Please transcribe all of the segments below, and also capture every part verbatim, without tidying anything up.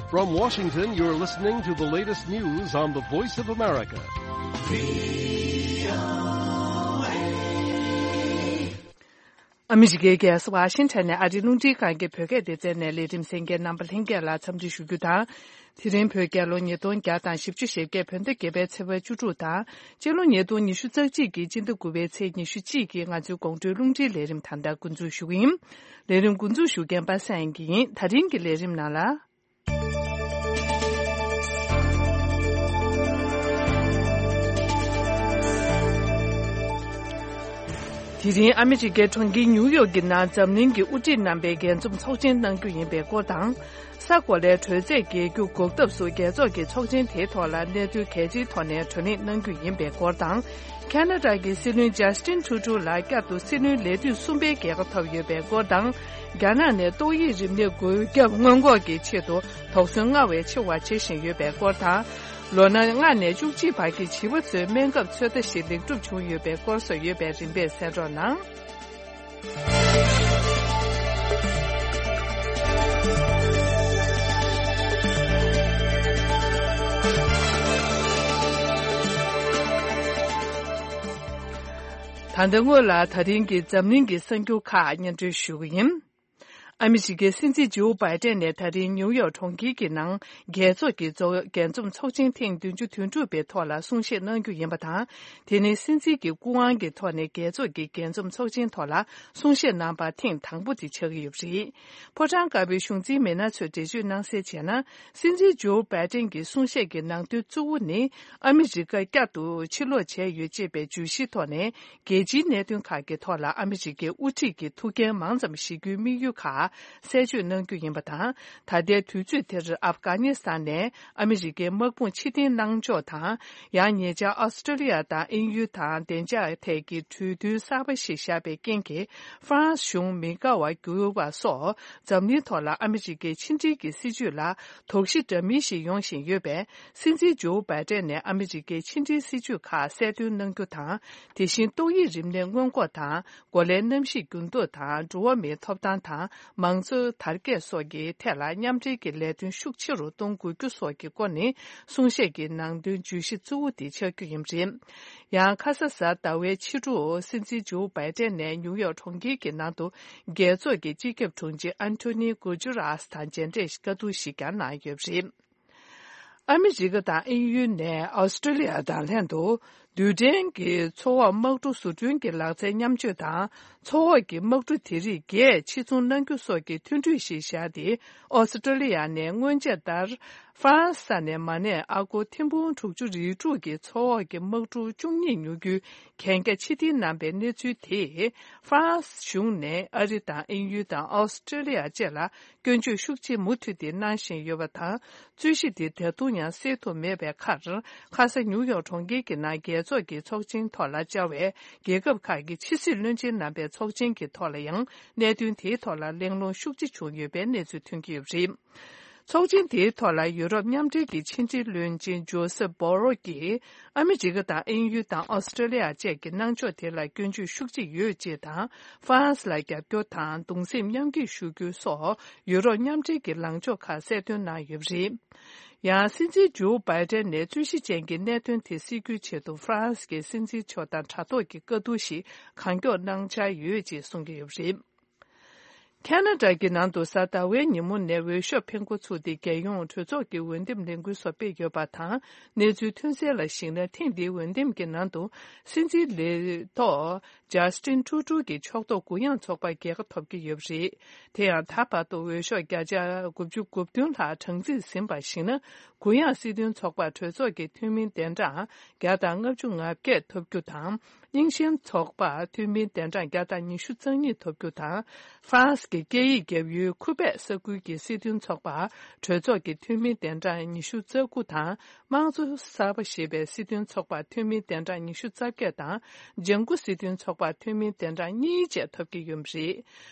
From Washington, you're listening to the latest news on the Voice of America. ཨ་མི་རི་ཀའི་རྒྱལ་ས་ཝ་ཤིང་ཊོན་ནས་ཨ་རིའི་རླུང་འཕྲིན་ཁང་གི་བོད་སྐད་སྡེ་ཚན་ནས་ལས་རིམ་གསན་མཁན་རྣམ་པ་ལྷན་རྒྱས་ལ་འཚམས་འདྲི་ཞུ་རྒྱུ་དང་། དེ་རིང་བོད་རྒྱལ་ལོ་ཉིས་སྟོང་བརྒྱ་དང་བཞི་བཅུ་ཞེ་བརྒྱད། བོད་ཟླ་བརྒྱད་པའི་ཚེས་པ་བཅུ་དྲུག་དང་། སྤྱི་ལོ་ཉིས་སྟོང་ཉི་ཤུ་རྩ་གཅིག་གི་སྤྱི་ཟླ་དགུ་པའི་ཚེས་ཉི་ཤུ་གཅིག་གི་ང་ཚོའི་དགོང་དྲོའི་རླུང་འཕྲིན་ལས་རིམ་ད་ལྟ་འགོ་འཛུགས་ཞུ་གི་ཡིན། ལས་རིམ་འགོ་འཛུགས་ཞུ་མཁན་པ་སངས་སྐྱིད་ཡིན། ད་རིང་གི་ལས་རིམ་ནང་ལ། དེ་རིང་ཨ་མི་རི་ཀའི་གྲོང་ཁྱེར་ཉིའུ་ཡོག་གི་ནང་འཛམ་གླིང་གི་དབུ་ཁྲིད་རྣམ་པའི་རྒྱས་འཛོམས་ཚོགས་ཆེན་གནང་རྒྱུ་ཡིན་པའི་སྐོར་དང་། ས་གོ་ལའི་དྲོད་ཚད་རྒྱས་རྒྱུ་འགོག་ཐབས་སུ་རྒྱལ་ཚོགས་ཀྱི་ཚོགས་ཆེན་དེའི་ཐོག་ལ་གནད་དོན་གལ་ཆེའི་ཐོག་ནས་གྲོས་གླེང་གནང་རྒྱུ་ཡིན་པའི་སྐོར་དང་། ཁ་ན་ཌ་གི་སྲིད་བློན་ཇཱ་སི་ཊིན་ཊུ་ཌོ་ལགས་བསྐྱར་དུ་སྲིད་བློན་ལས་དུས་གསུམ་པའི་རྒྱལ་ཁ་ཐོབ་ཡོད་པའི་སྐོར་དང་། རྒྱ་ནག་ནས་ཏོག་དབྱིབས་རིམས་ནད་འགོས་ཁྱབ་སྔོན་འགོག་གི་ཆེད་དུ་དོགས་ཟོན་སྔར་བས་ཆེ་བ་བྱེད་བཞིན་ཡོད་པའི་སྐོར་དང་། ལོ་ན་ལྔ་ནས་བཅུ་གཅིག་བར་གྱི་བྱིས་པ་ཚོའི་སྨན་ཁབ་ཚོད་ལྟ་ཞིག་ལེགས་གྲུབ་བྱུང་ཡོད་པའི་སྐོར་སོགས་ཡོད་པའི་རིམ་པས་གསན་རོགས་གནང་། ད་ལྟ་སྔོན་ལ་ད་རིང་གི་འཛམ་གླིང་གི་གསར་འགྱུར་ཁག་སྙན་སྒྲོན་ཞུ་གི་ཡིན། ཨ་མི་རི་ཀའི་སྲིད་འཛིན་ཇོ་བྷའི་ཏན་ནས་ད་རིང་ནིའུ་ཡོག་གྲོང་ཁྱེར་གྱི་ནང་རྒྱལ་ཚོགས་ཀྱི་རྒྱས་འཛོམས་ཚོགས་ཆེན་ཐེངས་བདུན་ཅུ་དོན་དྲུག་པའི་ཐོག་ལ་གསུང་བཤད་གནང་རྒྱུ་ཡིན་པ་དང་། དེ་ནི་སྲིད་འཛིན་གྱི་སྐུ་དབང་གི་ཐོག་ནས་རྒྱལ་ཚོགས་ཀྱི་རྒྱས་འཛོམས་ཚོགས་ཆེན་ཐོག་ལ་གསུང་བཤད་གནང་པ་ཐེངས་དང་པོ་དེ་ཆགས་ཀྱི་ཡོད་པ་རེད། ཕོ་བྲང་དཀར་པོའི་གཞུང་འཛིན་མི་སྣ་ཚོས་འགྲེལ་བརྗོད་གནང་གསལ་བྱས་ན། སྲིད་འཛིན་ཇོ་བྷའི་ཏན་གྱི་གསུང་བཤད་ཀྱི་ནང་དོན་གཙོ་བོ་ནི། ཨ་མི་རི་ཀ་བསྐྱར་དུ་ཕྱིར་ལོག་བྱས་ཡོད་ཅེས་པའི་བརྗོད་གཞིའི་ཐོག་ནས། རྒྱལ་སྤྱིའི་གནད་དོན་ཁག་གི་ཐོག་ལ་ཨ་མི་རི་ཀའི་དབུ་ཁྲིད་ཀྱིས་ཐུགས་འགན་མང་ཙམ་བཞེས་རྒྱུའི་དམིགས་ཡུལ་ཁག་གསལ་བརྗོད་གནང་རྒྱུ་ཡིན་པ་དང་། ད་ལྟའི་དུས་ཚོད་དེར་ཨབ་གྷ་ནི་སི་ཐན་ནས་ཨ་མི་རི་ཀའི་དམག་དཔུང་ཕྱིར་འཐེན་གནང་ཕྱོགས་དང་། ཡང་ཉེ་ཆར་ཨོ་སི་ཀྲོ་ལི་ཡ་དང་དབྱིན་ཡུལ་དང་བདེ་འཇགས་ཐད་ཀྱི་གྲོས་མཐུན་གསར་པ་ཞིག་བཞག་པའི་རྐྱེན་གྱིས། ཧྥ་རན་སི་གཞུང་མི་དགའ་བར་གྱུར་བ་སོགས། འཛམ་གླིང་ཐོག་ལ་ཨ་མི་རི་ཀའི་ཕྱི་འབྲེལ་གྱི་སྲིད་བྱུས་ལ་དོགས་གཞི་འདྲ་མིན་ཞིག་ཡོང་བཞིན་ཡོད་པས། སྲིད་འཛིན་ཇོ་བྷའི་ཏན་ནས་ཨ་མི་རི་ཀའི་ཕྱི་འབྲེལ་སྲིད་བྱུས་ཁག་གསལ་སྟོན་གནང་རྒྱུ་དང་། དེ་བཞིན་ཏོག་དབྱིབས་རིམས་ནད་སྔོན་འགོག་དང་། གོ་ལའི་གནམ་གཤིས་འགྱུར་ལྡོག་དང་། འགྲོ་བ་མིའི་ཐོབ་ཐང་དང་། མང་གཙོ་དར་རྒྱས་སོགས་ཀྱི་ཐད་ལ་མཉམ་འབྲེལ་གྱི་ལས་དོན་ཤུགས་ཆེ་རུ་གཏོང་དགོས་རྒྱུ་སོགས་ཀྱི་སྐོར་ནི། གསུང་བཤད་ཀྱི་ནང་དོན་བརྗོད་གཞི་གཙོ་བོ་དེ་ཆགས་རྒྱུ་ཡིན་པ་རེད། ཡང་ཁ་ས་གཟའ་ཟླ་བའི་ཕྱི་དྲོ་སྲིད་འཛིན་ཇོ་བྷའི་ཏན་ནས་ནིའུ་ཡོག་གྲོང་ཁྱེར་གྱི་ནང་དུ། རྒྱལ་ཚོགས་ཀྱི་སྤྱི་ཁྱབ་དྲུང་ཆེ་ཨན་ཐོ་ནི་གུ་ཇུ་རཱས་དང་མཇལ་འཕྲད་བཀའ་བསྡུར་ཞིག་ཀྱང་གནང་ཡོད་པ་རེད། ཨ་མི་རི་ཀ་དང་དབྱིན་ཡུལ་ནས་ཨོ་སི་ཀྲོ་ལི་ཡ་དང་ལྷན་དུ། རྡུལ་ཕྲན་གྱི་མཚོ་འོག་དམག་གྲུ་བཟོ་སྐྲུན་གྱི་ལག་རྩལ་མཉམ་སྤྱོད་དང་། མཚོ་འོག་གི་དམག་གྲུ་དེ་རིགས་བརྒྱད་ཕྱིར་ཚོང་གནང་རྒྱུ་སོགས་ཀྱི་མཐུན་གྲོས་ཤིག་བཞག་སྟེ། ཨོ་སི་ཀྲོ་ལི་ཡ་ནས་སྔོན་ཆད་ལྟར། ཧྥ་རན་སི་ས་ནས་མ་ཎི་ཨ་སྒོར་ཐེར་འབུམ་དྲུག་ཅུ་རེ་དྲུག་གི་མཚོ་འོག་གི་དམག་གྲུ་བཅུ་གཉིས་ཉོ་རྒྱུའི་གན་རྒྱ་ཕྱིར་འཐེན་གནང་པའི་གནས་ཚུལ་དེས། ཧྥ་རན་སི་གཞུང་ནས་ཨ་རི་དང་དབྱིན་ཡུལ་དང་ཨོ་སི་ཀྲོ་ལི་ཡ་བཅས་ལ་སྐྱོན་བརྗོད་ཤུགས་ཆེ་མུ་མཐུད་དེ་གནང་བཞིན་ཡོད་པ་དང་། རྩོད་གཞི་དེ་ད་དུང་ཡང་སེལ་ཐུབ་མེད་པའི་ཁར། ཁ་ས་ནིའུ་ཡོག་གྲོང་ཁྱེར་གྱི་ནང་རྒྱལ་ཚོགས་ཀྱི་ཚོགས་ཆེན་ཐོག་ལ་བཅར་བའི་རྒྱལ་ཁབ་ཁག་གི་ཕྱི་སྲིད་བློན་ཆེན་རྣམ་པའི་ཚོགས་ཆེན་གྱི་ཐོག་ལ་ཡང་། གནད་དོན་དེའི་ཐོག་ལ་གླེང་སློང་ཤུགས་ཆེ་བྱུང་ཡོད་པའི་གནས་ཚུལ་ཐོན་གྱི་ཡོད་པ་རེད། ཚོགས་ཆེན་དེའི་ཐོག་ལ་ཡུ་རོབ་མཉམ་འབྲེལ་གྱི་ཕྱི་འབྲེལ་བློན་ཆེན་ཇོ་སེབ་བྷོ་རོ་གིས། ཨ་མི་རི་ཀ་དང་དབྱིན་ཡུལ་དང་ཨོ་སི་ཀྲོ་ལི་ཡ་བཅས་ཀྱི་གནང་ཕྱོགས་དེ་ལ་སྐྱོན་བརྗོད་ཤུགས་ཆེ་ཡོད་ཅེས་དང་། ཧྥ་རན་སི་ལ་རྒྱབ་སྐྱོར་དང་གདུང་སེམས་མཉམ་སྐྱེད་ཞུ་རྒྱུ་སོགས། ཡུ་རོབ་མཉམ་འབྲེལ་གྱི་ལངས་ཕྱོགས་ཁག་གསལ་སྟོན་གནང་ཡོད་པ་རེད། ཡང་སྲིད་འཛིན་ཇོ་བྷའི་ཏན་ནས་རྩོད་གཞི་ཅན་གྱི་གནད་དོན་དེ་སེལ་རྒྱུའི་ཆེད་དུ་ཧྥ་རན་སི་གི་སྲིད་འཛིན་མཆོག་དང་དྲ་ཐོག་གི་བཀའ་བསྡུར་ཞིག་གང་མགྱོགས་གནང་འཆར་ཡོད་ཅེས་གསུང་གི་ཡོད་པ་རེད། ཁ་ན་ཌ་གི་ནང་དུ་གཟའ་ཟླ་བའི་ཉིན་མོ་ནས་འོས་ཤོག་འཕེན་འགོ་ཚུགས་ཏེ། རྒྱལ་ཡོངས་གྲོས་ཚོགས་ཀྱི་འོས་འདེམས་ལས་འགུལ་སོགས་སྤེལ་ཡོད་པ་དང་། གནས་ཚུལ་ཐོན་གསལ་ལ་གཞིགས་ན། ཐེངས་འདིའི་འོས་འདེམས་ཀྱི་ནང་དུ་སྲིད་འཛིན་ལས་ཐོག་ཇཱ་སི་ཊིན་ཊུ་ཌོ་གི་ཕྱོགས་གཏོགས་གུ་ཡངས་ཚོགས་པ་རྒྱལ་ཁ་ཐོབ་ཀྱི་ཡོད་པ་རེད། དེ་ཡང་ད་བར་དུ་འོས་ཤོག་བརྒྱ་ཆ་དགུ་བཅུ་གོ་བདུན་ལྷག་གྲངས་རྩིས་ཟིན་པར་གཞིགས་ན། གུ་ཡངས་སྲིད་དོན་ཚོགས་པར་གྲོས་ཚོགས་ཀྱི་འཐུས་མི་གདན་གྲངས་བརྒྱ་དང་ལྔ་བཅུ་ང་བརྒྱད་ཐོབ་རྒྱུ་དང་། རྙིང་ཞེན་ཚོགས་པར་འཐུས་མིའི་གདན་གྲངས་བརྒྱ་དང་ཉི་ཤུ་རྩ་གཉིས་ཐོབ་རྒྱུ་དང་། ཧྥ་རན་སི་གི་སྐད་ཡིག་རྒྱབ་ཡུལ་ཁུ་པེག་ས་ཁུལ་གྱི་སྲིད་དོན་ཚོགས་པར་གྲོས་ཚོགས་ཀྱི་འཐུས་མིའི་གདན་གྲངས་ཉི་ཤུ་རྩ་དགུ་དང་། དམངས་གཙོ་གསར་པ་ཞེས་པའི་སྲིད་དོན་ཚོགས་པར་འཐུས་མིའི་གདན་གྲངས་ཉི་ཤུ་རྩ་བརྒྱད་དང་། ལྗང་ཁུ་སྲིད་དོན་ཚོགས་པར་འཐུས་མིའི་གདན་གྲངས་གཉིས་བཅས་ཐོབ་ཀྱི་ཡོད་པ་རེད།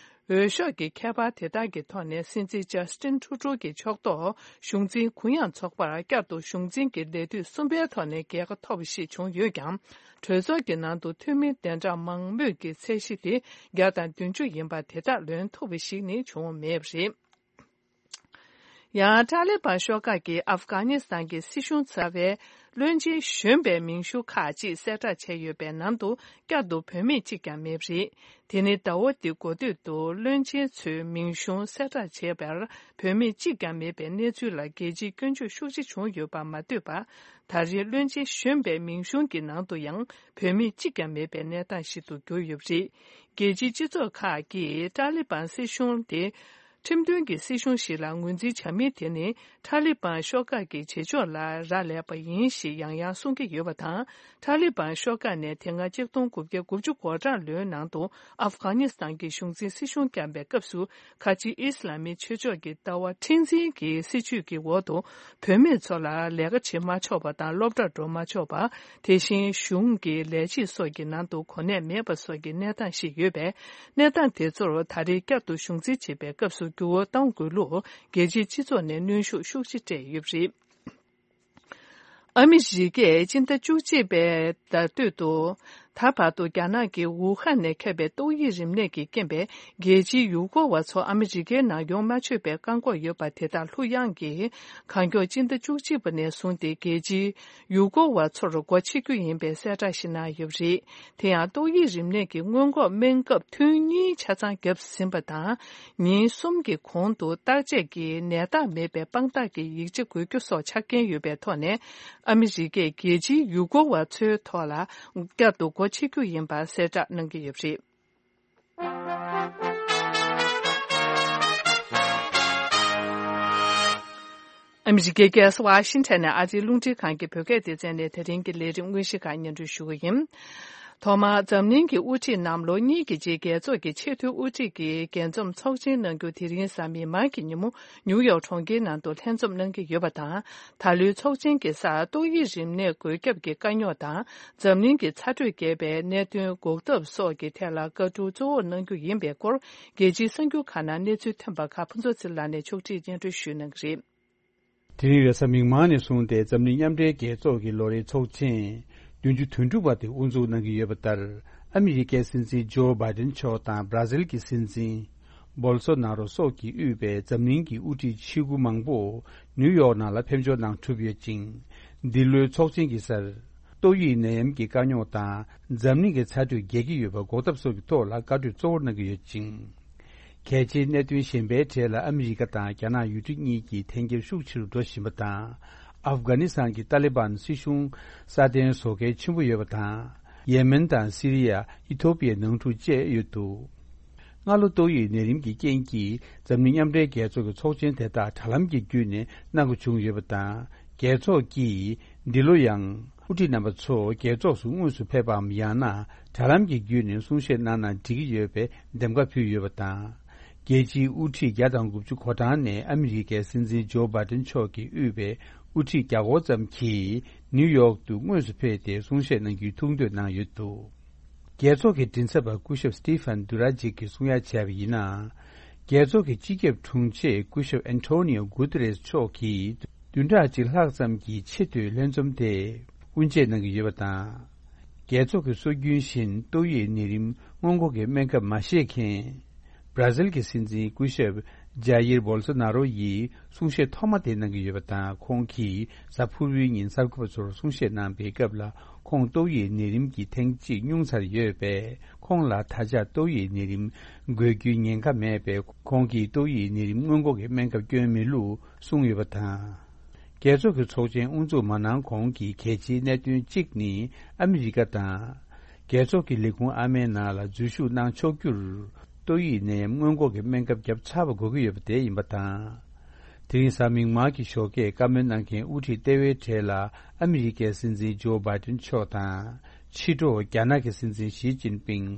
འོས་ཤོག་གི་ཁྱད་པར་དེ་དག་གི་ཐོག་ནས་སྲིད་འཛིན་ཇཱ་སི་ཊིན་ཊུ་ཌོ་གི་ཕྱོགས་གཏོགས་གཞུང་འཛིན་གུ་ཡངས་ཚོགས་པར་བསྐྱར་དུ་གཞུང་འཛིན་གྱི་ལས་དུས་གསུམ་པའི་ཐོག་ནས་རྒྱལ་ཁ་ཐོབ་པ་ཞིག་བྱུང་ཡོད་ཀྱང་། གྲོས་ཚོགས་ཀྱི་ནང་དུ་འཐུས་མིའི་གདན་གྲངས་མང་མོས་ཀྱི་ཚད་གཞི་དེ་བརྒྱ་དང་བདུན་ཅུ་ཡིན་པ་དེ་དག་ལོན་ཐུབ་པ་ཞིག་ནི་བྱུང་མེད་པ་རེད། ཡང་ཏཱ་ལི་བན་ཤོག་ཁག་གིས་ཨབ་གྷ་ནི་སི་ཐན་གྱི་སྲིད་གཞུང་རྩ་བའི་བློན་ཆེན་གཞོན་པའི་མིང་གཞུང་ཁག་ཅིག་གསལ་བསྒྲགས་བྱས་ཡོད་པའི་ནང་དུ་བསྐྱར་དུ་བུད་མེད་གཅིག་ཀྱང་མེད་པ་རེད། དེ་ནི་ཟླ་བ་འདིའི་འགོ་སྟོད་དུ་བློན་ཆེན་ཚོའི་མིང་གཞུང་གསལ་བསྒྲགས་བྱས་པར་བུད་མེད་གཅིག་ཀྱང་མེད་པའི་གནས་ཚུལ་ལ་རྒྱལ་སྤྱིའི་སྐྱོན་བརྗོད་ཤུགས་ཆེ་བྱུང་ཡོད་པ་མ་ལྟོས་པར། ད་རེས་བློན་ཆེན་གཞོན་པའི་མིང་གཞུང་གི་ནང་དུ་ཡང་བུད་མེད་གཅིག་ཀྱང་མེད་པའི་གནས་སྟངས་ཤིག་ཏུ་གྱུར་ཡོད་པ་རེད། རྒྱལ་སྤྱིའི་སྤྱི་ཚོགས་ཁག་གིས་ཏཱ་ལི་བན་སྲིད་གཞུང་དེ་ཁྲིམས་མཐུན་གྱི་སྲིད་གཞུང་ཞིག་ལ་ངོས་འཛིན་བྱ་མིན་དེ་ནི་ཏཱ་ལི་བན་ཤོག་ཁག་གི་བྱེད་ཕྱོགས་ལ་རག་ལས་པ་ཡིན་ཞེས་ཡང་ཡང་གསུང་གི་ཡོད་པ་དང་། ཏཱ་ལི་བན་ཤོག་ཁག་ནས་དེ་སྔ་ཆིག་སྟོང་དགུ་བརྒྱ་དགུ་བཅུ་གོ་གྲངས་ལོའི་ནང་དུ་ཨབ་གྷ་ནི་སི་ཐན་གྱི་གཞུང་འཛིན་སྲིད་གཞུང་བསྐྱངས་པའི་སྐབས་སུ། ཁ་ཆེའི་ཨི་སི་ལ་མིའི་ཆོས་ཕྱོགས་ཀྱི་ལྟ་བ་མཁྲེགས་འཛིན་གྱི་སྲིད་བྱུས་ཀྱི་འོག་ཏུ། བུད་མེད་ཚོ་ལ་ལས་ཀ་བྱེད་མ་ཆོག་པ་དང་སློབ་གྲྭར་འགྲོ་མ་ཆོག་པ། དེ་བཞིན་གཞུང་གི་ལས་བྱེད་སོགས་ཀྱི་ནང་དུ་གོ་གནས་མེད་པ་སོགས་ཀྱི་གནས་སྟངས་ཤིག་ཡོད་པས། གནས་སྟངས་དེ་ཚོར་ད་རེས་བསྐྱར་དུ་གཞུང་འཛིན་བྱེད་པའི་སྐབས་སུ་འགྱུར་བ་གཏོང་དགོས་ལུགས་རྒྱལ་སྤྱིའི་སྤྱི་ཚོགས་ནས་གནོན་ཤུགས་ཤུགས་ཆེ་སྤྲད་ཡོད་པ་རེད། ཨ་མི་རི་ཀས་སྤྱི་ཟླ་བཅུ་གཅིག་པའི་ཟླ་སྟོད་དུ། ད་བར་དུ་རྒྱ་ནག་གི་ཝུ་ཧན་ནས་ཁྱབ་པའི་ཏོག་དབྱིབས་རིམས་ནད་ཀྱི་རྐྱེན་པས་རྒྱལ་སྤྱིའི་ཡུལ་སྐོར་བ་ཚོ་ཨ་མི་རི་ཀའི་ནང་ཡོང་མ་ཆོག་པའི་བཀག་འགོག་ཡོད་པ་དེ་དག་ལྷུག་ཡངས་ཀྱིས་གང་མགྱོགས་སྤྱི་ཟླ་བཅུ་གཅིག་པ་ནས་བཟུང་སྟེ་རྒྱལ་སྤྱིའི་ཡུལ་སྐོར་བ་ཚོར་སྒོ་ཕྱེ་རྒྱུ་ཡིན་པའི་གསལ་བསྒྲགས་ཤིག་གནང་ཡོད་པ་རེད། དེ་ཡང་ཏོག་དབྱིབས་རིམས་ནད་ཀྱི་སྔོན་འགོག་སྨན་ཁབ་ཐུན་གཉིས་ཆ་ཚང་བརྒྱབ་ཟིན་པ་དང་། ཉིན་གསུམ་གྱི་གོང་དུ་བརྟག་དཔྱད་ཀྱིས་ནད་རྟགས་མེད་པའི་དཔང་རྟགས་ཀྱི་ཡིག་ཆ་དགོས་རྒྱུ་སོགས་ཆ་རྐྱེན་ཡོད་པའི་ཐོག་ནས། ཨ་མི་རི་ཀས་རྒྱལ་སྤྱིའི་ཡུལ་སྐོར་བ་ཚོའི་ཐོག་ལ་བསྐྱར་དུ་སྒོ་ཕྱེ་རྒྱུ་ཡིན་པ་གསལ་བསྒྲགས་གནང་གི་ཡོད་པ་རེད། ཨ་མི་རི་ཀའི་རྒྱལ་ས་ཝ་ཤིང་ཊོན་ནས་ཨ་རིའི་རླུང་འཕྲིན་ཁང་གི་བོད་སྐད་སྡེ་ཚན་ནས་དེ་རིང་གི་ལས་རིམ་དངོས་གཞི་ཁག་སྙན་སྒྲོན་ཞུ་གི་ཡིན། ཐོག་མར་འཛམ་གླིང་གི་དབུ་ཁྲིད་རྣམས་ལོ་གཉིས་ཀྱི་རྗེས་རྒྱལ་ཚོགས་ཀྱི་ཆེས་མཐོའི་དབུ་ཁྲིད་ཀྱི་རྒྱས་འཛོམས་ཚོགས་ཆེན་གནང་རྒྱུ་དེ་རིང་གཟའ་མིག་དམར་གྱི་ཉིན་མོ་ནིའུ་ཡོག་གྲོང་ཁྱེར་ནང་དུ་ལྷན་འཛོམས་གནང་གི་ཡོད་པ་དང་། ད་ལོའི་ཚོགས་ཆེན་གྱི་སར་ཏོག་དབྱིབས་རིམས་ནད་འགོས་ཁྱབ་ཀྱི་དཀའ་རྙོག་དང་། འཛམ་གླིང་གི་ཚ་དྲོད་རྒྱས་པའི་གནད་དོན་འགོག་ཐབས་སོགས་ཀྱི་ཐད་ལ་བཀའ་སྒྲུབ་གཙོ་བོར་གནང་རྒྱུ་ཡིན་པའི་སྐོར། རྒྱལ་སྤྱིའི་གསར་འགྱུར་ཁག་ནང་གནས་ཚུལ་ཐོན་པ་ཁག་ཕུན་ཚོགས་ཚེ་རིང་ལགས་ནས་ཕྱོགས་སྒྲིག་སྙན་སྒྲོན་ཞུས་གནང་གི་རེད། དེ་རིང་རེས་གཟའ་མིག་དམར་ནས་བཟུང་སྟེ་འཛམ་གླིང་མཉམ་འབྲེལ་རྒྱལ་ཚོགས་ཀྱི་ལོ་རེའི་ཚོགས་ཆེན་བདུན་ཅུ་དོན་དྲུག་པ་དེ་དབུ་འཛུགས་གནང་གི་ཡོད་པ་ལྟར། ཨ་མི་རི་ཀའི་སྲིད་འཛིན་ཇོ་བྷའི་ཏིན་མཆོག་དང་སྦྲ་ཟིལ་གྱི་སྲིད་འཛིན་བོལ་སོ་ནཱ་རོ་སོགས་ཀྱིས་དབུས་པའི་འཛམ་གླིང་གི་དབུ་ཁྲིད་ཆེ་དགུ་མང་པོ་ནིའུ་ཡོག་ནང་ལ་ཕེབས་འབྱོར་གནང་གྲུབ་ཡོད་ཅིང་། འདི་ལོའི་ཚོགས་ཆེན་གྱི་སར། ཏོག་དབྱིབས་ནད་ཡམས་ཀྱི་དཀའ་རྙོག་དང་། འཛམ་གླིང་གི་ཚ་དྲོད་རྒྱས་ཀྱི་ཡོད་པ་འགོག་ཐབས་སོགས་ཀྱི་ཐོག་ལ་བཀའ་གྲོས་གཙོ་བོར་གནང་གི་ཡོད་ཅིང་། གལ་ཆེའི་གནད་དོན་གཞན་པའི་གྲས་ལ་ཨ་མི་རི་ཀ་དང་རྒྱ་ནག་ཡུལ་གྲུ་གཉིས་ཀྱིས་འཐེན་འཁྱེར་ཤུགས་ཆེ་རུ་འགྲོ་བཞིན་པ་དང་། ཨབ་གྷ་ནི་སི་ཐན་གྱི་ཏཱ་ལི་བན་སྲིད་གཞུང་སྲ་བརྟན་བཟོ་གལ་ཆེན་པོ་ཡོད་པ་དང་། ཡེ་མེན་དང་སི་རི་ཡ། ཨི་ཐོ་པི་ཡའི་ནང་འཁྲུག་བཅས་ཡོད་འདུག་སྔ་ལོ་ཏོག་དབྱིབས་ནད་རིམས་ཀྱི་རྐྱེན་གྱིས་འཛམ་གླིང་མཉམ་འབྲེལ་རྒྱལ་ཚོགས་ཀྱི་ཚོགས་ཆེན་དེ་དག་དྲ་ལམ་གྱི་བརྒྱུད་ནས་གནང་དགོས་བྱུང་ཡོད་པ་དང་། རྒྱལ་ཚོགས་ཀྱིས་འདི་ལོ་ཡང་དབུ་ཁྲིད་རྣམ་པ་ཚོ་རྒྱལ་ཚོགས་སུ་དངོས་སུ་ཕེབས་པའམ་ཡང་ན་དྲ་ལམ་གྱི་བརྒྱུད་ནས་གསུང་བཤད་གནང་ན་འགྲིག་གི་ཡོད་པའི་འདེམས་ཀ་ཕུལ་ཡོད་པ་དང་། རྒྱལ་སྤྱིའི་དབུ་ཁྲིད་བརྒྱ་དང་དགུ་བཅུ་གོ་གྲངས་ནས་ཨ་མི་རི་ཀའི་སྲིད་འཛིན་ཇོ་བྷའི་ཏིན་མཆོག་གིས་དབུས་པའི་དབུ་ཁྲིད་བརྒྱ་སྐོར་ཙམ་གྱིས་ནིའུ་ཡོག་ཏུ་དངོས་སུ་ཕེབས་ཏེ་གསུང་བཤད་གནང་རྒྱུའི་ཐུགས་འདོད་གནང་ཡོད་འདུག་རྒྱལ་ཚོགས་ཀྱི་མགྲིན་ཚབ་པ་སྐུ་ཞབས་སི་ཏི་ཕན་དུ་ར་ཇིག་གིས་གསུང་ཡ་བྱས་པ་ཡིན་ན། རྒྱལ་ཚོགས་ཀྱི་སྤྱི་ཁྱབ་དྲུང་ཆེ་སྐུ་ཞབས་ཨན་ཐོ་ནི་ཡོ་གུ་ཏེ་རེས་མཆོག་གིས་བདུན་ཕྲག་གཅིག་ལྷག་ཙམ་གྱི་ཆེས་མཐོའི་ལྷན་འཛོམས་དེ་དབུ་འབྱེད་གནང་གི་ཡོད་པ་དང་། རྒྱལ་ཚོགས་ཀྱི་སྲོལ་རྒྱུན་བཞིན་ཏོག་དབྱིབས་ནད་རིམས་སྔོན་འགོག་གི་སྨན་ཁབ་མ་བཞེས་མཁན། བྷ་ར་ཟིལ་གྱི་སྲིད་འཛིན་སྐུ་ཞབས་ཇཱ་ཡིར་བོལ་སོ་ནཱ་རོ་ཡིས་གསུང་བཤད་ཐོག་མ་དེ་གནང་གི་ཡོད་པ་དང་། ཁོང་གིས་གཟའ་ཕུར་བུའི་ཉིན་གསར་འགོད་པ་ཚོར་གསུང་བཤད་གནང་པའི་སྐབས་ལ། ཁོང་ཏོག་དབྱིབས་ནད་རིམས་ཀྱིས་ཐེངས་གཅིག་བསྙུང་ཚར་ཡོད་པས། ཁོང་ལ་ད་ཆ་ཏོག་དབྱིབས་ནད་རིམས་འགོས་རྒྱུའི་ཉེན་ཁ་མེད་པས། ཁོང་གིས་ཏོག་དབྱིབས་ནད་རིམས་སྔོན་འགོག་གི་སྨན་ཁབ་སྐྱོན་མེད་ལུགས་གསུངས་ཡོད་པ་དང་། རྒྱལ་ཚོགས་ཀྱི་ཚོགས་ཆེན་དབུ་འཛུགས་མ་གནང་གོང་གི་གལ་ཆེའི་གནད་དོན་གཅིག་ནི་ཨ་མི་རི་ཀ་དང་། རྒྱལ་ཚོགས་ཀྱི་ལས་ཁུངས་ཨ་མའི་ནང་ལ་འཛུལ་ཞུགས་གནང་ཆོག་རྒྱུར། ཏོག་དབྱིབས་ནད་ཡམས་སྔོན་འགོག་གི་སྨན་ཁབ་བརྒྱབ་ཚར་བ་དགོས་ཀྱི་ཡོད་པ་དེ་ཡིན་པ་དང་། དེ་རིང་གཟའ་མིག་དམར་གྱི་ཞོགས་ཀས་བཀའ་མོལ་གནང་མཁན་དབུ་ཁྲིད་ལྟེ་བའི་གྲས་ལ་ཨ་མི་རི་ཀའི་སྲིད་འཛིན་ཇོ་བྷའི་ཏིན་མཆོག་དང་། ཕྱི་དྲོ་རྒྱ་ནག་གི་སྲིད་འཛིན་ཞི་ཅིན་ཕིང་།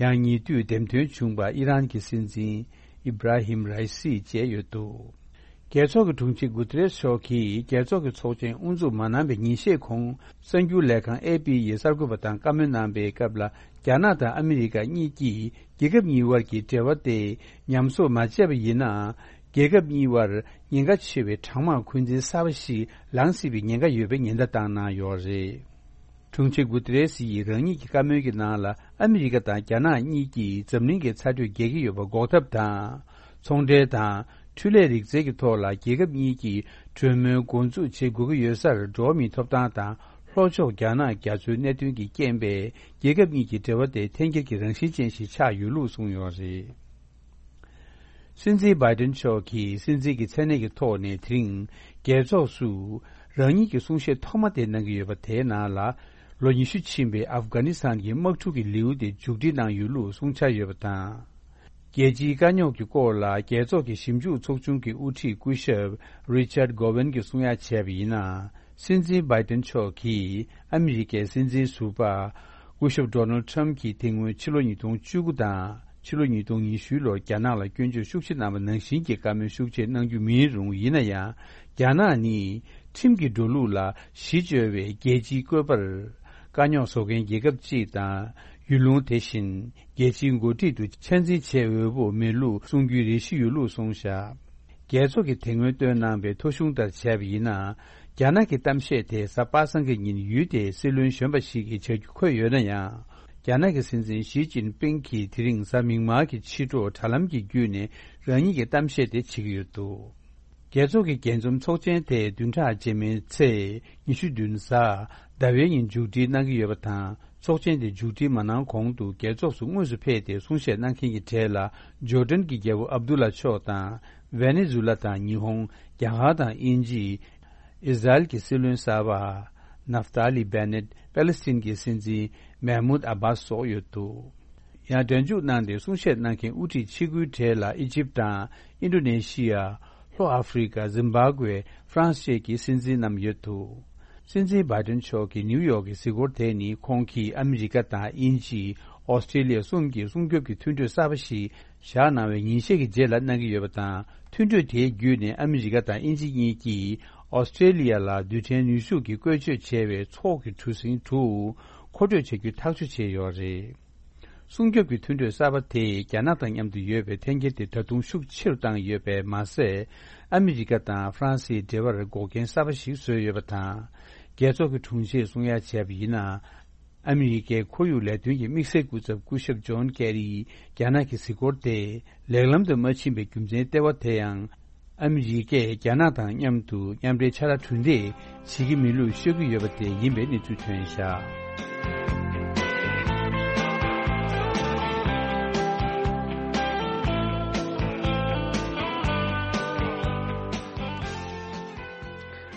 ཡང་ཉེ་དུས་འདེམས་ཐོན་བྱུང་བ་ཨི་རན་གྱི་སྲིད་འཛིན་ཨི་བྷ་ར་ཧིམ་རའི་སི་བཅས་ཡོད་འདུག་རྒྱལ་ཚོགས་ཀྱི་དྲུང་ཆེ་གུ་ཏེ་རེས་མཆོག་གིས་རྒྱལ་ཚོགས་ཀྱི་ཚོགས་ཆེན་དབུ་འཛུགས་མ་གནང་བའི་ཉིན་ཤས་གོང་གསར་འགྱུར་ལས་ཁང་ཨེ་པི་ཡིས་གསར་འགོད་པ་དང་བཀའ་མོལ་གནང་པའི་སྐབས་ལ། རྒྱ་ནག་དང་ཨ་མི་རི་ཀ་གཉིས་ཀྱིས་རྒྱལ་ཁབ་གཉིས་དབར་གྱི་འབྲེལ་བ་དེ་ཉམས་གསོ་མ་བྱས་པ་ཡིན་ན། རྒྱལ་ཁབ་གཉིས་དབར་ཉེན་ཁ་ཆེ་བའི་གྲང་དམག་འཁོན་འཛིན་གསར་པ་ཞིག་ལངས་སྲིད་པའི་ཉེན་ཁ་ཡོད་པའི་ཉེན་བརྡ་བཏང་གནང་ཡོད་རེད། དྲུང་ཆེ་གུ་ཏེ་རེ་སི་ཡིས་རང་ཉིད་ཀྱི་བཀའ་མོལ་གྱི་ནང་ལ། ཨ་མི་རི་ཀ་དང་རྒྱ་ནག་གཉིས་ཀྱིས་འཛམ་གླིང་གི་ཚ་དྲོད་རྒྱས་ཀྱི་ཡོད་པ་འགོག་ཐབས་དང་། ཚོང་འབྲེལ་དང་ འཕྲུལ་ལས་རིག་རྩལ་གྱི་ཐོག་ལ་རྒྱལ་ཁབ་གཉིས་ཀྱིས་གྲོས་མོལ་འགོ་འཛུགས་བྱེད་དགོས་ཀྱི་ཡོད་སར། འགྲོ་བ་མིའི་ཐོབ་ཐང་དང་ལྷོ་ཕྱོགས་རྒྱ་ནག་རྒྱ་མཚོའི་གནད་དོན་གྱི་རྐྱེན་པས་རྒྱལ་ཁབ་གཉིས་ཀྱི་འབྲེལ་བ་དེ་འཐེན་འཁྱེར་གྱི་རང་བཞིན་ཅན་ཞིག་ཆགས་ཡོད་ལུགས་གསུངས་ཡོད་རེད། སྲིད་འཛིན་བྷའི་ཏིན་མཆོག་གིས་སྲིད་འཛིན་གྱི་མཚན་གནས་ཀྱི་ཐོག་ནས་དེ་རིང་རྒྱལ་ཚོགས་སུ་རང་ཉིད་ཀྱི་གསུང་བཤད་ཐོག་མ་དེ་གནང་གི་ཡོད་པ། དེའི་ནང་ལ་ལོ་ཉི་ཤུ་ཕྱིན་པའི་ཨབ་གྷ་ནི་སི་ཐན་གྱི་དམག་འཁྲུག་གི་ལེའུ་དེ་མཇུག་སྒྲིལ་གནང་ཡོད་ལུགས་གསུང་འཆར་ཡོད་པ་དང་། རྒྱལ་སྤྱིའི་དཀའ་རྙོག་གི་སྐོར་ལ་རྒྱལ་ཚོགས་ཀྱི་ཞིབ་འཇུག་ཚོགས་ཆུང་གི་དབུ་ཁྲིད་སྐུ་ཞབས་རི་ཆར་ཌ་གོ་ཝན་གྱིས་གསུང་ཡ་བྱས་པ་ཡིན་ན། སྲིད་འཛིན་བྷའི་ཏིན་མཆོག་གིས་ཨ་མི་རི་ཀའི་སྲིད་འཛིན་ཟུར་པ་སྐུ་ཞབས་ཌོ་ནལ་ཌི་ཊརམ་ཕི་གྱིས་དེ་སྔོན་ཕྱི་ལོ་ཉིས་སྟོང་བཅུ་དགུ་དང་ཕྱི་ལོ་ཉིས་སྟོང་ཉི་ཤུ་ལོར་རྒྱ་ནག་ལ་སྐྱོན་བརྗོད་ཤུགས་ཆེ་གནང་བ་ནང་བཞིན་གྱི་བཀའ་མོལ་ཤུགས་ཆེ་གནང་རྒྱུ་མིན་རུང་། ཡིན་ན་ཡང་རྒྱ་ནག་ནི་ཁྲིམས་ཀྱི་འགྲོ་ལུགས་ལ་གཞི་བཅོལ་བའི་རྒྱལ་སྤྱིའི་བཀོད་པར་དཀའ་རྙོག་བཟོ་མཁན་རྒྱལ་ཁབ་ཅིག་དང་། ཡུལ་ལུང་དེ་བཞིན་རྒྱལ་སྤྱིའི་འགོ་ཁྲིད་དུ་ཆ་འཛིན་བྱེད་འོས་པོ་མེད་ལུགས་གསུང་རྒྱུའི་རེ་ཞུ་ཡོད་ལུགས་གསུངས་བཞག་རྒྱལ་ཚོགས་ཀྱིས་དེ་སྔོན་བཏོན་གནང་བའི་ཐོ་གཞུང་ལྟར་བྱས་པ་ཡིན་ན། རྒྱ་ནག་གི་གཏམ་བཤད་དེ་གཟའ་པ་སངས་ཀྱི་ཉིན་ཡུལ་དེའི་སྲིད་བློན་གཞོན་པ་ཞིག་གིས་བྱ་རྒྱུ་འཁོད་ཡོད་ན་ཡང་། རྒྱ་ནག་གི་སྲིད་འཛིན་ཞི་ཅིན་ཕིང་གིས་དེ་རིང་གཟའ་མིག་དམར་གྱི་ཕྱི་དྲོ་དྲ་ལམ་གྱི་བརྒྱུད་ནས་རང་ཉིད་ཀྱི་གཏམ་བཤད་དེ་བྱེད་ཀྱི་ཡོད་འདུག་རྒྱལ་ཚོགས་ཀྱི་རྒྱས་འཛོམས་ཚོགས་ཆེན་དེ་བདུན་ཕྲག་རྗེས་མའི་ཚེས་ཉི་ཤུ་བདུན་གཟའ་ཟླ་བའི་ཉིན་མཇུག་སྒྲིལ་གནང་གི་ཡོད་པ་དང་། ཚོགས་ཆེན་དེ་མཇུག་སྒྲིལ་མ་གནང་གོང་དུ་རྒྱལ་ཚོགས་སུ་དངོས་སུ་ཕེབས་ཏེ་གསུང་བཤད་གནང་མཁན་གྱི་གྲས་ལ་ཇོར་ཌན་གྱི་རྒྱལ་པོ་ཨབ་དུ་ལ་མཆོག་དང་། ཝེ་ནེ་ཛུ་ལ་དང་ཉི་ཧོང་། རྒྱ་གར་དང་དབྱིན་ཇི། ཨི་ཟ་རེལ་གྱི་སྲིད་བློན་གསར་པ་ནབ་ཏཱ་ལི་བེ་ནེད། པེ་ལེ་སི་ཐན་གྱི་སྲིད་འཛིན་མེ་མུད་ཨ་བྷ་སི་སོགས་ཡོད་འདུག་ཡང་སྒྲ་འཇུག་གནང་སྟེ་གསུང་བཤད་གནང་མཁན་དབུ་ཁྲིད་ཆེ་དགུའི་གྲས་ལ་ཨི་ཇིབ་དང་ཨིན་ཌོ་ནེ་ཤི་ཡ། ལྷོ་ཨ་ཧྥི་རི་ཀ། ཛིམ་བྷ་ཝེ། ཧྥ་རན་སི་བཅས་ཀྱི་སྲིད་འཛིན་རྣམས་ཡོད་འདུག་སྲིད་འཛིན་བྷའི་ཏིན་མཆོག་གིས་ནིའུ་ཡོག་གི་གཟིགས་སྐོར་དེ་ནི་ཁོང་གིས་ཨ་མི་རི་ཀ་དང་དབྱིན་ཇི། ཨོ་སི་ཀྲེ་ལི་ཡ་གསུམ་གྱི་སྲུང་སྐྱོབ་ཀྱི་མཐུན་གྲོས་གསར་པ་ཞིག་བཞག་གནང་བའི་ཉིན་ཤས་ཀྱི་རྗེས་ལ་གནང་གི་ཡོད་པ་དང་། མཐུན་གྲོས་དེའི་བརྒྱུད་ནས་ཨ་མི་རི་ཀ་དང་དབྱིན་ཇི་གཉིས་ཀྱིས་ཨོ་སི་ཀྲེ་ལི་ཡ་ལ་རྡུལ་ཕྲན་ནུས་ཤུགས་ཀྱིས་བཀོལ་སྤྱོད་བྱས་པའི་ཚོགས་ཀྱི་གྲུ་གཟིངས་དྲུག་མཁོ་སྤྲོད་བྱ་རྒྱུ་ཐག་གཅོད་བྱས་ཡོད་རེད། སྲུང་སྐྱོབ་ཀྱི་མཐུན་གྲོས་གསར་པ་དེས་རྒྱ་ནག་དང་མཉམ་དུ་ཡོད་པའི་འཐེན་འཁྱེར་དེ་ད་དུང་ཤུགས་ཆེ་རུ་བཏང་ཡོད་པས་མ་ཟད། ཨ་མི་རི་ཀ་དང་ཧྥ་རན་སིའི་འབྲེལ་བར་འགོག་རྐྱེན་གསར་པ་ཞིག་བཟོས་ཡོད་པ་དང་། རྒྱལ་ཚོགས་ཀྱི་དྲུང་ཆེས་གསུང་ཡ་བྱས་པ་ཡིན་ན། ཨ་མི་རི་ཀའི་ཁོར་ཡུག་ལས་དོན་གྱི་དམིགས་བསལ་སྐུ་ཚབ་སྐུ་ཞབས་ཇོན་ཀེ་རིས་རྒྱ་ནག་གི་གཟིགས་སྐོར་དེ་ལེགས་ལམ་དུ་མ་ཕྱིན་པའི་རྒྱུ་མཚན་ལྟེ་བ་དེ་ཡང་། ཨ་མི་རི་ཀས་རྒྱ་ནག་དང་མཉམ་དུ་མཉམ་འབྲེལ་ཕྱག་ལས་གྲུ་འདེགས་བྱེད་ཀྱི་མིན་ལུགས་ཤོད་ཀྱི་ཡོད་པ་དེ་ཡིན་པའི་གནས་ཚུལ་ཐོན་བཞག་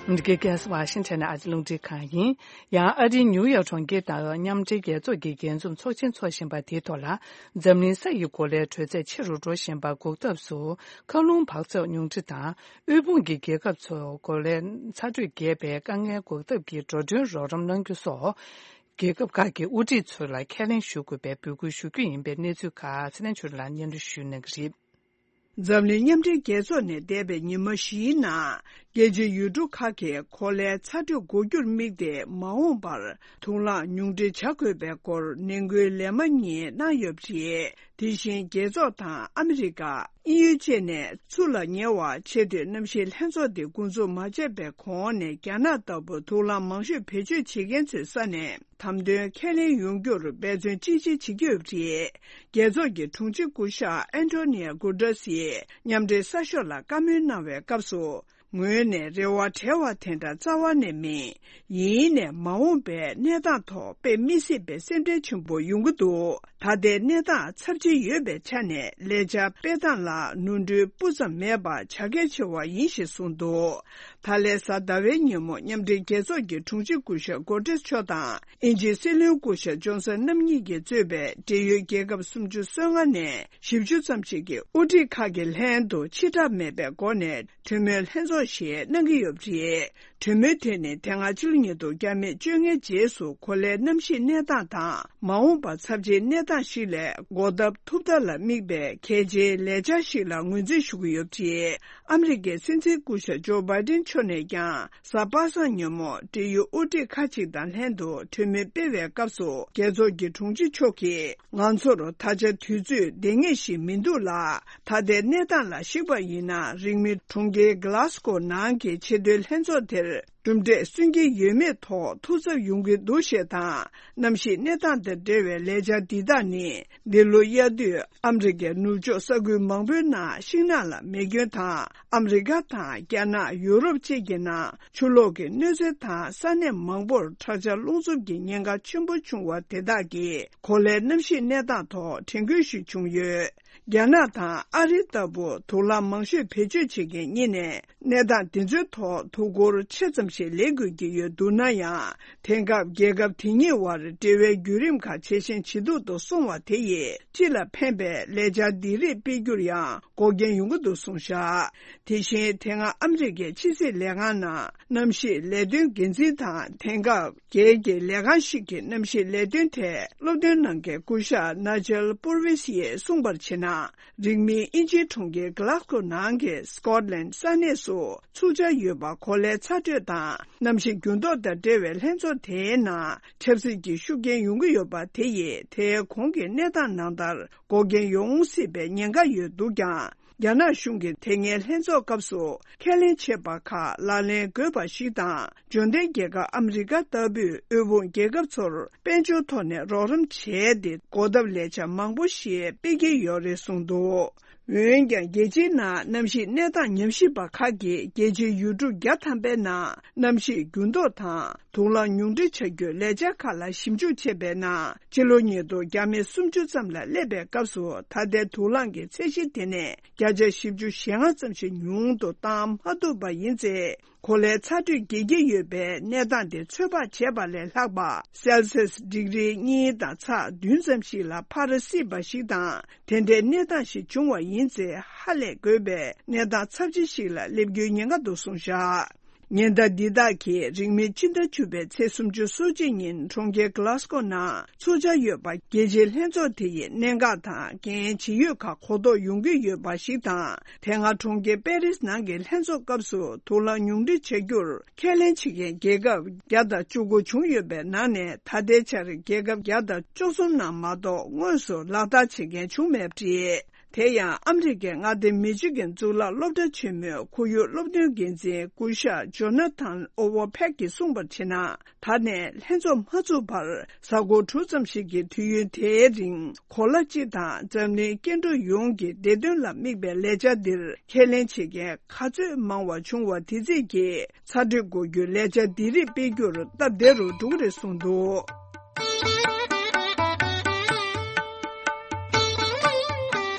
འདི་གའི་ཀན་སི་ཝ་ཤིང་ཊོན་ནས་ཨ་ཅེ་རླུང་འཕྲིན་ཁང་ཡིན། ཡང་ཨ་རིའི་ནིའུ་ཡོག་གྲོང་ཁྱེར་དང་མཉམ་འབྲེལ་རྒྱལ་ཚོགས་ཀྱི་རྒྱས་འཛོམས་ཚོགས་ཆེན་འཚོགས་བཞིན་པ་དེའི་ཐོག་ལ། འཛམ་གླིང་ས་ཡི་གོ་ལའི་དྲོད་ཚད་ཆེ་རུ་འགྲོ་བཞིན་པ་འགོག་ཐབས་སུ། མཁའ་རླུང་འབག་འཛུགས་ཉུང་འཕྲི་དང་། དབུལ་ཕོངས་ཀྱི་རྒྱལ་ཁབ་ཚོ་གོ་ལའི་ཚ་དྲོད་རྒྱས་པའི་དཀའ་ངལ་འགོག་ཐབས་ཀྱི་འགྲོ་གྲོན་རོགས་རམ་གནང་རྒྱུ་སོགས། རྒྱལ་ཁབ་ཁག་གི་དབུ་ཁྲིད་ཚོ་ལ་ཁས་ལེན་ཞུ་དགོས་པའི་འབོད་སྐུལ་ཞུ་རྒྱུ་ཡིན་པའི་གནས་ཚུལ་ཁག་ཚེ་བརྟན་ཆོས་སྒྲོན་ལགས་སྙན་སྒྲོན་ཞུ་གནང་གི་རེད། འཛམ་གླིང་མཉམ་འབྲེལ་རྒྱལ་ཚོགས་ནས་འདས་པའི་ཉི་མ་བཞིའི་ནང་། རྒྱལ་སྤྱིའི་ཡུལ་གྲུ་ཁག་གིས་གོ་ལའི་ཚ་དྲོད་འགོག་རྒྱུར་དམིགས་ཏེ། མ་འོངས་པར་དུག་རླངས་ཉུང་འཕྲི་བྱ་དགོས་པའི་སྐོར་ནན་སྐུལ་ལན་མ་གཉིས་གནང་ཡོད་པ་རེད། དེ་བཞིན་རྒྱལ་ཚོགས་དང་ཨ་མི་རི་ཀ། དབྱིན་ཡུལ་བཅས་ནས་ཆུ་ལ་ཉེ་བ་ཆེས་མཐོའི་གནམ་གཤིས་ལྷན་ཚོགས་འདི་འགོ་འཛུགས་མ་བྱས་པའི་གོང་ནས། རྒྱ་ནག་ལྟ་བུ་དུག་རླངས་མང་ཤོས་བེད་སྤྱོད་བྱེད་མཁན་ཚོའི་ས་ནས། དམ་དོན་ཁས་ལེན་ཡོང་རྒྱུར་འབད་བརྩོན་ཅི་ཆེ་བྱེད་ཀྱི་ཡོད་པ་རེད། རྒྱལ་ཚོགས་ཀྱི་དྲུང་ཆེ་སྐུ་ཞབས་ཨན་ཊོ་ནི་ཡ་གུ་ཏྲེས་ཡིས་མཉམ་འབྲེལ་གསར་ཤོག་ལ་བཀའ་མོལ་གནང་བའི་སྐབས་སུ། ངོས་ནས་རེ་བ་བྲལ་བ་དེ་འདྲ་རྩ་བ་ནས་མིན། ཡིན་ནའི་མ་འོངས་པའི་གནས་སྟངས་ཐོག་དཔེ་མི་སྲིད་པའི་སེམས་ཁྲལ་ཆེན་པོ་ཡོང་གི་འདུག་ད་ལྟའི་གནས་སྟངས་ཚབས་ཆེ་ཡོད་པའི་ཆ་ནས། ལས་འཆར་སྤེལ་སྟངས་ལ་ནོར་འཁྲུལ་སྤུ་ཙམ་མེད་པ་བྱ་གལ་ཆེ་བ་ཡིན་ཞེས་གསུངས་འདུག་ད་ལན་གཟའ་ཟླ་བའི་ཉིན་མོ་མཉམ་འབྲེལ་རྒྱལ་ཚོགས་ཀྱི་དྲུང་ཆེ་སྐུ་ཞབས་གོ་ཏྲེས་མཆོག་དང་། དབྱིན་ཇིའི་སྲིད་བློན་སྐུ་ཞབས་ཇོན་སན་རྣམ་གཉིས་ཀྱིས་གཙོས་པའི་འབྲེལ་ཡོད་རྒྱལ་ཁབ་སུམ་ཅུ་སོ་ལྔ་ནས་བཞི་བཅུ་ཙམ་ཞིག་གི་དབུ་ཁྲིད་ཁག་གི་ལྷན་དུ་ཕྱི་བསྒྲགས་མེད་པའི་སྒོ་ནས་གྲོས་མོལ་ལྷན་ཚོགས་ཤིག་གནང་གི་ཡོད་པ་རེད། གྲོས་མོལ་དེ་ནི་དེ་སྔ་ཕྱི་ལོ་ཉིས་སྟོང་བཅོ་ལྔའི་རྗེས་སུ་གོ་ལའི་གནམ་གཤིས་གནས་སྟངས་དང་། མ་འོངས་པར་ཚབས་ཆེའི་གནས་སྟངས་ཤིག་ལས་འགོག་ཐབས་ཐུབ་ཐབས་ལ་དམིགས་པའི་གལ་ཆེའི་ལས་འཆར་ཞིག་ལ་ངོས་འཛིན་ཞུ་གི་ཡོད་པ་རེད། ཨ་མི་རི་ཀའི་སྲིད་འཛིན་སྐུ་ཞབས་ཇོ་བྷའི་ཏིན་མཆོག་ནས་ཀྱང་། གཟའ་པ་སངས་ཉིན་མོ་འབྲེལ་ཡོད་དབུ་ཁྲིད་ཁག་ཅིག་དང་ལྷན་དུ་གྲོས་མོལ་སྤེལ་བའི་སྐབས་སུ། རྒྱལ་ཚོགས་ཀྱི་དྲུང་ཆེ་མཆོག་གིས། ང་ཚོར་ད་ཆ་དུས་ཚོད་ལྡང་ངེས་ཤིག་མི་འདུག་ལ། ད་ལྟའི་གནས་སྟངས་ལ་གཞིགས་པ་ཡིན་ན། རིང་མིན་གྲོང་ཁྱེར་གྷི་ལཱ་སྒོ་ནང་གི་ཆེས་མཐོའི་ལྷན་ཚོགས་དེར། གྲུབ་འབྲས་སོན་གྱི་ཡོད་མེད་ཐོག་ཐུགས་འཚབ་ཡོང་གི་འདུག་ཞེས་དང་། གནམ་གཤིས་གནས་སྟངས་དང་འབྲེལ་བའི་ལས་འཆར་འདི་དག་ནི། འདི་ལོ་དབྱར་དུས་ཨ་མི་རི་ཀའི་ནུབ་ཕྱོགས་ས་ཁུལ་མང་པོའི་ནང་ཤིང་ནགས་ལ་མེ་སྐྱོན་དང་། ཨ་མི་རི་ཀ་དང་རྒྱ་ནག་ཡུ་རོབ་བཅས་ཀྱི་ནང་ཆུ་ལོག་གི་གནོད་འཚེ་དང་། ས་གནས་མང་པོར་དྲག་ཆར་རླུང་འཚུབ་ཀྱི་ཉེན་ཁ་ཆེན་པོ་བྱུང་བ་དེ་དག་གིས་གོ་ལའི་གནམ་གཤིས་གནས་སྟངས་ཐོག་དྲན་སྐུལ་ཞིག་བྱུང་ཡོད། རྒྱ་ནག་དང་ཨ་རི་ལྟ་བུ་དུག་རླངས་མང་ཤོས་བེད་སྤྱོད་བྱེད་མཁན་གཉིས་ནས། གནས་སྟངས་འདི་ཚོའི་ཐོག་ཐུགས་ཁུར་ཆེ་ཙམ་ཞིག་ལེན་དགོས་ཀྱི་ཡོད་འདུག་ན་ཡང་། དེང་སྐབས་རྒྱལ་ཁབ་དེ་གཉིས་བར་འབྲེལ་བའི་བརྒྱུད་རིམ་ཁག་ཇེ་ཞན་ཇེ་སྡུག་ཏུ་སོང་བ་དེ་ཡིས། སྤྱི་ལ་ཕན་པའི་ལས་འཆར་འདི་རིགས་སྤེལ་རྒྱུར་ཡང་འགོག་རྐྱེན་ཡོང་གི་འདུག་གསུངས་བཞག་དེ་བཞིན་དེ་སྔ་ཨ་མི་རི་ཀའི་ཕྱི་སྲིད་ལས་ཁང་ནང་གནམ་གཤིས་ལས་དོན་འགན་འཛིན་དང་། དེང་སྐབས། སྒེར་གྱི་ལས་ཁང་ཞིག་གི་གནམ་གཤིས་ལས་དོན་ཐད་སློབ་སྟོན་གནང་མཁན་སྐུ་ཞབས་ནཱ་ཇལ་པུར་ཝིས་ཡིས་གསུངས་པར་བྱས་ན། རིང་མིན་དབྱིན་ཇིའི་གྲོང་ཁྱེར་གྷི་ལཱག་སྒོ་ནང་གི་སི་ཀོཊ་ལན་ས་གནས་སུ་ཚུགས་འཆར་ཡོད་པ། གོ་ལའི་ཚ་དྲོད་དང་གནམ་གཤིས་འགྱུར་ལྡོག་དང་འབྲེལ་བའི་ལྷན་ཚོགས་དེའི་ནང་ཆབ་སྲིད་ཀྱི་ཤུགས་རྐྱེན་ཡོང་གི་ཡོད་པ་དེ་ཡིས། དེའི་གོང་གི་གནས་སྟངས་ནང་ལྟར་འགོག་རྐྱེན་ཡོང་སྲིད་པའི་ཉེན་ཁ་ཡོད་འདུག་ཀྱང་། རྒྱ་ནག་གཞུང་གིས་དེ་སྔའི་ལྷན་ཚོགས་སྐབས་སུ་ཁས་ལེན་བྱས་པ་ཁག་ལག་ལེན་དགོས་པ་ཞིག་དང་། འབྱོར་ལྡན་རྒྱལ་ཁབ་ཨ་མི་རི་ཀ་ལྟ་བུས་དབུལ་ཕོངས་རྒྱལ་ཁབ་ཚོར་དཔལ་འབྱོར་ཐོག་ནས་རོགས་རམ་བྱས་ཏེ། གོ་ཐབས་ལས་འཆར་མང་པོ་ཞིག་སྤེལ་གྱི་ཡོད་རེད་གསུངས་འདུག་འོན་ཀྱང་། རྒྱལ་སྤྱིའི་ནང་གནམ་གཤིས་གནས་སྟངས་ཉམས་ཞིབ་པ་ཁག་གིས། རྒྱལ་སྤྱིའི་ཡུལ་གྲུ་བརྒྱ་ཐམ་པའི་ནང་གནམ་གཤིས་འགྱུར་ལྡོག་དང་། དུག་རླངས་ཉུང་འཕྲི་བྱ་རྒྱུའི་ལས་འཆར་ཁག་ལ་ཞིབ་འཇུག་བྱས་པའི་ནང་། ཕྱི་ལོ་ཉིས་སྟོང་བརྒྱ་མེད་སུམ་ཅུ་ཙམ་ལ་སླེབས་པའི་སྐབས་སུ། ད་ལྟའི་དུག་རླངས་ཀྱི་ཚད་གཞི་དེ་ནས་བརྒྱ་ཆ་བཞི་བཅུ་ཞེ་ལྔ་ཙམ་ཞིག་ཉུང་དུ་བཏང་མ་ཐུབ་པ་ཡིན་ཚེ། གོ་ལའི་ཚ་དྲོད་རྒྱས་ཀྱི་ཡོད་པའི་གནས་སྟངས་དེ་ཚོད་དཔག་བྱས་པ་ལས་ལྷག་པ། སེལ་སིས་ཌིག་རི་གཉིས་དང་ཚེག་བདུན་ཙམ་ཞིག་ལ་འཕར་སྲིད་པ་ཞིག་དང་། དེ་འདྲའི་གནས་སྟངས་ཤིག་བྱུང་བ་ཡིན་ཚེ། ཧ་ལས་དགོས་པའི་གནས་སྟངས་ཚབས་ཆེ་ཞིག་ལ་སླེབས་རྒྱུའི་ཉེན་ཁ་འདུག་གསུངས་བཞག་ཉེན་བརྡ་འདི་དག་གིས་རིང་མིན་སྤྱི་ཟླ་བཅུ་པའི་ཚེས་སུམ་ཅུ་སོ་གཅིག་ཉིན་གྲོང་ཁྱེར་གྷི་ལཱ་སྒོ་ནང་ཚོགས་འཆར་ཡོད་པ། རྒྱལ་སྤྱིའི་ལྷན་ཚོགས་དེ་ཡི་གནད་འགག་དང་འགན་ཇི་ཡོད་ཁག་གོ་རྟོགས་ཡོང་གི་ཡོད་པ་ཞིག་དང་། དེ་སྔ་གྲོང་ཁྱེར་པེ་རིས་ནང་གི་ལྷན་ཚོགས་སྐབས་སུ་དུག་རླངས་ཉུང་འཕྲི་བྱ་རྒྱུར་ཁས་ལེན་བྱེད་མཁན་རྒྱལ་ཁབ་བརྒྱ་དང་བཅུ་དགུ་བྱུང་ཡོད་པའི་ནང་ནས། ད་ལྟའི་ཆར་རྒྱལ་ཁབ་བརྒྱ་དང་བཅུ་གསུམ་ནང་མ་གཏོགས་དངོས་སུ་ལག་བསྟར་བྱེད་མཁན་བྱུང་མེད་པ་རེད། དེ་ཡང་ཨ་མི་རི་ཀའི་མངའ་སྡེ་མི་ཆོས་ཀྱི་གཙུག་ལག་སློབ་གྲྭ་ཆེན་མོའི་ཁོར་ཡུག་སློབ་སྟོན་འགན་འཛིན་སྐུ་ཞབས་ཇོ་ན་ཐན་ཨོ་ཝོ་ཕེག་གིས་གསུངས་པར་བྱས་ན། ད་ནས་ལྷན་ཚོགས་མ་ཚུགས་བར་གཟའ་འཁོར་དྲུག་ཙམ་ཞིག་གི་དུས་ཡུན་དེའི་རིང་། གོ་ལ་སྤྱི་དང་འཛམ་གླིང་སྐྱེ་འགྲོ་ཡོངས་ཀྱི་བདེ་དོན་ལ་དམིགས་པའི་ལས་འཆར་འདིར་ཁས་ལེན་བྱེད་མཁན་ག་ཚོད་མང་བ་བྱུང་བ་དེ་རྩིས་ཀྱིས། ཚ་དྲོད་འགོག་རྒྱུའི་ལས་འཆར་འདི་རིགས་སྤེལ་རྒྱུར་སྟབས་བདེ་རུ་འགྲོ་གི་རེད་གསུངས་འདུག་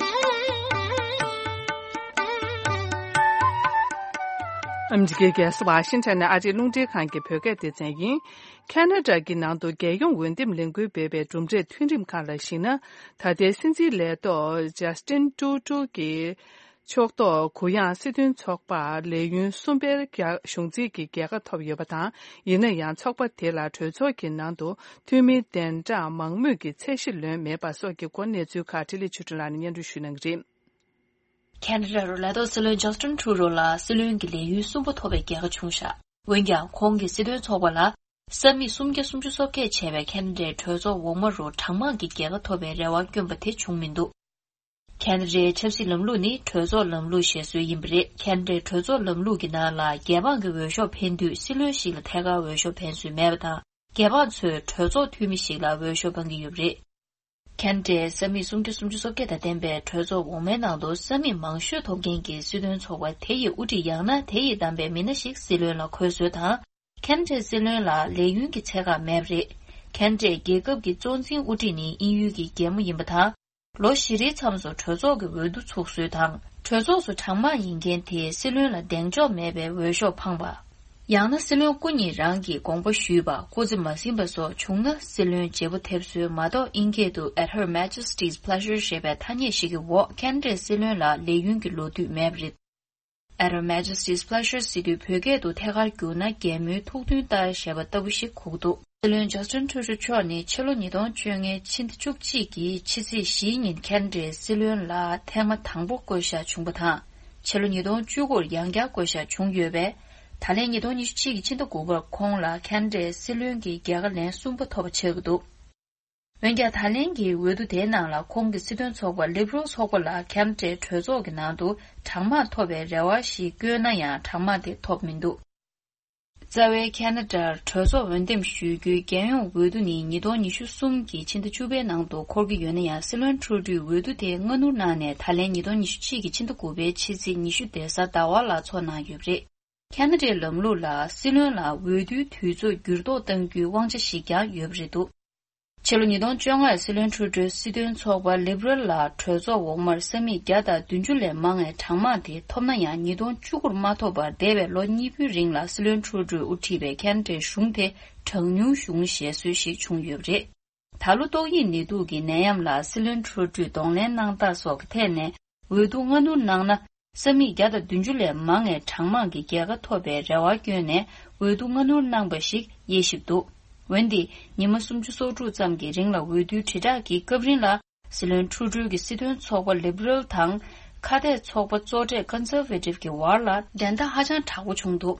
ཨ་མི་རི་ཀའི་རྒྱལ་ས་ཝ་ཤིང་ཊོན་ནས་ཨ་རིའི་རླུང་འཕྲིན་ཁང་གི་བོད་སྐད་སྡེ་ཚན་ཡིན། ཁ་ན་ཌ་གི་ནང་དུ་རྒྱལ་ཡོངས་འོས་འདེམས་ལས་འགུལ་སྤེལ་བའི་གྲུབ་འབྲས་ཐོན་རིམ་ཁག་ལ་གཞིགས་ན། ད་ལྟའི་སྲིད་འཛིན་ལས་ཐོག་ཇ་སི་ཊིན་ཏྲུ་ཏྲུ་གི་ཕྱོགས་གཏོགས་གུ་ཡངས་སྲིད་དོན་ཚོགས་པ་ལས་ཡུན་གསུམ་པའི་རྒྱ་གཞུང་འཛིན་གྱི་རྒྱལ་ཁ་ཐོབ་ཡོད་པ་དང་། ཡིན་ན་ཡང་ཚོགས་པ་དེ་ལ་གྲོས་ཚོགས་ཀྱི་ནང་དུ་འཐུས་མི་གདན་གྲངས་མང་མོས་ཀྱི་ཚད་གཞི་ལོན་མེད་པ་སོགས་ཀྱི་སྐོར་གནས་ཚུལ་ཁག་འཕྲིན་ལས་ཆོས་སྒྲོན་ལགས་ནས་སྙན་སྒྲོན་ཞུ་གནང་གི་རེད། ཁ་ན་ཌ་རུ་ལས་ཐོག་སྲིད་བློན་ཇ་སི་ཊིན་ཏྲུ་རོ་ལ་སྲིད་བློན་གྱི་ལས་ཡུན་གསུམ་པ་ཐོབ་པའི་རྒྱལ་ཁ་བྱུང་བཞག་འོན་ཀྱང་ཁོང་གིས་སྲིད་དོན་ཚོགས་པ་ལ་ས་མིག་སུམ་བརྒྱ་སུམ་ཅུ་སོ་བརྒྱད་བྱས་པའི་ཁ་ན་ཌའི་གྲོས་ཚོགས་འོག་མ་རུ་གྲངས་མང་གི་རྒྱལ་ཁ་ཐོབ་པའི་རེ་བ་བསྐྱོན་པ་དེ་བྱུང་མི་འདུག་ཁ་ན་ཌའི་ཆབ་སྲིད་ལམ་ལུགས་ནི་གྲོས་ཚོགས་ལམ་ལུགས་ཞེས་སྲོལ་ཡིན་པ་རེད། ཁ་ན་ཌའི་གྲོས་ཚོགས་ལམ་ལུགས་ཀྱི་ནང་ལ་རྒྱལ་འབངས་ཀྱི་འོས་ཤོག་འཕེན་དུས་སྲིད་བློན་ཞིག་ལ་ཐད་ཀར་འོས་ཤོག་འཕེན་སྲོལ་མེད་པ་དང་། རྒྱལ་འབངས་ཚོས་གྲོས་ཚོགས་འཐུས་མི་ཞིག་ལ་འོས་ཤོག་འཕང་གི་ཡོད་པ་རེད། ཁ་ན་ཌའི་ས་མིག་སུམ་བརྒྱ་སུམ་ཅུ་སོ་བརྒྱད་དང་ལྡན་པའི་གྲོས་ཚོགས་འོག་མའི་ནང་དུ་ས་མིག་མང་ཤོས་ཐོབ་མཁན་གྱི་སྲིད་དོན་ཚོགས་པ་དེ་ཡི་དབུ་ཁྲིད་ཡང་ན་དེ་ཡིས་བདམས་པའི་མི་སྣ་ཞིག་སྲིད་བློན་ལ་འཁོད་སྲོལ་དང་། ཁ་ན་ཌའི་སྲིད་བློན་ལ་ལས་ཡུན་གྱི་ཚད་བཀག་མེད་པ་རེད། ཁ་ན་ཌའི་རྒྱལ་ཁབ་ཀྱི་གཙོ་འཛིན་དབུ་ཁྲིད་ནི་དབྱིན་ཡུལ་གྱི་རྒྱལ་མོ་ཡིན་པ་དང་། ལོ་བཞི་རེའི་མཚམས་སུ་གྲོས་ཚོགས་ཀྱི་འོས་བསྡུ་ཚུགས་སྲོལ་དང་། གྲོས་ཚོགས་སུ་གྲངས་མང་ཡིན་མཁན་དེས་སྲིད་བློན་ལ་གདེང་འཇོག་མེད་པའི་འོས་ཤོག་འཕངས་པ། ཡང་ན་སྲིད་བློན་སྐུ་ཉིད་རང་གིས་དགོངས་པ་ཞུས་པ། སྐུ་ཚེ་མ་ཟིན་པ་སོགས་བྱུང་ན་སྲིད་བློན་བརྗེ་པོ་ཐེབས་སྲོལ་མ་གཏོགས། ཨིན་སྐད་དུ་At Her Majesty's Pleasure ཞེས་པའི་ཐ་སྙད་ཞིག་གི་འོག་ཁ་ན་ཌའི་སྲིད་བློན་ལ་ལས་ཡུན་གྱི་ལོ་དུས་མེད་པ་རེད། At Her Majesty's Pleasure ཟེར་དུས་བོད་སྐད་དུ་ཐད་ཀར་བསྒྱུར་ན་རྒྱལ་མོའི་ཐུགས་འདུན་ལྟར་ཞེས་པ་ལྟ་བུ་ཞིག་གོ་གི་འདུག་སྲིད་བློན་ཇ་སི་ཊིན་ཏྲུ་ཌོ་མཆོག་ནི་ཕྱི་ལོ་ཉིས་སྟོང་བཅོ་ལྔའི་ཕྱི་ཟླ་བཅུ་གཅིག་གི་ཕྱི་ཚེས་བཞིའི་ཉིན་ཁ་ན་ཌའི་སྲིད་བློན་ལ་ཐེངས་མ་དང་པོ་བསྐོ་བཞག་བྱུང་བ་དང་། ཕྱི་ལོ་ཉིས་སྟོང་བཅུ་དགུར་ཡང་བསྐྱར་བསྐོ་བཞག་བྱུང་ཡོད་པས། ད་ལན་ཉིས་སྟོང་ཉི་ཤུ་གཅིག་གི་ཕྱི་ཟླ་དགུ་པར་ཁོང་ལ་ཁ་ན་ཌའི་སྲིད་བློན་གྱི་རྒྱལ་ཁ་ལན་གསུམ་པ་ཐོབ་པ་ཆགས་ཀྱི་འདུག་འོན་ཀྱང་། ད་ལན་གྱི་འོས་བསྡུ་དེའི་ནང་ལ་ཁོང་གི་སྲིད་དོན་ཚོགས་པ་ལིབ་རལ་ཚོགས་པ་ལ་ཁ་ན་ཌའི་གྲོས་ཚོགས་ཀྱི་ནང་དུ་གྲངས་མང་ཐོབ་པའི་རེ་བ་ཞིག་བསྐྱོན་ན་ཡང་གྲངས་མང་དེ་ཐོབ་མི་འདུག་རྩ་བའི་ཁ་ན་ཌར་གྲོས་ཚོགས་འོས་འདེམས་ཞུ་རྒྱུའི་རྒྱལ་ཡོངས་འོས་བསྡུ་ནི་ཉིས་སྟོང་ཉི་ཤུ་གསུམ་གྱི་ཕྱི་ཟླ་བཅུ་པའི་ནང་དུ་འཁོར་གྱི་ཡོད་ན་ཡང་། སྲིད་བློན་ཁྲུ་ཌོས་འོས་བསྡུ་དེ་སྔ་སྣུར་གནང་ནས་ད་ལན་ཉིས་སྟོང་ཉི་ཤུ་གཅིག་གི་ཕྱི་ཟླ་དགུ་པའི་ཕྱི་ཚེས་ཉི་ཤུ་རེས་གཟའ་ཟླ་བ་ལ་འཚོགས་གནང་ཡོད་པ་རེད། ཁ་ན་ཌའི་ལམ་ལུགས་ལ་སྲིད་བློན་ལ་འོས་བསྡུའི་དུས་ཚོད་འགྱུར་ལྡོག་གཏང་རྒྱུའི་དབང་ཆ་ཞིག་ཀྱང་ཡོད་པ་རེད་འདུག་ཕྱི་ལོ་ཉིས་སྟོང་བཅོ་ལྔ་སྲིད་བློན་ཁྲུ་ཌོས་སྲིད་དོན་ཚོགས་པ་ལིབ་རལ་ལ་གྲོས་ཚོགས་འོག་མར་ས་མིག་བརྒྱ་དང་བདུན་ཅུ་ལས་མང་བའི་གྲངས་མང་དེ་ཐོབ་ན་ཡང་ཉིས་སྟོང་བཅུ་དགུར་མ་ཐོབ་པར་འདས་པའི་ལོ་གཉིས་པོའི་རིང་ལ་སྲིད་བློན་ཁྲུ་ཌོས་དབུ་ཁྲིད་པའི་ཁ་ན་ཌའི་གཞུང་དེ་གྲངས་ཉུང་གཞུང་ཞེས་སྲོལ་ཞིག་བྱུང་ཡོད་པ་རེད། ད་ལོ་ཏོག་དབྱིབས་ནད་དུག་གི་ནད་ཡམས་ལ་སྲིད་བློན་ཁྲུ་ཌོས་གདོང་ལེན་གནང་སྟངས་སོགས་ཀྱི་ཐད་ནས་འོས་བསྡུ་སྔ་སྣུར་གནང་ན། ས་མིག་བརྒྱ་དང་བདུན་ཅུ་ལས་མང་བའི་གྲངས་མང་གི་རྒྱལ་ཁ་ཐོབ་པའི་རེ་བ་བསྐྱོན་ནས་འོས་བསྡུ་སྔ་སྣུར་གནང་པ་ཞིག་དབྱེ་ཞིབ་འདུག་འོན་ཏེ། ཉི་མ་སུམ་ཅུ་སོ་དྲུག་ཙམ་གྱི་རིང་ལ་འོས་བསྡུའི་དྲིལ་བསྒྲགས་ཀྱི་སྐབས་རིང་ལ། སྲིད་བློན་ཁྲུ་ཌོ་གི་སྲིད་དོན་ཚོགས་པ་ལིབ་རལ་དང་། ཁ་གཏད་ཚོགས་པ་གཙོ་གྲས་ཀོན་སར་ཝེ་ཊིབ་ཀྱི་བར་ལ་འགྲན་ཟླ་ཧ་ཅང་དྲག་པོ་བྱུང་འདུག་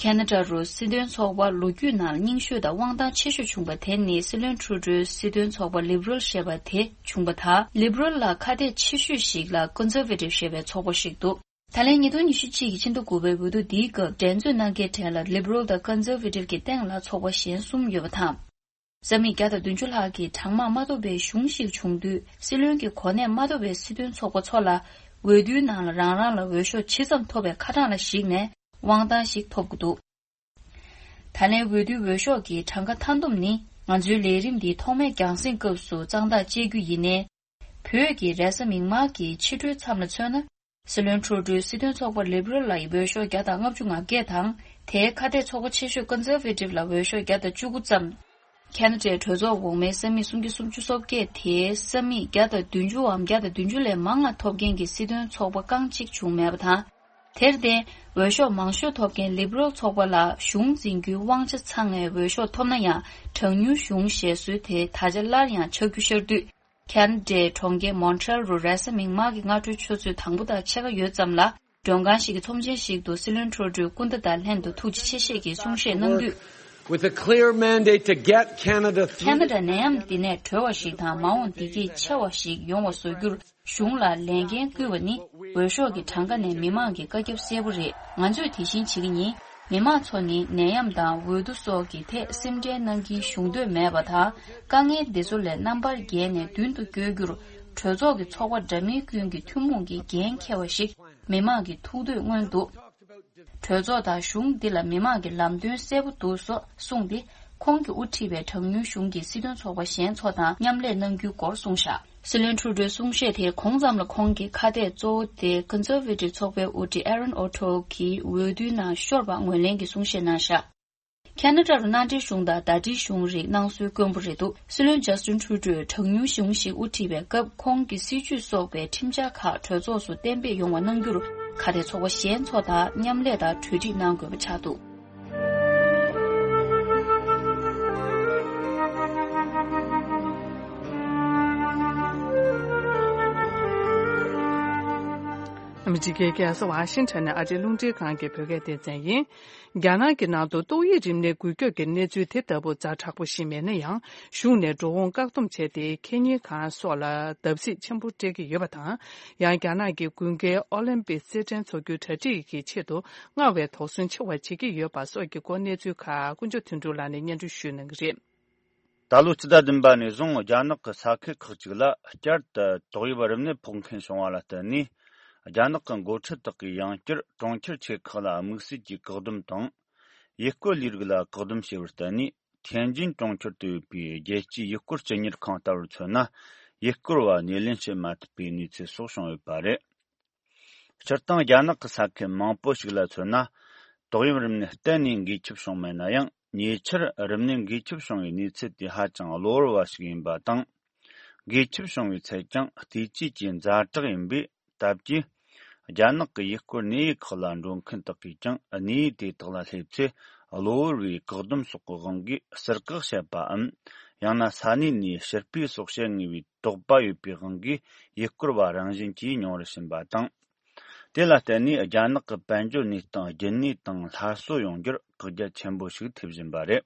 ཁ་ན་ཌ་རུ་སྲིད་དོན་ཚོགས་པ་ལོ་རྒྱུས་ནང་རྙིང་ཤོས་དང་དབང་ཐང་ཆེ་ཤོས་བྱུང་པ་དེ་ནི་སྲིད་བློན་ཁྲུ་ཌོའི་སྲིད་དོན་ཚོགས་པ་ལིབ་རལ་ཞེས་པ་དེ་བྱུང་པ་དང་། ལིབ་རལ་ལ་ཁ་གཏད་ཆེ་ཤོས་ཤིག་ལ་ཀོན་སར་ཝེ་ཊིབ་ཞེས་པའི་ཚོགས་པ་ཞིག་འདུག་ད་ལན་ཉིས་སྟོང་ཉི་ཤུ་གཅིག་གི་ཕྱི་ཟླ་དགུ་པའི་འོས་བསྡུ་འདིའི་སྐབས་འགྲན་རྩོད་གནང་མཁན་གྲས་ལ་ལིབ་རལ་དང་ཀོན་སར་ཝེ་ཊིབ་ཀྱི་སྟེང་ལ་ཚོགས་པ་གཞན་གསུམ་ཡོད་པ་དང་། ས་མིག་བརྒྱ་དང་བདུན་ཅུ་ལྷག་གི་གྲངས་མང་མ་ཐོབ་པའི་གཞུང་ཞིག་བྱུང་དུས། སྲིད་བློན་གྱི་གོ་གནས་མ་ཐོབ་པའི་སྲིད་དོན་ཚོགས་པ་ཚོ་ལ་འོས་བསྡུའི་ནང་ལ་རང་རང་ལ་འོས་ཤོག་ཇི་ཙམ་ཐོབ་པའི་ཁ་གྲངས་ལ་གཞིགས་ནས་དབང་ཐང་ཞིག་ཐོབ་ཀྱི་འདུག་ད་ལན་འོས་བསྡུའི་འོས་ཤོག་གི་གྲངས་ཀ་མཐའ་བསྡོམས་ནི། ང་ཚོའི་ལས་རིམ་འདི་ཐོག་མའི་རྒྱང་སྲིང་སྐབས་སུ་གཙང་ཐག་བཅད་རྒྱུ་ཡིན་ནའི། བོད་ཀྱི་རེས་གཟའ་མིག་དམར་གྱི་ཕྱི་དྲོའི་མཚམས་ལ་མཚོན་ན། སྲིད་བློན་ཁྲུ་ཌོའི་སྲིད་དོན་ཚོགས་པ་ལིབ་རལ་ལ་འོས་ཤོག་བརྒྱ་དང་ལྔ་བཅུ་ང་བརྒྱད་དང་། དེའི་ཁ་གཏད་ཚོགས་པ་ཆེ་ཤོས་ཀོན་སར་ཝེ་ཊིབ་ལ་འོས་ཤོག་བརྒྱ་དང་བཅུ་དགུ་ཙམ། ཁ་ན་ཌའི་གྲོས་ཚོགས་འོག་མའི་ས་མིག་སུམ་བརྒྱ་སུམ་ཅུ་སོ་བརྒྱད་དེའི་ས་མིག་བརྒྱ་དང་བདུན་ཅུའམ་བརྒྱ་དང་བདུན་ཅུ་ལས་མང་བ་ཐོབ་མཁན་གྱི་སྲིད་དོན་ཚོགས་པ་རྐང་གཅིག་བྱུང་མེད་པ་དང་། དེར་བརྟེན། འོས་ཤོག་མང་ཤོས་ཐོབ་མཁན་ལིབ་རལ་ཚོགས་པ་ལ་གཞུང་འཛིན་རྒྱུའི་དབང་ཆ་ཚང་བའི་འོས་ཤོག་ཐོབ་ན་ཡང་། གྲངས་ཉུང་གཞུང་ཞེས་སྲོལ་དེ་ད་ཆ་སླར་ཡང་ཆགས་རྒྱུ་ཤར་དུས། ཁ་ན་ཌའི་གྲོང་ཁྱེར་མོན་ཊི་རེལ་རུ་རེས་གཟའ་མིག་དམར་གྱི་སྔ་དྲོའི་ཆུ་ཚོད་དང་པོ་དང་ཕྱེད་ཀ་ཡོལ་ཙམ་ལ། མགྲོན་ཁང་ཞིག་གི་ཚོམས་ཆེན་ཞིག་ཏུ་སྲིད་བློན་ཁྲུ་ཌོས་སྐུ་ཟླ་དང་ལྷན་དུ་ཐུགས་རྗེ་ཆེ་བཞེས་ཀྱི་གསུང་བཤད་གནང་དུས། With a clear mandate to get Canada through. ཁ་ན་ཌ་ནད་ཡམས་འདི་ནས་གྲོལ་བ་ཞིག་དང་མ་འོངས་བདེ་སྐྱིད་ཆེ་བ་ཞིག་ཡོང་བ་བཟོ་རྒྱུར་གཞུང་ལ་ལས་འགན་བསྐུལ་བ་ནི་འོས་ཤོག་གི་གྲངས་ཀ་ནས་མི་མང་གི་བཀའ་ཁྱབ་གསལ་པོ་རེད། ང་ཚོས་དེ་བཞིན་བྱེད་ཀྱི་ཡིན། མི་མང་ཚོ་ནི་ནད་ཡམས་དང་འོས་བསྡུ་སོགས་ཀྱི་ཐད་སེམས་ཁྲལ་གནང་གིན་ཞུགས་འདོད་མེད་པ་དང་། དཀའ་ངལ་འདི་ཚོ་ལས་རྣམ་པར་རྒྱལ་ནས་མདུན་དུ་བསྐྱོད་རྒྱུར་གྲོས་ཚོགས་ཀྱི་ཚོགས་པ་འདྲ་མིན་ཀུན་གྱི་ཐུན་མོང་གི་འགན་འཁྱེར་བ་ཞིག་མི་མང་གི་ཐུགས་འདོད་མངོན་འདུག་གྲོས་ཚོགས་དང་གཞུང་འདི་ལ་མི་མང་གི་ལམ་སྟོན་གསལ་པོ་འདུག་སོགས་གསུངས་ཏེ། ཁོང་གིས་དབུ་ཁྲིད་པའི་གྲངས་ཉུང་གཞུང་གི་སྲིད་དོན་ཚོགས་པ་གཞན་ཚོ་དང་མཉམ་ལས་གནང་རྒྱུའི་སྐོར་གསུངས་བཞག་སྲིད་བློན་ཁྲུ་ཌོའི་གསུང་བཤད་དེའི་གོང་ཙམ་ལ་ཁོང་གི་ཁ་གཏད་གཙོ་བོ་དེ་ཀོན་སར་ཝེ་ཊིབ་ཚོགས་པའི་དབུ་ཁྲིད་ཨེ་རན་ཨོ་ཊོ་གིས་འོས་བསྡུའི་ནང་ཤོར་བ་ངོས་ལེན་གྱི་གསུང་བཤད་གནང་བཞག་ཁ་ན་ཌ་རུ་མནའ་འབྲེལ་གཞུང་དང་ཟླ་སྒྲིལ་གཞུང་རིགས་གནང་སྲོལ་དཀོན་པོ་རེད་འདུག་སྲིད་བློན་ཇ་སི་ཊིན་ཁྲུ་ཌོས་གྲངས་ཉུང་གཞུང་ཞིག་དབུ་ཁྲིད་པའི་སྐབས། ཁོང་གི་སྲིད་ཇུས་སོགས་པའི་ཁྲིམས་འཆར་ཁག་གྲོས་ཚོགས་སུ་གཏན་འབེབས་ཡོང་བ་གནང་རྒྱུར། ཁ་གཏད་ཚོགས་པ་གཞན་ཚོ་དང་མཉམ་ལས་དང་གྲོས་འགྲིག་གནང་དགོས་པ་ཆགས་འདུག་ཨ་མི་རི་ཀའི་རྒྱལ་ས་ཝ་ཤིང་ཊོན་ནས་ཨ་རིའི་རླུང་འཕྲིན་ཁང་གི་བོད་སྐད་སྡེ་ཚན་ཡིན། རྒྱ་ནག་གི་ནང་དུ་ཏོག་དབྱིབས་རིམས་ནད་འགོས་ཁྱབ་ཀྱི་གནས་ཚུལ་དེ་ལྟ་བུ་ཛ་དྲག་པོ་ཞིག་མེད་ན་ཡང་། གཞུང་ནས་འགྲོ་འོང་བཀག་སྡོམ་བྱས་ཏེ། ཁེ་ཉིན་ཁང་སོགས་ལ་བརྡབ་གསིག་ཆེན་པོ་སྤྲད་ཀྱི་ཡོད་པ་དང་། ཡང་རྒྱ་ནག་གི་དགུན་ཁའི་ཨོ་ལིམ་པིག་རྩེད་འགྲན་འཚོགས་རྒྱུའི་གྲ་སྒྲིག་གི་ཆེད་དུ་སྔར་བས་དོགས་ཟོན་ཆེ་བ་བྱེད་ཀྱི་ཡོད་པ་སོགས་ཀྱི་སྐོར་གནས་ཚུལ་ཁག་དཀོན་མཆོག་དོན་གྲུབ་ལགས་ནས་སྙན་སྒྲོན་ཞུ་གནང་གི་རེད། ད་ལོ་སྤྱི་ཟླ་བདུན་པ་ནས་བཟུང་རྒྱ་ནག་གི་ས་ཁུལ་ཁག་ཅིག་ལ་བསྐྱར་དུ་ཏོག་དབྱིབས་རིམས་ནད་ཕོག་མཁན་བྱུང་བ་ལ་བརྟེན་ནས། རྒྱ་ནག་གི་འགོ་ཁྲིད་དག་གིས་ཡང་བསྐྱར་གྲོང་ཁྱེར་ཆེ་ཁག་ལ་དམིགས་བསལ་གྱི་བཀག་སྡོམ་དང་། ཡུལ་སྐོར་ལས་རིགས་ལ་བཀག་སྡོམ་བྱས་པར་བརྟེན་ནས། ཐེན་ཅིན་གྲོང་ཁྱེར་དུ་ཡོད་པའི་རྒྱལ་སྤྱིའི་ཡུལ་སྐོར་སྤྱི་གཉེར་ཁང་ལྟ་བུར་མཚོན་ན། ཡུལ་སྐོར་བ་སྣེ་ལེན་བྱེད་མ་ཐུབ་པའི་གནས་ཚུལ་སོགས་བྱུང་ཡོད་པ་རེད། སྤྱིར་བཏང་རྒྱ་ནག་གི་ས་ཁུལ་མང་པོ་ཞིག་ལ་མཚོན་ན། ཏོག་དབྱིབས་རིམས་ནད་གཏན་ནས་འགོས་ཁྱབ་བྱུང་མེད་ན་ཡང་། ཉེ་ཆར་རིམས་ནད་འགོས་ཁྱབ་བྱུང་བའི་གནས་ཚུལ་དེ་ཧ་ཅང་གློ་བུར་བ་ཞིག་ཡིན་པ་དང་། འགོས་ཁྱབ་བྱུང་བའི་ཚད་ཀྱང་བལྟས་བཅོས་ཀྱི་ཛ་དྲག་ཡིན་པས། སྟབས་ཀྱིས། རྒྱ་ནག་གི་ཡུལ་སྐོར་གནས་ཡུལ་ཁག་ལ་འགྲོ་མཁན་དག་གིས་ཀྱང་གནས་ཡུལ་དེ་དག་ལ་སླེབས་ཚེ། གློ་བུར་བའི་བཀག་སྡོམ་སོགས་ཀྱི་དབང་གིས་ཟུར་བཀག་བྱས་པའམ། ཡང་ན་ས་གནས་ནས་ཕྱིར་སྤོས་སོགས་བྱེད་ངེས་པའི་དོགས་པ་ཡོད་པའི་དབང་གིས། ཡུལ་སྐོར་བ་རང་བཞིན་གྱིས་མྱོང་རུ་ཕྱིན་པ་དང་། དེ་ལ་བརྟེན་ནས་རྒྱ་ནག་གི་དཔལ་འབྱོར་གནས་སྟངས་རྒྱུན་གནས་དང་སླར་གསོ་ཡོང་རྒྱུར་བཀག་རྒྱ་ཆེན་པོ་ཞིག་ཐེབས་བཞིན་པ་རེད།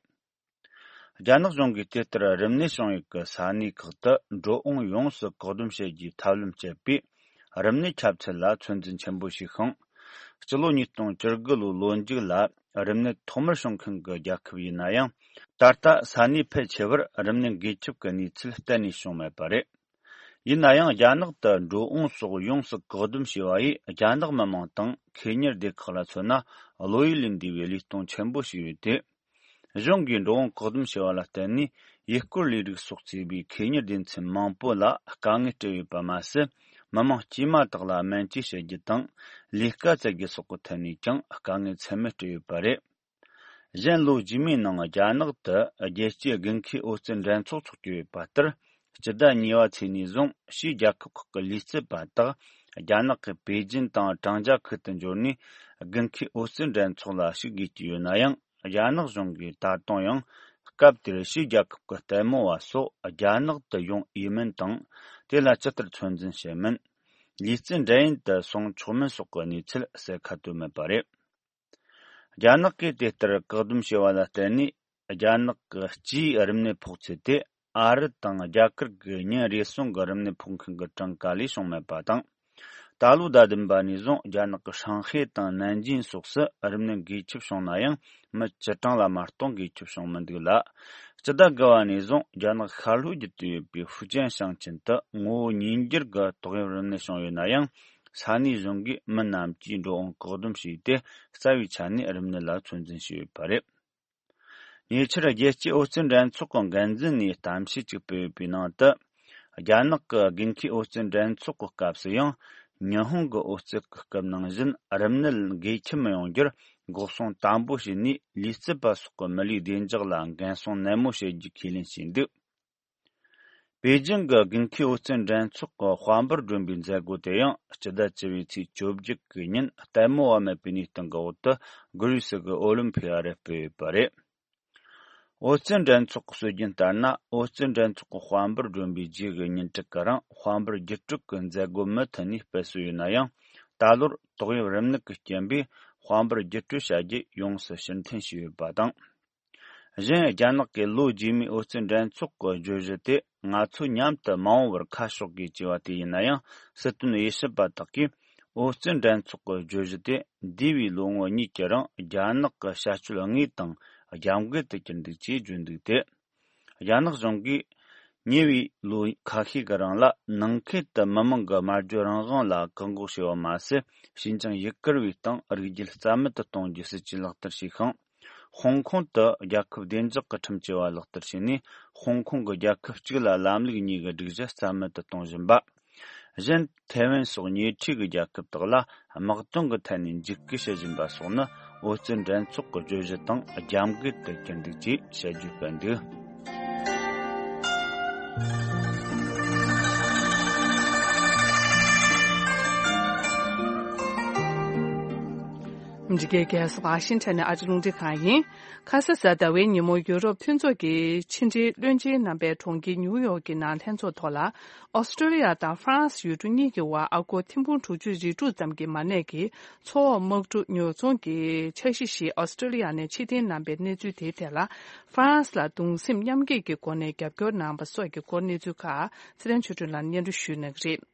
རྒྱ་ནག་གཞུང་གིས་དེ་ལྟར་རིམས་ནད་བྱུང་ཡུལ་གྱི་ས་གནས་ཁག་ཏུ་འགྲོ་འོང་ཡོངས་སུ་བཀག་སྡོམ་བྱེད་རྒྱུའི་ཐབས་ལམ་སྤྱད་པས། རིམས་ནད་ཁྱབ་ཚད་ལ་ཚོད་འཛིན་ཆེན་པོ་བྱས་ཤིང་། སྤྱི་ལོ་ཉིས་སྟོང་བཅུ་དགུ་ལོའི་ལོ་མཇུག་ལ། རིམས་ནད་ཐོག་མར་བྱུང་མཁན་གྱི་རྒྱལ་ཁབ་ཡིན་ན་ཡང་། ད་ལྟ་ས་གནས་ཕལ་ཆེ་བར་རིམས་ནད་འགོས་ཁྱབ་ཀྱི་གནས་ཚུལ་གཏན་ནས་བྱུང་མེད་པ་རེད། ཡིན་ན་ཡང་རྒྱ་ནག་ཏུ་འགྲོ་འོང་སོགས་ཡོངས་སུ་བཀག་སྡོམ་བྱས་པ་ཡིས་རྒྱ་ནག་མི་དམངས་དང་ཁེ་གཉེར་སྡེ་ཁག་ལ་མཚོན་ན་བློ་ཡུལ་ལས་འདས་པའི་ལས་སྟངས་ཆེན་པོ་ཞིག་ཡོད་དེ། གཞུང་གིས་འགྲོ་འོང་བཀག་སྡོམ་བྱས་པ་ལ་བརྟེན་ནས་ཡུལ་སྐོར་ལས་རིགས་སོགས་གཙོས་པའི་ཁེ་གཉེར་སྡེ་ཚན་མང་པོ་ལ་དཀའ་ངལ་སྤྲད་ཡོད་པ་མ་ཟད། མི་དམངས་དཀྱུས་མ་དག་ལ་སྨན་བཅོས་བྱེད་རྒྱུ་དང་ལས་ཀ་བཙལ་རྒྱུ་སོགས་ཀྱི་ཐད་ནས་ཀྱང་དཀའ་ངལ་ཚད་མེད་སྤྲད་ཡོད་པ་རེད། གཞན་ལོ་རྗེས་མའི་ནང་རྒྱ་ནག་ཏུ་རྒྱལ་སྤྱིའི་དགུན་ཁའི་འོད་རྩེར་འགྲན་ཚོགས་འཚོགས་ཀྱི་ཡོད་པ་ལྟར། སྤྱི་ཟླ་གཉིས་པ་ཚེས་ནས་བཟུང་ཕྱིའི་རྒྱལ་ཁབ་ཁག་གི་ལུས་རྩལ་པ་དག་རྒྱ་ནག་གི་པེ་ཅིན་དང་ཀྲང་ཅཱ་ཁུལ་དུ་འབྱོར་ནས་དགུན་ཁའི་འོད་རྩེར་འགྲན་ཚོགས་ལ་ཞུགས་དགོས་ཀྱི་ཡོད་ན་ཡང་། རྒྱ་ནག་གཞུང་གིས་ད་དུང་ཡང་སྐབས་དེར་ཕྱིའི་རྒྱལ་ཁབ་ཀྱི་ལྟད་མོ་བ་སོགས་རྒྱ་ནག་ཏུ་ཡོང་འོས་མིན་དང་། དེ་ལ་ཇི་ལྟར་ཚོད་འཛིན་བྱེད་མིན། ལུས་རྩལ་འགྲན་ཡུལ་དུ་སོང་ཆོག་མིན་སོགས་ཀྱི་གནས་ཚུལ་གསལ་ཁ་བཏོན་མེད་པ་རེད། རྒྱ་ནག་གིས་དེ་ལྟར་བཀག་སྡོམ་བྱས་པ་ལ་བརྟེན་ནས། རྒྱ་ནག་གི་སྤྱིའི་རིམས་ནད་ཕོག་ཚད་དེ་ཨ་རི་དང་རྒྱ་གར་གྱི་ཉིན་རེ་ཟུང་གི་རིམས་ནད་ཕོག་མཁན་གྱི་གྲངས་ཀ་ལས་བྱུང་མེད་པ་དང་། ད་ལོའི་ཟླ་བདུན་པ་ནས་བཟུང་རྒྱ་ནག་གི་ཧྲང་ཧའེ་དང་ནན་ཅིང་སོགས་སུ་རིམས་ནད་འགོས་ཁྱབ་བྱུང་ན་ཡང་། མི་བཅུ་གྲངས་ལ་མ་གཏོགས་འགོས་ཁྱབ་བྱུང་མི་འདུག་ལ། སྤྱི་ཟླ་དགུ་པ་ནས་བཟུང་རྒྱ་ནག་ཤར་ལྷོ་བརྒྱུད་དུ་ཡོད་པའི་ཧྥུ་ཅན་ཞིང་ཆེན་དུ་ངོ་བོ་ཉིས་འགྱུར་གྱི་ཏོག་དབྱིབས་རིམས་ནད་བྱུང་ཡོད་ན་ཡང་། ས་གནས་གཞུང་གིས་མི་རྣམས་ཀྱིས་འགྲོ་འོང་བཀག་སྡོམ་བྱས་ཏེ། རྩ་བའི་ཆ་ནས་རིམས་ནད་ལ་ཚོད་འཛིན་བྱས་ཡོད་པ་རེད། ཉེ་ཆར་རྒྱལ་སྤྱིའི་འོད་རྩེད་འགྲན་ཚོགས་ཀྱི་འགན་འཛིན་ནས་གཏམ་བཤད་ཅིག་སྤེལ་ཡོད་པའི་ནང་དུ། རྒྱ་ནག་གི་དགུན་ཁའི་འོད་རྩེད་འགྲན་ཚོགས་ཀྱི་སྐབས་སུ་ཡང་། ཉི་ཧོང་གི་འོད་རྩེད་ཀྱི་སྐབས་ནང་བཞིན་རིམས་ནད་འགོས་ཁྱབ་མི་ཡོང་རྒྱུར་འགོག་སྲུང་དམ་པོ་བྱས་ནས། ལུས་རྩལ་པ་སོགས་ཀྱི་མི་ལུས་བདེ་འཇགས་ལ་འགན་སྲུང་ནན་མོ་བྱེད་རྒྱུ་ཁས་ལེན་བྱས་འདུག་པེ་ཅིང་གི་དགུན་ཁའི་འོད་རྩེད་འགྲན་ཚོགས་ཀྱི་དཔལ་འབར་སྒྲོན་པའི་མཛད་སྒོ་དེ་ཡང་སྤྱི་ཟླ་བཅུ་པའི་ཚེས་བཅོ་བརྒྱད་ཀྱི་ཉིན་ལྟད་མོ་བ་མེད་པའི་གནས་སྟངས་ཀྱི་འོག་ཏུ་གྷི་རི་སི་གི་ཨོ་ལིམ་ཕི་ཨ་རུ་སྤེལ་ཡོད་པ་རེད། འོད་རྩེད་འགྲན་ཚོགས་ཀྱི་སྲོལ་རྒྱུན་ལྟར་ན། འོད་རྩེད་འགྲན་ཚོགས་ཀྱི་དཔལ་འབར་སྒྲོན་པའི་རྗེས་ཀྱི་ཉིན་དྲུག་གི་རིང་དཔལ་འབར་རྒྱུག་སྤྲོད་ཀྱི་མཛད་སྒོ་མུ་མཐུད་ནས་སྤེལ་སྲོལ་ཡོད་ན་ཡང་། ད་ལོར་ཏོག་དབྱིབས་རིམས་ནད་ཀྱི་རྐྱེན་པས་དཔལ་འབར་རྒྱུག་སྤྲོད་བྱ་རྒྱུ་ཡོངས་སུ་ཕྱིར་འཐེན་བྱས་ཡོད་པ་དང་། གཞན། རྒྱ་ནག་གི་ལོ་རྗེས་མའི་འོད་རྩེད་འགྲན་ཚོགས་ཀྱི་བརྗོད་གཞི་དེ་ང་ཚོ་མཉམ་དུ་མ་འོངས་པར་ཁ་ཕྱོགས་དགོས་ཅེས་པ་དེ་ཡིན་ན་ཡང་། སྲིད་དོན་དབྱེ་ཞིབ་པ་དག་གིས་འོད་རྩེད་འགྲན་ཚོགས་ཀྱི་བརྗོད་གཞི་དེ་འདས་པའི་ལོ་ངོ་གཉིས་ཀྱི་རིང་རྒྱ་ནག་གི་བྱ་སྤྱོད་དངོས་དང་རྒྱབ་འགལ་དུ་གྱུར་འདུག་ཅེས་བརྗོད་འདུག་སྟེ། རྒྱ་ནག་གཞུང་གིས་ཉེ་བའི་ལོ་ཁ་ཤས་ཀྱི་རིང་ལ་ནང་ཁུལ་དུ་མི་མང་གི་སྨྲ་བརྗོད་རང་དབང་ལ་བཀག་འགོག་བྱས་པ་མ་ཟད། ཞིན་ཅང་ཡུ་གུར་བའི་སྟེང་རིགས་རྒྱུད་རྩ་མེད་དུ་གཏོང་རྒྱུའི་སྲིད་ཇུས་ལག་བསྟར་བྱས་ཤིང་། ཧོང་ཀོང་དུ་རྒྱལ་ཁབ་བདེ་འཇགས་ཀྱི་ཁྲིམས་བཅས་པ་ལག་བསྟར་བྱས་ནས། ཧོང་ཀོང་གི་རྒྱལ་ཁབ་གཅིག་ལ་ལམ་ལུགས་གཉིས་ཀྱི་སྒྲིག་གཞི་རྩ་མེད་དུ་གཏོང་བཞིན་པ། གཞན། ཐའེ་ཝན་སོགས་ཉེ་འཁྲིས་ཀྱི་རྒྱལ་ཁབ་དག་ལ་དམག་དོན་གྱི་ཐད་ནས་འཇིགས་སྐུལ་བྱེད་བཞིན་པ་སོགས་ནི། འོད་རྩེད་འགྲན་ཚོགས་ཀྱི་བརྗོད་གཞི་དང་རྒྱབ་འགལ་དུ་གྱུར་འདུག་ཅེས་དཔྱད་བརྗོད་སྤེལ་འདུག་འདི་གའི་རྒྱལ་ས་ཝ་ཤིང་ཊོན་ནས་ཨ་ཅེ་རླུང་འཕྲིན་ཁང་ཡིན། ཁ་ས་གཟའ་ཟླ་བའི་ཉིན་མོ་ཡུ་རོབ་མཐུན་ཚོགས་ཀྱི་ཕྱི་འབྲེལ་བློན་ཆེན་རྣམ་པའི་གྲོང་ཁྱེར་ཉིའུ་ཡོག་གི་ནང་ལྷན་ཚོགས་ཐོག་ལ། ཨོ་སི་ཀྲོ་ལི་ཡ་དང་ཧྥ་རན་སི་ཡུལ་གྲུ་གཉིས་ཀྱི་དབར་ཨ་སྒོར་ཐེར་འབུམ་དྲུག་ཅུ་རེ་དྲུག་ཙམ་གྱི་མ་གནས་ཀྱི་མཚོ་འོག་དམག་གྲུ་ཉོ་ཚོང་གི་འཆར་གཞི་ཞིག་ཨོ་སི་ཀྲོ་ལི་ཡ་ནས་ཕྱིར་འཐེན་གནང་པའི་གནས་ཚུལ་དེའི་ཐད་ལ། ཧྥ་རན་སི་ལ་གདུང་སེམས་མཉམ་སྐྱེད་ཀྱི་སྒོ་ནས་རྒྱབ་སྐྱོར་གནང་པ་སོགས་ཀྱི་སྐོར་གནས་ཚུལ་ཁག་ཚེ་རིང་ཆོས་སྒྲོན་ལགས་སྙན་སྒྲོན་ཞུ་གནང་གི་རེད།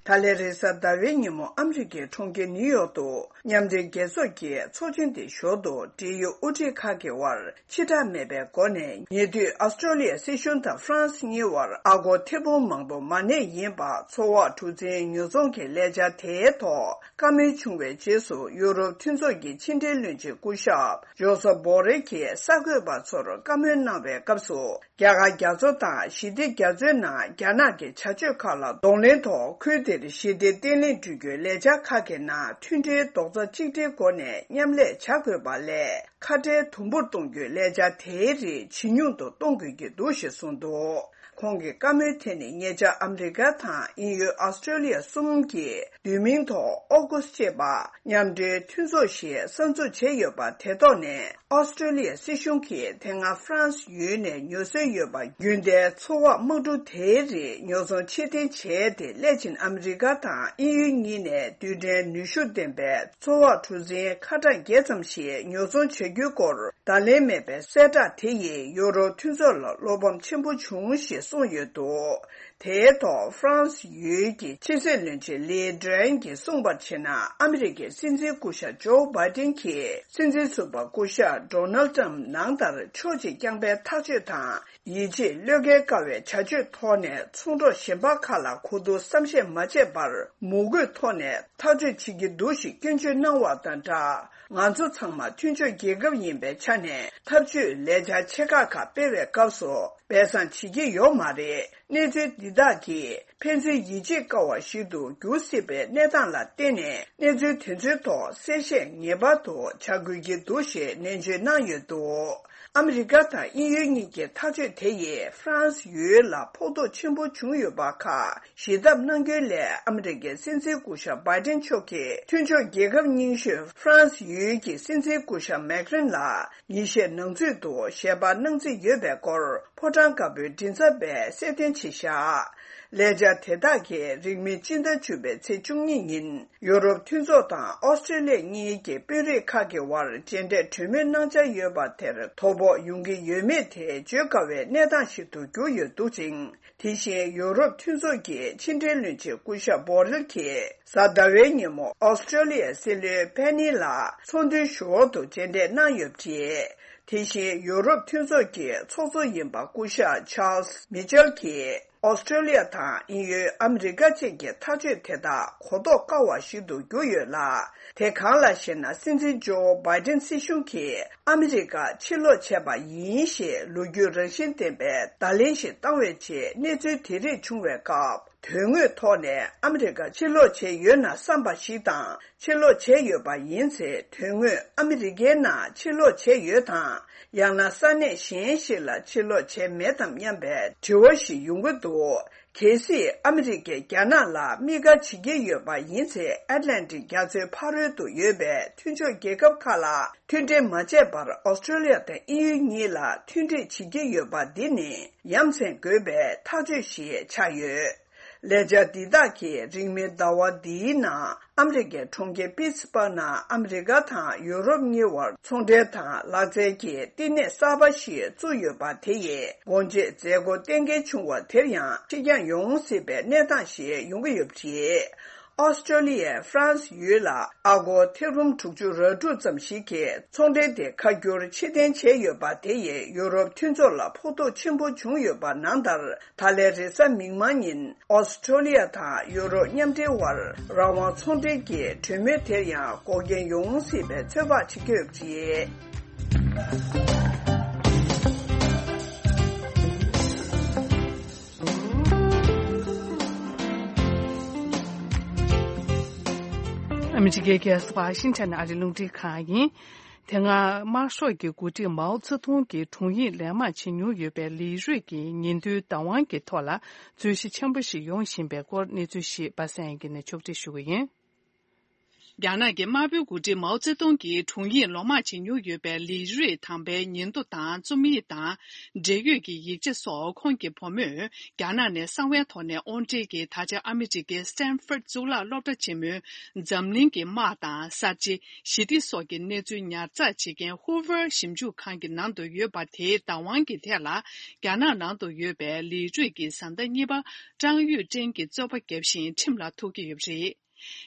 ད་ལན་རེས་གཟའ་ཟླ་བའི་ཉིན་མོ་ཨ་མི་རི་ཀའི་གྲོང་ཁྱེར་ནིའུ་ཡོག་ཏུ་མཉམ་འབྲེལ་རྒྱལ་ཚོགས་ཀྱི་ཚོགས་ཆེན་དེ་ཞོར་དུ་འབྲེལ་ཡོད་དབུ་ཁྲིད་ཁག་གི་དབར་ཕྱི་བསྒྲགས་མེད་པའི་སྒོ་ནས་ཉེ་དུས་ཨ་སི་ཀྲོ་ལི་ཡ་སྲིད་གཞུང་དང་ཧྥ་རན་སི་གཉིས་དབར་ཨ་སྒོར་ཐེར་འབུམ་མང་པོ་མ་གནས་ཡིན་པ་མཚོ་འོག་གྲུ་གཟིངས་ཉོ་ཚོང་གི་ལས་འཆར་དེའི་ཐོག་བཀའ་མོལ་བྱུང་བའི་རྗེས་སུ་ཡུ་རོབ་མཐུན་ཚོགས་ཀྱི་ཕྱི་འབྲེལ་བློན་ཆེན་སྐུ་ཞབས་ཇོ་སོ་བོ་རེལ་གྱིས་གསར་འགོད་པ་ཚོར་བཀའ་མོལ་གནང་བའི་སྐབས་སུ། རྒྱ་གར་རྒྱ་མཚོ་དང་ཞི་བདེ་རྒྱ་མཚོའི་ནང་རྒྱ་ནག་གི་བྱ་སྤྱོད་ཁག་ལ་གདོང་ལེན་ཐོག་ཁུལ་དེར་ཞི་བདེ་བརྟན་ལྷིང་བསྐྲུན་རྒྱུའི་ལས་འཆར་ཁག་གི་ནང་མཐུན་སྒྲིལ་རྡོག་རྩ་གཅིག་སྒྲིལ་སྒོ་ནས་མཉམ་ལས་བྱ་དགོས་པ་ལས། ཁ་བྲལ་དུམ་བུར་གཏོང་རྒྱུའི་ལས་འཆར་དེའི་རིགས་ཇེ་ཉུང་དུ་གཏོང་དགོས་ཀྱི་འདུག་ཞེས་གསུངས་འདུག་ཁོང་གི་བཀའ་མོལ་དེ་ནི་ཉེ་ཆར་ཨ་མི་རི་ཀ་དང་དབྱིན་ཡུལ་ཨོ་སི་ཀྲོ་ལི་ཡ་གསུམ་གྱིས་བསྡུས་མིང་ཐོག་ཨོ་ཀུ་སི་ཅེས་པ་མཉམ་འབྲེལ་མཐུན་ཚོགས་ཤིག་གསར་འཛུགས་བྱས་ཡོད་པ་དེ་ཐོག་ནས། ཨོ་སི་ཀྲོ་ལི་ཡ་སྲིད་གཞུང་གིས་དེ་སྔ་ཧྥ་རན་སི་ཡུལ་ནས་ཉོ་སྲོལ་ཡོད་པ་རྒྱུན་ལྡན་མཚོ་འོག་དམག་གྲུ་དེའི་རིགས་ཉོ་ཚོང་ཕྱིར་འཐེན་བྱས་ཏེ། སླད་ཕྱིན་ཨ་མི་རི་ཀ་དང་དབྱིན་ཡུལ་གཉིས་ནས་རྡུལ་ཕྲན་ནུས་ཤུགས་ལྡན་པའི་མཚོ་འོག་གྲུ་གཟིངས་ཁ་གྲངས་བརྒྱད་ཙམ་ཞིག་ཉོ་ཚོང་བྱ་རྒྱུའི་སྐོར་བརྡ་ལན་མེད་པའི་གསལ་བསྒྲགས་དེ་ཡིས་ཡུ་རོབ་མཐུན་ཚོགས་ལ་བློ་ཕམ་ཆེན་པོ་བྱུང་ཞེས་གསུངས་ཡོད་འདུག་དེའི་ཐོག་ཧྥ་རན་སི་ཡུལ་གྱི་ཕྱི་སྲིད་བློན་ཆེན་ལི་ཌི་རན་གྱིས་གསུངས་པར་བྱས་ན། ཨ་མི་རི་ཀའི་སྲིད་འཛིན་སྐུ་ཞབས་ཇོ་བྷའི་ཏིན་གྱིས་སྲིད་འཛིན་ཟུར་པ་སྐུ་ཞབས་ཌོ་ནལ་ཏྲམ་ནང་ལྟར་ཕྱོགས་གཅིག་རྐྱང་པའི་ཐག་གཅོད་དང་། ཡིད་ཆེས་བློས་འགེལ་དཀའ་བའི་བྱ་སྤྱོད་ཐོག་ནས་ཚོང་གྲོགས་གཞན་པ་ཁག་ལ་གོ་བསྡུར་བསམ་ཤེས་མ་བྱས་པར། མུ་རྒོད་ཐོག་ནས་ཐག་གཅོད་བྱེད་ཀྱི་འདུག་ཞེས་སྐྱོན་བརྗོད་གནང་བ་དང་སྦྲགས། ང་ཚོ་ཚང་མ་མཐུན་ཕྱོགས་རྒྱལ་ཁབ་ཡིན་པའི་ཆ་ནས། འཐབ་ཇུས་ལས་འཆར་ཆེ་ཁག་ཁག་སྤེལ་བའི་སྐབས་སུ་སྦས་གསང་བྱེད་ཀྱི་ཡོད་མ་རེད། གནས་ཚུལ་འདི་དག་གིས་ཕན་ཚུན་ཡིད་ཆེས་དཀའ་བ་ཞིག་ཏུ་འགྱུར་སྲིད་པའི་གནས་སྟངས་ལ་བརྟེན་ནས། གནས་ཚུལ་དེ་ཚོའི་ཐོག་གསལ་བཤད་ངེས་པར་དུ་བྱ་དགོས་ཀྱི་འདུག་ཞེས་ནན་བརྗོད་གནང་ཡོད་འདུག་ཨ་མི་རི་ཀ་དང་དབྱིན་ཡུལ་གཉིས་ཀྱི་ཐག་གཅོད་དེ་ཡིས་ཧྥ་རན་སི་ཡུལ་ལ་ཕོག་ཐུག་ཆེན་པོ་བྱུང་ཡོད་པ་ཁག་ཞི་ཐབས་གནང་རྒྱུའི་སླད། ཨ་མི་རི་ཀའི་སྲིད་འཛིན་སྐུ་ཞབས་བྷའི་ཏིན་མཆོག་གིས་མཐུན་ཕྱོགས་རྒྱལ་ཁབ་རྙིང་ཤོས་ཧྥ་རན་སི་ཡུལ་གྱི་སྲིད་འཛིན་སྐུ་ཞབས་མེག་རན་ལ་ཉིན་ཤས་ནང་ཚུད་དུ་ཞལ་པར་གནང་རྩིས་ཡོད་པའི་སྐོར་ཕོ་བྲང་དཀར་པོའི་མགྲིན་ཚབ་པས་གསལ་སྟོན་བྱས་བཞག་ལས་འཆར་དེ་དག་གིས་རིང་མིན་སྤྱི་ཟླ་བཅུ་པའི་ཚེས་བཅུ་གཉིས་ཉིན། ཡུ་རོབ་མཐུན་ཚོགས་དང་ཨོ་སི་ཀྲེ་ལི་ཡ་གཉིས་ཀྱི་དཔོན་རིགས་ཁག་གི་དབར་མཇལ་འཕྲད་གྲོས་མོལ་གནང་འཆར་ཡོད་པ་དེར་དོ་ཕོག་ཡོང་གི་ཡོད་མེད་དེ་བརྗོད་དཀའ་བའི་གནས་སྟངས་ཤིག་ཏུ་གྱུར་ཡོད་འདུག་ཅིང་། དེ་བཞིན་ཡུ་རོབ་མཐུན་ཚོགས་ཀྱི་ཕྱི་འབྲེལ་བློན་ཆེན་སྐུ་ཞབས་བྷོ་རེལ་གྱིས་གཟའ་ཟླ་བའི་ཉིན་མོ་ཨོ་སི་ཀྲེ་ལི་ཡའི་སྲིད་བློན་ཕེ་ནི་ལ་ཚོགས་འདུའི་ཞུ་བ་དུ་མཇལ་འཕྲད་གནང་ཡོད་པ་རེད། དེ་བཞིན་ཡུ་རོབ་མཐུན་ཚོགས་ཀྱི་ཚོགས་གཙོ་ཡིན་པ་སྐུ་ཞབས་ཆཱལ་སི་མི་ཆེལ་གྱིས། ཨོ་སི་ཀྲེ་ལི་ཡ་དང་དབྱིན་ཡུལ་ཨ་མི་རི་ཀ་བཅས་ཀྱི་ཐག་གཅོད་དེ་དག་གོ་རྟོགས་དཀའ་བ་ཞིག་ཏུ་གྱུར་ཡོད་ལ། དེ་གང་ལགས་ཤེ་ན། སྲིད་འཛིན་ཇོ་བྷའི་ཏིན་སྲིད་གཞུང་གིས་ཨ་མི་རི་ཀ་ཕྱིར་ལོག་བྱས་པ་ཡིན་ཞེས་ལོ་རྒྱུས་རང་བཞིན་ལྡན་པའི་བརྡ་ལན་ཞིག་བཏང་བའི་རྗེས། གནས་ཚུལ་དེ་རིགས་བྱུང་བའི་སྐབས། དོན་དངོས་ཐོག་ནས་ཨ་མི་རི་ཀ་ཕྱིར་ལོག་བྱས་ཡོད་ན་བསམ་པ་ཞིག་དང་། ཕྱིར་ལོག་བྱས་ཡོད་པ་ཡིན་ཚེ། དོན་དངོས་ཨ་མི་རི་ཀའི་ནང་ཕྱིར་ལོག་བྱས་ཡོད་དམ། ཡང་ན་ས་གནས་གཞན་ཞིག་ལ་ཕྱིར་ལོག་བྱས་མེད་དམ་སྙམ་པའི་དྲི་བ་ཞིག་ཡོང་གི་འདུག་གལ་སྲིད་ཨ་མི་རི་ཀས་རྒྱ་ནག་ལ་དམིགས་བཀར་བྱེད་ཀྱི་ཡོད་པ་ཡིན་ཚེ། ཨེཊ་ལན་ཊིག་རྒྱ་མཚོའི་ཕ་རོལ་ཏུ་ཡོད་པའི་མཐུན་ཕྱོགས་རྒྱལ་ཁབ་ཁག་ལ་མཐུན་འབྲེལ་མ་བྱས་པར། ཨོ་སི་ཀྲེ་ལི་ཡ་དང་དབྱིན་ཡུལ་གཉིས་ལ་མཐུན་འགྲིག་བྱེད་ཀྱི་ཡོད་པ་འདི་ནི་ཡ་མཚན་དགོས་པའི་ཐག་གཅོད་ཞིག་ཆགས་ཡོད། ལས་འཆར་འདི་དག་གིས་རིང་མིན་ཟླ་བ་འདིའི་ནང་ཨ་མི་རི་ཀའི་གྲོང་ཁྱེར་པིཊ་སི་བྷག་ནང་ཨ་མི་རི་ཀ་དང་ཡུ་རོབ་གཉིས་དབར་ཚོང་འབྲེལ་དང་ལག་རྩལ་གྱི་བསྟི་གནས་གསར་པ་ཞིག་བཙུགས་ཡོད་པ་དེ་ཡིས་སྒོ་འབྱེད་མཛད་སྒོ་གཏན་འཁེལ་བྱུང་བ་དེར་ཡང་ཕྱིར་འགྱངས་ཡོང་སྲིད་པའི་གནས་སྟངས་ཤིག་ཡོང་གི་ཡོད་པ་རེད། ཨོ་སི་ཀྲོ་ལི་ཡས་ཧྥ་རན་སི་ཡུལ་ལ་ཨ་སྒོར་ཐེར་འབུམ་དྲུག་ཅུ་རེ་དྲུག་ཙམ་ཞིག་གི་ཚོང་འབྲེལ་དེ་ཁ་བསྒྱུར་ཕྱིར་འཐེན་བྱས་ཡོད་པ་དེ་ཡིས་ཡུ་རོབ་མཐུན་ཚོགས་ལ་ཕོག་ཐུག་ཆེན་པོ་བྱུང་ཡོད་པ་ནང་ལྟར། ད་ལན་རེས་གཟའ་མིག་དམར་ཉིན་ཨོ་སི་ཀྲོ་ལི་ཡ་དང་ཡུ་རོབ་མཉམ་འབྲེལ་དབར་རང་དབང་ཚོང་འབྲེལ་གྱི་གྲོས་མོལ་དེར་ཡང་འགོག་རྐྱེན་ཡོང་སྲིད་པའི་ཚོད་དཔག་བྱེད་ཀྱི་ཡོད་པ་རེད། ཨ་མི་རི་ཀའི་རྒྱལ་ས་ཝ་ཤིང་ཊོན་ཨ་རིའི་རླུང་འཕྲིན་ཁང་ཡིན། དེ་སྔ་དམར་ཤོག་གི་འགོ་ཁྲིད་མའོ་ཙེ་ཏུང་གི་དྲུང་ཡིག་ལས་མང་བྱེད་མྱོང་ཡོད་པའི་ལི་རུས་ཀྱི་ཉིན་ཐོའི་བདག་དབང་གི་ཐོག་ལ་རྩོད་གཞི་ཆེན་པོ་ཞིག་ཡོང་བཞིན་པའི་སྐོར་གནས་ཚུལ་ཞིག་པ་སངས་དབྱངས་སྐྱིད་ནས་ཕྱོགས་སྒྲིག་ཞུ་གི་ཡིན། རྒྱ་ནག་གི་དམར་པོའི་འགོ་ཁྲིད་མའོ་ཙེ་ཏུང་གི་དྲུང་ཡིག་ལོ་མང་བྱེད་མྱོང་ཡོད་པའི་ལི་རུས་དམ་པའི་ཉིན་ཐོ་དང་རྩོམ་ཡིག་དང་འབྲེལ་ཡོད་ཀྱི་ཡིག་ཆ་སོགས་ཁོང་གི་བུ་མོས་རྒྱ་ནག་ནས་གསང་བའི་ཐོག་ནས་དབོར་འདྲེན་གྱིས། ད་ཆ་ཨ་མི་རི་ཀའི་སི་ཏན་ཧྥོར་གཙུག་ལག་སློབ་གྲྭ་ཆེན་མོའི་འཛམ་གླིང་གི་དམག་དང་གསར་བརྗེ། ཞི་བདེ་སོགས་ཀྱི་གནས་ཚུལ་ཉར་ཚགས་བྱེད་མཁན་ཧུ་ཝར་ཞིབ་འཇུག་ཁང་གི་ནང་དུ་ཡོད་པ་དེའི་བདག་དབང་གི་ཐད་ལ། རྒྱ་ནག་ནང་དུ་ཡོད་པའི་ལི་རུས་ཀྱི་བཟའ་ཟླ་གཉིས་པ་ཀྲང་ཡུས་ཀྲེང་གིས་རྩོད་པ་བརྒྱབ་བཞིན་ཁྲིམས་ལ་ཐུག་གི་ཡོད་པ་རེད།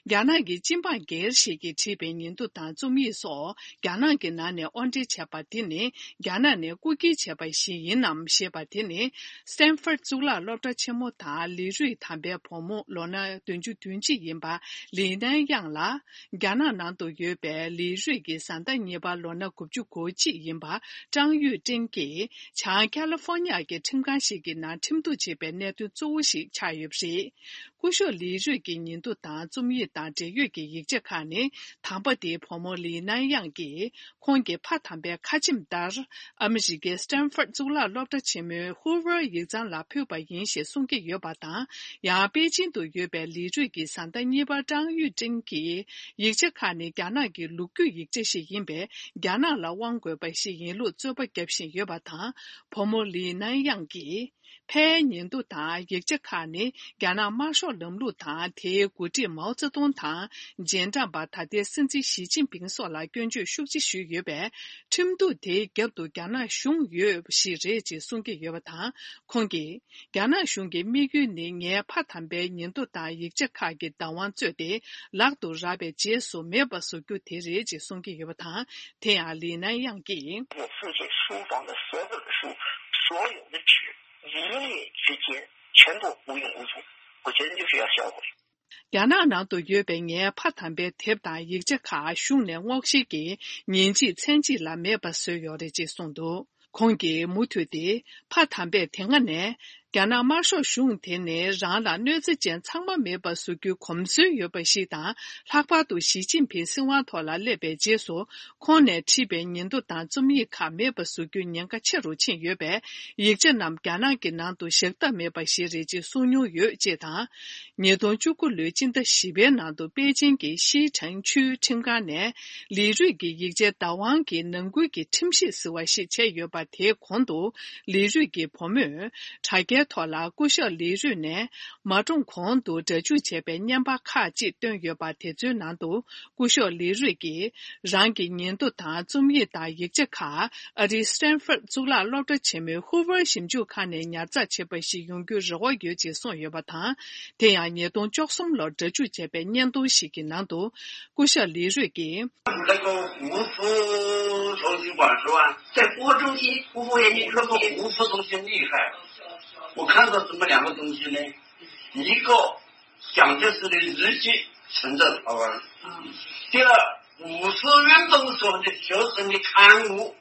རྒྱ་ནག་གི་སྤྱི་འབངས་སྒེར་ཞིག་གིས་བྲིས་པའི་ཉིན་ཐོ་དང་རྩོམ་ཡིག་སོགས་རྒྱ་ནག་གི་ནང་ནས་དབོར་འདྲེན་བྱས་པ་དེ་ནི། རྒྱ་ནག་ནས་རྐུ་འཁྱེར་བྱས་པ་ཞིག་ཡིན་ནམ་ཞེས་པ་དེ་ནི། སི་ཏན་ཧྥོར་གཙུག་ལག་སློབ་གྲྭ་ཆེན་མོ་དང་ལི་རུས་དམ་པའི་བུ་མོ་ལོ་ན་བདུན་ཅུ་དོན་གཅིག་ཡིན་པ་ལི་ནན་དབྱང་ལ། རྒྱ་ནག་ནང་དུ་ཡོད་པའི་ལི་རུས་ཀྱི་བཟའ་ཟླ་གཉིས་པ་ལོ་ན་དགུ་བཅུ་གོ་གཅིག་ཡིན་པ་ཀྲང་ཡུས་ཀྲེང་གིས་བྱང་ཁ་ལི་ཧྥོ་ནི་ཡ་གི་ཁྲིམས་ཁང་ཞིག་གི་ནང་ཁྲིམས་གཏུག་བྱས་པའི་གནད་དོན་གཙོ་བོ་ཞིག་ཆགས་ཡོད་པ་རེད། སྐུ་ཞབས་ལི་རུས་ཀྱི་ཉིན་ཐོ་དང་རྩོམ་ཡིག་དང་འབྲེལ་ཡོད་ཀྱི་ཡིག་ཆ་ཁག་ནི། དམ་པ་དེའི་བུ་མོ་ལི་ནན་དབྱང་གིས་ཁོང་གི་ཕ་དམ་པའི་ཁ་ཆེམས་ལྟར། ཨ་མི་རི་ཀའི་སི་ཏན་ཧྥོར་གཙུག་ལག་སློབ་གྲྭ་ཆེན་མོའི་ཧུ་ཝར་ཡིག་ཚང་ལ་ཕུལ་བ་ཡིན་ཞེས་གསུང་གི་ཡོད་པ་དང་། ཡང་པེ་ཅིང་དུ་ཡོད་པའི་ལི་རུས་ཀྱི་བཟའ་ཟླ་གཉིས་པ་ཀྲང་ཡུས་ཀྲེང་གིས། ཡིག་ཆ་ཁག་ནི་རྒྱ་ནག་གི་ལོ་རྒྱུས་ཡིག་ཆ་ཞིག་ཡིན་པས། རྒྱ་ནག་ལ་དབང་དགོས་པ་ཞིག་ཡིན་ལུགས་རྩོད་པ་བརྒྱབ་བཞིན་ཡོད་པ་དང་། བུ་མོ་ལི་ནན་དབྱང་གིས། ཕའི་ཉིན་ཐོ་དང་ཡིག་ཆ་ཁག་ནི་རྒྱ་ནག་དམར་ཤོག་ལམ་ལུགས་དང་། དེའི་འགོ་ཁྲིད་མའོ་ཙེ་ཏུང་དང་། རྗེས་འབྲང་པ་ད་ལྟའི་སྲིད་འཛིན་ཞི་ཅིན་ཕིང་སོགས་ལ་སྐྱོན་བརྗོད་ཤུགས་ཆེ་ཞུས་ཡོད་པས། ཁྲིམས་གཏུག་དེའི་རྒྱབ་ཏུ་རྒྱ་ནག་གཞུང་ཡོད་པ་ཞིག་རེད་ཅེས་གསུང་གི་ཡོད་པ་དང་། ཁོང་གིས། རྒྱ་ནག་གཞུང་གི་དམིགས་ཡུལ་ནི་ངའི་ཕ་དམ་པའི་ཉིན་ཐོ་དང་ཡིག་ཆ་ཁག་གི་བདག་དབང་རྩོད་དེ། ལག་ཏུ་རག་པའི་རྗེས་སུ་མེད་པ་བཟོ་རྒྱུ་དེ་རེད་ཅེས་གསུང་གི་ཡོད་པ་དང་། དེ་ཡང་ལི་ནན་དབྱང་གིས། 我父亲书房的所有的书，所有的纸，一夜之间全部无影无踪。我决定就是要销毁。རྒྱ་ནག་ནང་དུ་ཡོད་པའི་ངའི་ཕ་དམ་པའི་དེབ་དང་ཡིག་ཆ་ཁག་གཞུང་ནས་སྔོག་བཤེར་གྱིས་ཉིན་གཅིག་མཚན་གཅིག་ལ་མེད་པ་བཟོས་ཡོད་རེད་ཅེས་གསུངས་འདུག། ཁོང་གིས་མུ་མཐུད་དེ། ཕ་དམ་པས་དེ་སྔ་ནས། རྒྱ་ནག་དམར་ཤོག་གཞུང་དེ་ནི་རང་ལ་གནོད་འཚེ་ཅན་ཚང་མ་མེད་པ་བཟོ་རྒྱུའི་གོམས་སྲོལ་ཡོད་པ་ཞིག་དང་། ལྷག་པར་དུ་ཞི་ཅིན་ཕིང་སྲིད་དབང་ཐོག་ལ་སླེབས་པའི་རྗེས་སུ། ཁོང་ནས་བྲིས་པའི་ཉིན་ཐོ་དང་རྩོམ་ཡིག་ཁག་མེད་པ་བཟོ་རྒྱུའི་ཉེན་ཁ་ཆེ་རུ་ཕྱིན་ཡོད་པས། ཡིག་ཆ་རྣམས་རྒྱ་ནག་གི་ནང་དུ་བཞག་ཐབས་མེད་པ་ཞིག་རེད་ཅེས་གསུངས་མྱོང་ཡོད་ཅེས་དང་། ཉིས་སྟོང་བཅུ་དགུ་ལོའི་སྤྱི་ཟླ་བཞི་པའི་ནང་དུ་པེ་ཅིང་གི་ཤིས་ཁྲེང་ཆུས་ཁྲིམས་ཁང་ནས། ལི་རུས་ཀྱི་ཡིག་ཆའི་བདག་དབང་གི་ནང་ཁུལ་གྱི་ཁྲིམས་གཞི་ཟེར་བ་ཞིག་བྱས་ཡོད་པ། དེའི་གོང་དུ་ལི་རུས་ཀྱི་བུ་མོས་དྲ་རྒྱའི་ཐོག་ལ་སྐུ་ཞབས་ལི་རུས་ནས་མ་གྲོངས་གོང་དུ་སྒྲ་འཇུག་བྱས་པའི་བརྙན་པར་ཁག་ཅིག་བཏོན་ཡོད་པ། དེ་ཚོའི་ནང་དུ་སྐུ་ཞབས་ལི་རུས་ཀྱིས་རང་གི་ཉིན་ཐོ་དང་རྩོམ་ཡིག་དང་ཡིག་ཆ་ཁག་ཨ་རིའི་སི་ཏན་ཧྥོར་གཙུག་ལག་སློབ་གྲྭ་ཆེན་མོའི་ཧུ་ཝར་ཞིབ་འཇུག་ཁང་ནས་ཉར་ཚགས་བྱས་པ་ཞིག་ཡོང་རྒྱུའི་རེ་བ་ཡོད་ཅེས་གསུངས་ཡོད་པ་དང་། དེ་ཡང་ཉིས་སྟོང་བཅུ་གསུམ་ལོར་སྒྲ་འཇུག་བྱས་པའི་བརྙན་ཐུང་ཞིག་གི་ནང་དུ། སྐུ་ཞབས་ལི་རུས་ཀྱིས། 那个胡适图书馆是吧？在播中心，我也那个胡适同学厉害。我看到什么两个东西呢？一个蒋介石的日记存在台湾，第二，五四运动时候的学生的刊物，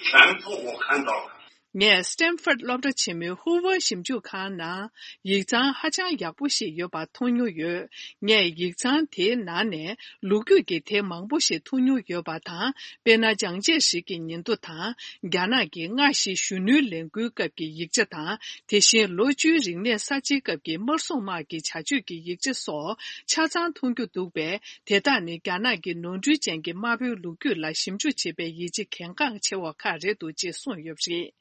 全部我看到了。 ངས་སི་ཏན་ཧྥོར་སློབ་གྲྭ་ཆེན་མོའི་ཧུ་ཝར་ཞིབ་འཇུག་ཁང་ནང་ཡིག་ཚང་ཧ་ཅང་ཡག་པོ་ཞིག་ཡོད་པ་མཐོང་མྱོང་ཡོད། ངས་ཡིག་ཚང་དེའི་ནང་ནས་ལོ་རྒྱུས་ཀྱི་དེབ་མང་པོ་ཞིག་མཐོང་མྱོང་ཡོད་པ་དང་། དཔེར་ན། ལྗང་བྱེད་རིགས་ཀྱི་ཉིན་ཐོ་དང་། རྒྱ་ནག་གི་སྔ་ཕྱི་གཞོན་ནུའི་ལས་འགུལ་སྐབས་ཀྱི་ཡིག་ཆ་དང་། དེ་བཞིན་ལོ་བཅུའི་རིག་གནས་གསར་བརྗེའི་སྐབས་ཀྱི་དམར་སྲུང་དམག་གི་བྱ་སྤྱོད་ཀྱི་ཡིག་ཆ་སོགས་ཆ་ཚང་མཐོང་རྒྱུ་འདུག་པས། དེ་དག་ནི་རྒྱ་ནག་གི་ནོར་འཁྲུལ་ཅན་གྱི་དམར་པོའི་ལོ་རྒྱུས་ལ་ཞིབ་འཇུག་བྱེད་པའི་ཡིད་ཆེས་གལ་འགངས་ཆེ་བ་ཁག་རེད་འདུག་ཅེས་གསུངས་ཡོད་པ་རེད།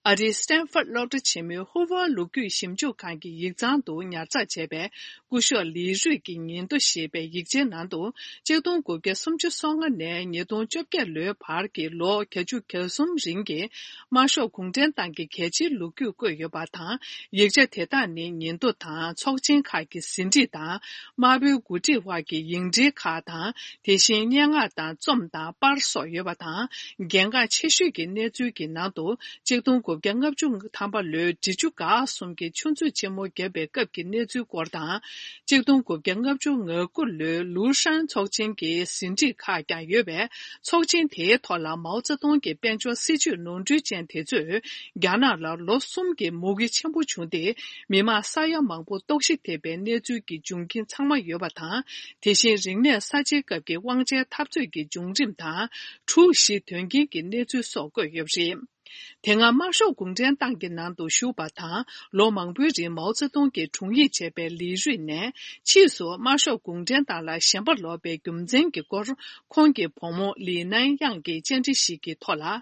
ཨ་རིའི་སི་ཏན་ཧྥོར་སློབ་གྲྭ་ཆེན་མོའི་ཧུ་ཝར་ལོ་རྒྱུས་ཞིབ་འཇུག་ཁང་གི་ཡིག་ཚང་དུ་ཉར་ཚགས་བྱས་པའི་སྐུ་ཞབས་ལི་རུས་ཀྱི་ཉིན་ཐོ་ཞེས་པའི་ཡིག་ཆའི་ནང་དུ། གཅིག་སྟོང་དགུ་བརྒྱ་སུམ་ཅུ་སོ་ལྔ་ནས་ཉིས་སྟོང་བཅོ་བརྒྱད་ལོའི་བར་གྱི་ལོ་བརྒྱད་ཅུ་གྱ་གསུམ་རིང་གི་དམར་ཤོག་གུང་ཁྲན་ཏང་གི་གལ་ཆེའི་ལོ་རྒྱུས་བཀོད་ཡོད་པ་དང་། ཡིག་ཆ་དེ་དག་ནི་ཉིན་ཐོ་དང་ཚོགས་ཆེན་ཁག་གི་ཟིན་བྲིས་དང་། དམར་པོའི་འགོ་ཁྲིད་དབར་གྱི་ཡིག་འབྲེལ་ཁག་དང་། དེ་བཞིན་སྙན་ངག་དང་རྩོམ་དང་པར་སོགས་ཡོད་པ་དང་། གལ་འགངས་ཆེ་ཤོས་ཀྱི་གནས་ཚུལ་གྱི་ནང་དུ། གཅིག་སྟོང་དགུ་བརྒྱ་ལྔ་བཅུ་ཐམ་པ་ལོའི་འབྲི་ཆུ་འགག་གསུམ་གྱི་ཆུ་མཛོད་ཆེན་མོ་བརྒྱབ་པའི་སྐབས་ཀྱི་གནས་ཚུལ་སྐོར་དང་། གཅིག་སྟོང་དགུ་བརྒྱ་ལྔ་བཅུ་ང་དགུ་ལོའི་ལུའུ་ཧྲན་ཚོགས་ཆེན་གྱི་ཟིན་བྲིས་ཁག་ཀྱང་ཡོད་པས། ཚོགས་ཆེན་དེའི་ཐོག་ལ་མའོ་ཙེ་ཏུང་གི་དཔལ་འབྱོར་སྲིད་ཇུས་ནོར་འཁྲུལ་ཅན་དེ་ཚོས་རྒྱ་ནག་ལ་ལོ་གསུམ་གྱི་མུ་གེ་ཆེན་པོ་བྱུང་སྟེ། མི་མང་ས་ཡ་མང་པོ་ལྟོགས་ཤི་ཐེབས་པའི་གནས་ཚུལ་གྱི་འབྱུང་རྐྱེན་ཚང་མ་ཡོད་པ་དང་། དེ་བཞིན་རིག་གནས་གསར་བརྗེའི་སྐབས་ཀྱི་དབང་ཆའི་འཐབ་རྩོད་ཀྱི་བྱུང་རིམ་དང་། འཁྲུག་གཞི་དོན་རྐྱེན་གྱི་གནས་ཚུལ་སོགས་བཀོད་ཡོད་པ་རེད། དེ་སྔ་དམར་ཤོག་གུང་ཁྲན་ཏང་གི་ནང་དུ་ཞུགས་པ་དང་། ལོ་མང་པོའི་རིང་མའོ་ཙེ་ཏུང་གི་དྲུང་ཡིག་བྱས་པའི་ལི་རུས་ནས། ཕྱིས་སུ་དམར་ཤོག་གུང་ཁྲན་ཏང་ལ་ཞེན་པ་ལོག་པའི་རྒྱུ་མཚན་གྱི་སྐོར། ཁོང་གི་བུ་མོ་ལི་ནན་དབྱང་གིས་བཅར་འདྲི་ཞིག་གི་ཐོག་ལ།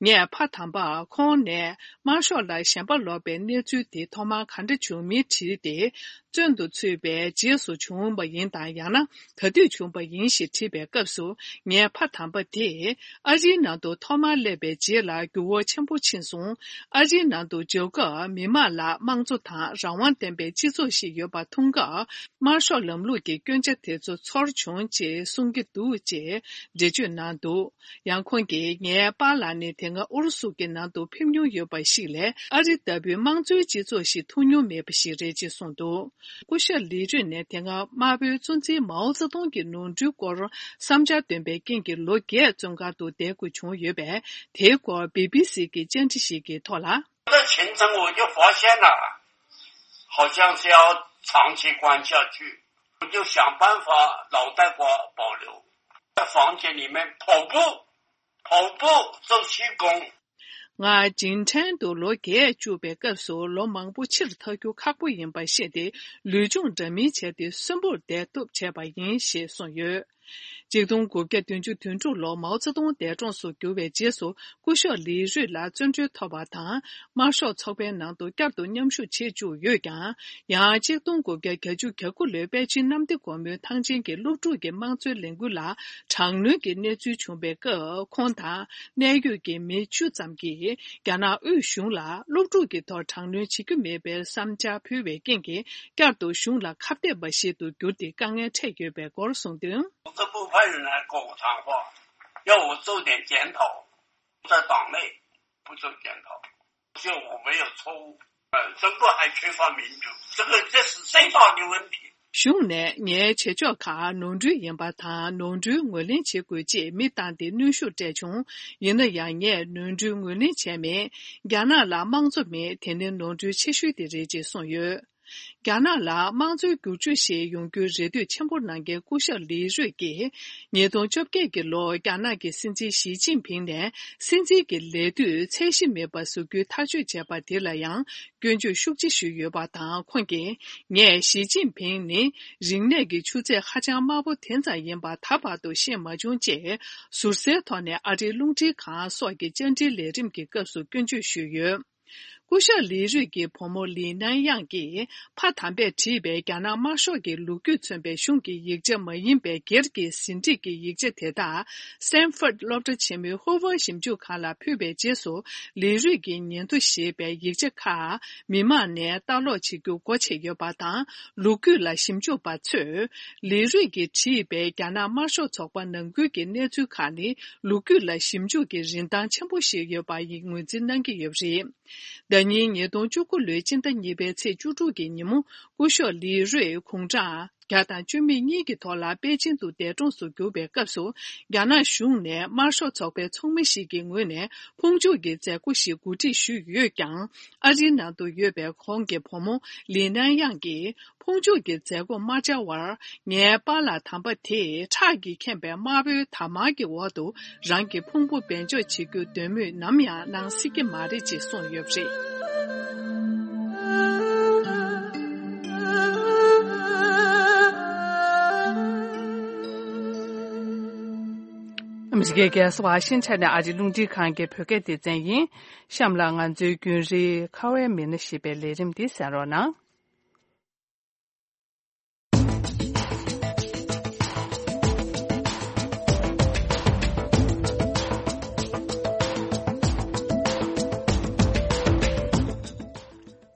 ངས་ཕ་དམ་པར་ཁོང་ནས་དམར་ཤོག་ལ་ཞེན་པ་ལོག་པའི་གནས་ཚུལ་དེ་ཐོག་མར་ག་འདྲ་བྱུང་མིན་དྲིས་ཏེ། བཙོན་དུ་ཚུད་པའི་རྗེས་སུ་བྱུང་བ་ཡིན་དམ། ཡང་ན་ག་དུས་བྱུང་བ་ཡིན་ཞེས་དྲིས་པའི་སྐབས་སུ། ངའི་ཕ་དམ་པ་དེས་ཨ་རིའི་ནང་དུ་ཐོག་མར་སླེབས་པའི་རྗེས་ལ་འགྱུར་བ་ཆེན་པོ་ཕྱིན་སོང་། ཨ་རིའི་ནང་དུ་འབྱོར་སྐབས་མི་མང་ལ་དམངས་གཙོ་དང་རང་དབང་ལྡན་པའི་སྤྱི་ཚོགས་ཤིག་ཡོད་པ་མཐོང་སྐབས། དམར་ཤོག་ལམ་ལུགས་ཀྱི་སྐྱོན་ཆ་དེ་ཚོ་ཚོར་བྱུང་ཅེས་གསུང་གི་འདུག་ཅེས་འགྲེལ་བརྗོད་གནང་འདུག། ཡང་ཁོང་གིས། ངའི་པཱ་ལགས་ནི་དེ་སྔ་ཨུ་རུ་སུ་གྱི་ནང་དུ་ཕེབས་མྱོང་ཡོད་པ་ཞིག་ལས། ཨ་རི་ལྟ་བུའི་དམངས་གཙོའི་སྤྱི་ཚོགས་ཤིག་མཐོང་མྱོང་མེད་པ་ཞིག་རེད་ཅེས་གསུངས་འདུག། སྐུ་ཞབས་ལི་རུས་ནས་དེ་སྔ་དམར་པོའི་གཙོ་འཛིན་མའོ་ཙེ་ཏུང་གི་ནོར་འཁྲུལ་སྐོར་བསམ་འཆར་འདོན་པའི་རྐྱེན་གྱིས་ལོ་བརྒྱད་བཙོན་ཁང་དུ་བསྡད་དགོས་བྱུང་ཡོད་པས། དེའི་སྐོར་བི་བི་སི་གི་བཅར་འདྲི་ཞིག་གི་ཐོག་ལ། 我的前程我就发现了，好像是要长期关下去，我就想办法脑袋瓜保留，在房间里面跑步，跑步做气功。 ང་རྗེས་དྲན་དུ་ལོ་བརྒྱད་བཅུག་པའི་སྐབས་སུ་ལོ་མང་པོ་ཕྱིར་ཐར་རྒྱུ་ཁག་པོ་ཡིན་པ་ཤེས་ཏེ། ལུས་སྦྱོང་འདྲ་མིན་བྱས་ཏེ་གསོན་པོར་བསྡད་ཐུབ་བྱས་པ་ཡིན་ཞེས་གསུངས་ཡོད། གཅིག་སྟོང་དགུ་བརྒྱ་བདུན་ཅུ་དོན་དྲུག་ལོར་མའོ་ཙེ་ཏུང་འདས་གྲོངས་སུ་གྱུར་བའི་རྗེས་སུ། སྐུ་ཞབས་ལི་རུས་ལ་བཙོན་གྲོལ་ཐོབ་པ་དང་། དམར་ཤོག་ཚོགས་པའི་ནང་དུ་བསྐྱར་དུ་མཉམ་ཞུགས་བྱེད་བཅུག་ཡོད་ཀྱང་། ཡང་གཅིག་སྟོང་དགུ་བརྒྱ་གྱ་གཉིས་གྱ་དགུ་ལོའི་པེ་ཅིན་གནམ་བདེ་སྒོ་མོའི་ཐང་ཆེན་གྱི་སློབ་ཕྲུག་གི་དམངས་གཙོའི་ལས་འགུལ་ལ་དྲག་གནོན་གྱི་གནས་ཚུལ་བྱུང་བའི་སྐབས། ཁོང་དང་གནད་ཡོད་ཀྱི་མི་བཅུ་ཙམ་གྱིས་རྒྱ་ནག་དབུས་གཞུང་ལ་སློབ་ཕྲུག་གི་ཐོག་དྲག་གནོན་བྱེད་རྒྱུ་མེད་པའི་བསམ་འཆར་ཕུལ་བའི་རྐྱེན་གྱིས། བསྐྱར་དུ་གཞུང་ལ་ཁ་གཏད་པ་ཞིག་ཏུ་གྱུར་ཏེ། དཀའ་ངལ་འཕྲད་ཡོད་པའི་སྐོར་གསུངས་དོན། 政府派人来跟我谈话，要我做点检讨，在党内不做检讨，就我没有错误。呃，政府还缺乏民主，这个，这是最大的问题。 གཞུང་ནས་ངའི་བྱེད་ཕྱོགས་ཁག་ནོར་འཁྲུལ་ཡིན་པ་དང་། ནོར་འཁྲུལ་ངོས་ལེན་བྱེད་དགོས་ཅེས་མི་བཏང་སྟེ་གནོན་ཤུགས་སྤྲད་བྱུང་། ཡིན་ན་ཡང་། ངས་ནོར་འཁྲུལ་ངོས་ལེན་བྱས་མེད། རྒྱ་ནག་ལ་དམངས་གཙོ་མེད། དེ་ནི་ནོར་འཁྲུལ་ཆེ་ཤོས་དེ་རེད་ཅེས་གསུངས་ཡོད། རྒྱ་ནག་ལ་དམངས་གཙོའི་བསྒྱུར་བཅོས་ཤིག་ཡོང་རྒྱུའི་རེ་འདུན་ཆེན་པོ་གནང་མཁན་སྐུ་ཞབས་ལི་རུས་ཀྱིས། ཉིས་སྟོང་བཅོ་བརྒྱད་ཀྱི་ལོར་རྒྱ་ནག་གི་སྲིད་འཛིན་ཞི་ཅིན་ཕིང་ནས་སྲིད་འཛིན་གྱི་ལས་དུས་ཚད་གཞི་མེད་པ་བཟོ་རྒྱུའི་ཐག་གཅོད་བྱས་པ་དེ་ལ་ཡང་། སྐྱོན་བརྗོད་ཤུགས་ཆེ་ཞུས་ཡོད་པ་དང་། ཁོང་གིས། ངས་ཞི་ཅིན་ཕིང་ནི་རིག་གནས་ཀྱི་ཆུ་ཚད་ཧ་ཅང་དམའ་པོ་དེ་ཙམ་ཡིན་པ་ད་བར་དུ་ཤེས་མ་བྱུང་ཅེས། ཟུར་ཟའི་ཐོག་ནས་ཨ་རིའི་རླུང་འཕྲིན་ཁང་སོགས་ཀྱི་བཅར་འདྲིའི་ལས་རིམ་གྱི་སྐབས་སུ་སྐྱོན་བརྗོད་ཞུས་ཡོད། སྐུ་ཞབས་ལི་རུས་ཀྱི་བུ་མོ་ལི་ནན་དབྱང་གིས་ཕ་དམ་པས་བྲིས་པའི་རྒྱ་ནག་དམར་ཤོག་གི་ལོ་རྒྱུས་མཚོན་པའི་གཞུང་གི་ཡིག་ཆ་མ་ཡིན་པའི་སྒེར་གྱི་ཟིན་བྲིས་ཀྱི་ཡིག་ཆ་དེ་དག་སི་ཊན་ཕོརྡ་སློབ་གྲྭ་ཆེན་མོའི་ཧོ་ཝར་ཞིབ་འཇུག་ཁང་ལ་ཕུལ་བའི་རྗེས་སུ། ལི་རུས་ཀྱི་ཉིན་ཐོ་ཞེས་པའི་ཡིག་ཆ་ཁག་མི་མང་ནས་ལྟ་ཀློག་བྱེད་རྒྱུ་སྒོ་ཕྱེ་ཡོད་པ་དང་། ལོ་རྒྱུས་ལ་ཞིབ་འཇུག་པ་ཚོས་ལི་རུས་ཀྱིས་བྲིས་པའི་རྒྱ་ནག་དམར་ཤོག་ཚོགས་པ་ནང་ཁུལ་གྱི་གནས་ཚུལ་ཁག་ནི། ལོ་རྒྱུས་ལ་ཞིབ་འཇུག་གི་རིན་ཐང་ཆེན་པོ་ཞིག་ཡོད་པ་ཡིན་ངོས་འཛིན་གནང་གི་ཡོད་པ་རེད། ཟླ་ཉིན་ཉིས་སྟོང་བཅུ་དགུ་ལོའི་སྤྱི་ཟླ་གཉིས་པའི་ཚེས་བཅུ་དྲུག་གི་ཉིན་མོ། སྐུ་ཞབས་ལི་རུས་དགུང་གྲངས་བརྒྱ་དང་བཅུ་མེད་གཉིས་ཀྱི་ཐོག་ལ་པེ་ཅིན་དུ་འདས་གྲོངས་སུ་གྱུར་པའི་སྐབས་སུ། རྒྱ་ནག་གཞུང་ནས་དམར་ཤོག་ཚོགས་པའི་ཚོགས་མི་ཞིག་གི་ངོས་ནས་ཕུང་མཆོད་ཀྱི་མཛད་སྒོ་ཞིག་གོ་སྒྲིག་ཞུས་ཡོད་ཀྱང་། ཨ་རིའི་ནང་དུ་ཡོད་པའི་ཁོང་གི་བུ་མོ་ལི་ནན་དབྱང་གིས། ཕུང་མཆོད་ཀྱི་མཛད་སྒོ་མ་བཅར་བར། ངའི་པཱ་ལགས་དམ་པ་དེས་ཁྲག་གིས་ཁེངས་པའི་དམར་པོའི་དར་དམར་གྱི་འོག་ཏུ་རང་གི་ཕུང་པོ་སྦས་འཇོག་བྱེད་རྒྱུའི་འདོད་མོས་ནམ་ཡང་གནང་སྲིད་ཀྱི་མ་རེད་ཅེས་གསུངས་ཡོད་པ་རེད། ཨ་མི་རི་ཀའི་རྒྱལ་ས་ཝ་ཤིང་ཊོན་ནས་ཨ་རིའི་རླུང་འཕྲིན་ཁང་གི་བོད་སྐད་སྡེ་ཚན་ཡིན། གཤམ་ལ་ང་ཚོའི་རྒྱུན་རིང་ཁ་བའི་མི་སྣ་ཞེས་པའི་ལས་རིམ་འདི་གསན་རོགས་གནང་།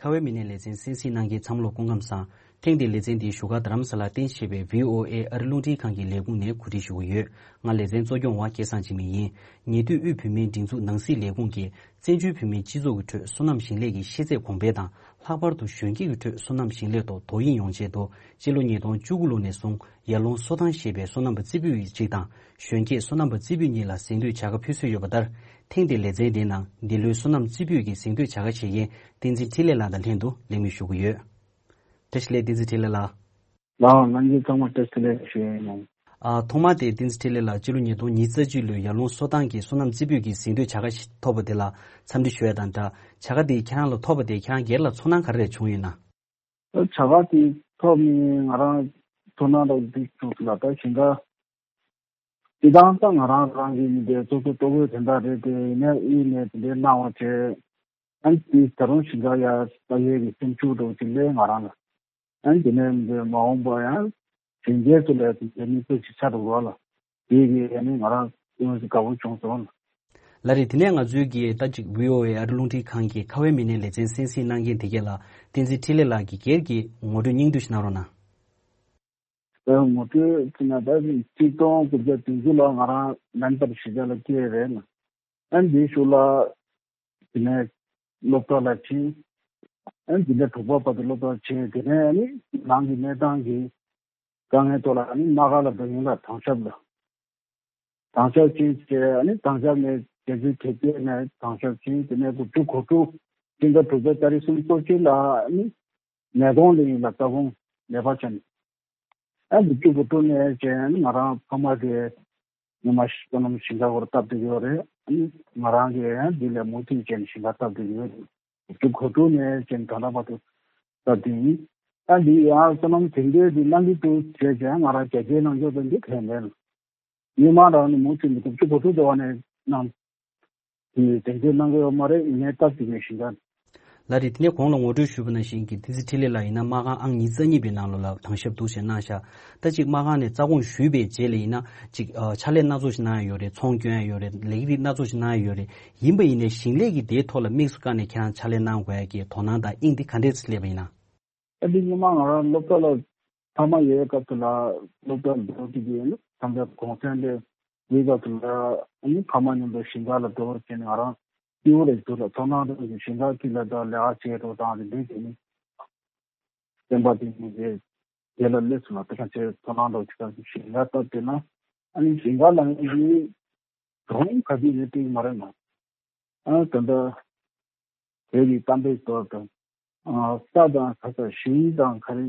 ཁ་བའི་མི་སྣའི་ལེ་ཚན་གསན་གཟིགས་གནང་མཁན་ཚང་མ་ལ་སྐུ་ཁམས་བཟང་། ཐེངས་འདིའི་ལེ་ཚན་འདི་བཞུགས་སྒར་རྡ་རམ་ས་ལར་རྟེན་གཞི་བྱས་པའི་བྷི་ཨོ་ཨེ་ཨ་རི་རླུང་འཕྲིན་ཁང་གི་ལས་ཁུངས་ནས་གོ་སྒྲིག་ཞུ་གི་ཡོད། ང་ལེ་ཚན་གཙོ་སྐྱོང་བ་སྐལ་བཟང་འཇིགས་མེད་ཡིན། ཉེ་དུས་དབུས་བོད་མིའི་སྒྲིག་འཛུགས་ནང་སྲིད་ལས་ཁུངས་ཀྱིས། བཙན་བྱོལ་བོད་མིའི་སྤྱི་ཚོགས་ཀྱི་ཁྲོད་སོ་ནམ་ཞིང་ལས་ཀྱི་ཤེས་ཚད་གོང་འཕེལ་དང་། ལྷག་པར་དུ་གཞོན་སྐྱེས་ཀྱི་ཁྲོད་སོ་ནམ་ཞིང་ལས་ཐོག་དོ་དབྱིངས་ཡོང་ཆེད་དུ། སྤྱི་ལོ་ཉིས་སྟོང་བཅུ་དགུ་ལོ་ནས་བཟུང་ཡར་ཀླུང་སོ་ཐང་ཞེས་པའི་སོ་ནམ་པ་རྩེ་ཕུད་ཅིག་དང་། གཞོན་སྐྱེས་སོ་ནམ་པ་རྩེ་ཕུད་གཉིས་ལ་གཟེངས་བསྟོད་བྱ་དགའ་ཕུལ་སྲོལ་ཡོད་པ་ལྟར། ཐེངས་འདིའི་ལེ་ཚན་འདིའི་ནང་འདི་ལོའི་སོ་ནམ་རྩེ་ཕུད་ཀྱི་གཟེངས་བསྟོད་བྱ་དགའ་བྱེད་མཁན་བསྟན་འཛིན་འཕྲིན་ལས་ལགས་དང་ལྷན་དུ་ལེགས་སྨོན་ཞུ་གི་ཡོད། བཀྲ་ཤིས་བདེ་ལེགས། བསྟན་འཛིན་འཕྲིན་ལས་ལགས། ལགས་ལགས། ལྷན་རྒྱས་ཚང་མ་བཀྲ་ཤིས་བདེ་ལེགས་ཞུ་ཡ་ཡིན། ཨ། ཐོག་མ་དེ་བསྟན་འཛིན་འཕྲིན་ལས་ལགས་སྤྱི་ལོ་ཉིས་སྟོང་ཉི་ཤུ་རྩ་གཅིག་ལོའི་ཡར་ཀླུང་སོ་ཐང་གི་སོ་ནམ་རྩེ་ཕུད་ཀྱི་གཟེངས་བསྟོད་བྱ་དགའ་ཞིག་ཐོབ་པ་དེ་ལ་འཚམས་འདྲི་ཞུ་ཡ་དང་སྦྲགས། བྱ་དགའ་དེ་ཁྱེད་རང་ལ་ཐོབ་པ་དེ་ཁྱེད་རང་སྒེར་ལ་ཚོར་སྣང་ག་རེ་བྱུང་ཡོད་ན། བྱ་དགའ་དེ་ཐོབ་ནས་ང་རང་ཚོར་སྣང་འདྲ་བོ་འདི་བྱུང་སོང་ལ། ད་གཞན་དག་སྤྱི་བཏང་ད་ང་རང་རང་གི་མི་དེ་སོ་སོ་ལྟོ་གོས་དེ་འདྲ་རེད་དེ། ཡིན་ནའི་དབུས་ནས་དེ་འདྲའི་གནང་བ་བྱས། ཨ་ནི་དེ་ད་རུང་ཞིང་ཁ་ཡར་ལྟ་ཡས་ཀྱི་སེམས་ཤུགས་འདྲ་བོ་ཅིག་སླེབས་ང་རང་ལ། ཨ་ནི་དེ་ནས་མི་དེ་མ་འོངས་པ་ཡང་གཞོན་སྐྱེས་ཚོ་ལ་དེ་འདྲའི་མི་ཚོ་ཞིག་ཆགས་འགྲོ་བ་ལ། དེ་གི་ཨ་ནི་ང་རང་ཡོངས་སུ་དགའ་པོ་བྱུང་སོང་། ལགས་རེད། དེ་ནས་ང་ཚོའི་གི་ད་ཅིག་བྷི་ཨོ་ཨེ་ཨ་རི་རླུང་འཕྲིན་ཁང་གི་ཁ་བའི་མི་སྣའི་ལེ་ཚན་གསན་གཟིགས་གནང་མཁན་དེ་གས་ལ་བསྟན་འཛིན་འཕྲིན་ལས་ལགས་ཀྱི་སྒེར་གྱི་ངོ་སྤྲོད་སྙིང་བསྡུས་ཤིག་གནང་རོགས་གནང་། ཨ། ངོ་སྤྲོད་ཅིག་ན་ད་གཅིག་སྟོང་དགུ་བརྒྱ་བདུན་ཅུ་ལོར་ང་རང་མེན་པར་གཞིས་ཆགས་ལ་སྐྱེས་རེད་ལ། ཨ་ནི་དེའི་གཞུག་ལ་དེ་ནས་སློབ་གྲྭ་ལ་ཕྱིན། ཨ་ནི་དེ་ནས་དྲུག་པ་བར་དུ་སློབ་གྲྭར་ཕྱིན། དེ་ནས་ཨ་ནི་རང་གི་གནས་སྟངས་ཀྱི་དཀའ་ངལ་ཐོག་ལ་ཨ་ནི་སྣ་ཁ་ལ་འགྲོ་ཡིན་ལ། དྭང་ཞབས་ལ། དྭང་ཞབས་ཕྱིན་བྱས། ཨ་ནི་དྭང་ཞབས་ནས་རྒྱལ་སྤྱིའི་དེབ་སྐྱེལ་ནས་དྭང་ཞབས་ཕྱིན། དེ་ནས་དགུ་བཅུ་གོ་དྲུག་སྤྱི་ཟླ་དྲུག་པའི་ཏ་རིག་སུམ་ཅུ་སོ་གཅིག་ལ་ཨ་ནི་ནད་ཀོང་ལ་ཡིན་ལ་ལྟ་སྐོང་ལས་པ་བྱས་ནས། ཨ་ནི་དགུ་བཅུ་གོ་དྲུག་ནས་བྱས་ཨ་ནི་ང་རང་ཕ་མ་གི་ཉི་མ་སོ་ནམ་ཞིང་ཁ་སྐོར་སྟབས་བདེ་ཡོད་རེད། ཨ་ནི་ང་རང་གིས་ཨ་འདི་ལས་མུ་མཐུད་བྱས་ནས་ཞིང་ཁ་སྟབས་བདེ་ཡོད་རེད། དགུ་བཅུ་གོ་དྲུག་ནས་བྱས་ནས་ད་ལྟ་བར་དུ་སྟབས་བདེ་ཡིན། ཨ་འདི་ཡང་སོ་ནམ་དེང་དུས་འདི་གནང་གི་འདུག་བྱས་བྱས་ང་རང་རྒྱ་སྐྱེད་གནང་ཆོག་པ་འདི་གལ་མེད། མི་མང་རང་ནས་མུ་མཐུད་ནས་དགུ་བཅུ་གོ་དྲུག་དེ་བ་ནས་གནང་། དེ་དེ་འདྲའི་གནང་གི་ཡོད་མ་རེད། ཡིན་ནའི་སྟབས་བདེ་བའི་ཞིང་ཁ། ལགས་རེད། དེ་ནས་གོང་ལ་ངོ་སྤྲོད་ཞུས་པ་ནང་བཞིན་གྱི་བསྟན་འཛིན་འཕྲིན་ལས་ལགས་ཡིན་ན་སྨར་ཁམས་ཨང་ཉི་ཤུ་རྩ་གཉིས་པའི་ནང་ལོགས་ལ་དྭང་ཞབས་འདུག་སེ་གནང་ཤག་ད་ཅིག་སྨར་ཁམས་ནས་རྩ་དགོངས་ཞུས་པའི་རྗེས་ལ་ཡིན་ན་ཅིག་ཨ་ཕྱག་ལས་སྣ་ཚོགས་ཤིག་གནང་ཡ་ཡོད་རེད། ཚོང་སྐྱོན་ཡ་ཡོད་རེད། ལས་རིགས་སྣ་ཚོགས་ཤིག་གནང་ཡ་ཡོད་རེད། ཡིན་པ་ཡིན་ནའི་ཞིང་ལས་ཀྱི་དེའི་ཐོག་ལ་དམིགས་སུ་བཀར་ནས་ཁྱེད་རང་ཕྱག་ལས་གནང་དགོས་ཡ་གི་དོ་སྣང་དང་དབྱིངས་དེ་ག་འདྲས་སླེབས་པ་ཡིན་ན། ཨ་འདི་སྔོན་མ་ང་རང་སློབ་གྲྭ་ལ་ཕ་མ་ཡོད་སྐབས་དེ་ལ་སློབ་གྲྭ་འགྲོ་གི་ཡོད་ན་ད་ལྟ་གུང་སེང་ལས་འདིའི་སྐབས་དེ་ལ་ཨ་ནི་ཕ་མ་མཉམ་དུ་ཞིང་ཁ་ལ་འགྲོ་བྱས་ནས་ང་རང་སྐྱིད་པོ་རེད་འདུག་ལ། ཚོར་སྣང་རང་གི་ཞིང་ཁ་དཀྱིལ་ལ་ད་ལས་ཀ་བྱེད་རོགས་དང་དེ་འདྲའི་བྱས་ནས་སེམས་པ་དེ་ནི་དེ་དེ་ལ་སླེབས་སོང་ལ། དེ་ག་ཚོད་ཚོར་སྣང་འདྲ་བོ་ཅིག་ཞིང་ཁ་བཏབ་བསྡད་ན་ཨ་ནི་ཞིང་ཁ་ལ་ངས་གྲོང་ག་དུས་ནས་བཏིང་མ་རེད་ན། ཨ་ད་ལྟ་བོད་ཀྱི་གཏམ་དཔེ་ལྟར་དུ། ཨ་ས་དང་ཁ་ས་ཞིང་དང་ག་རེ་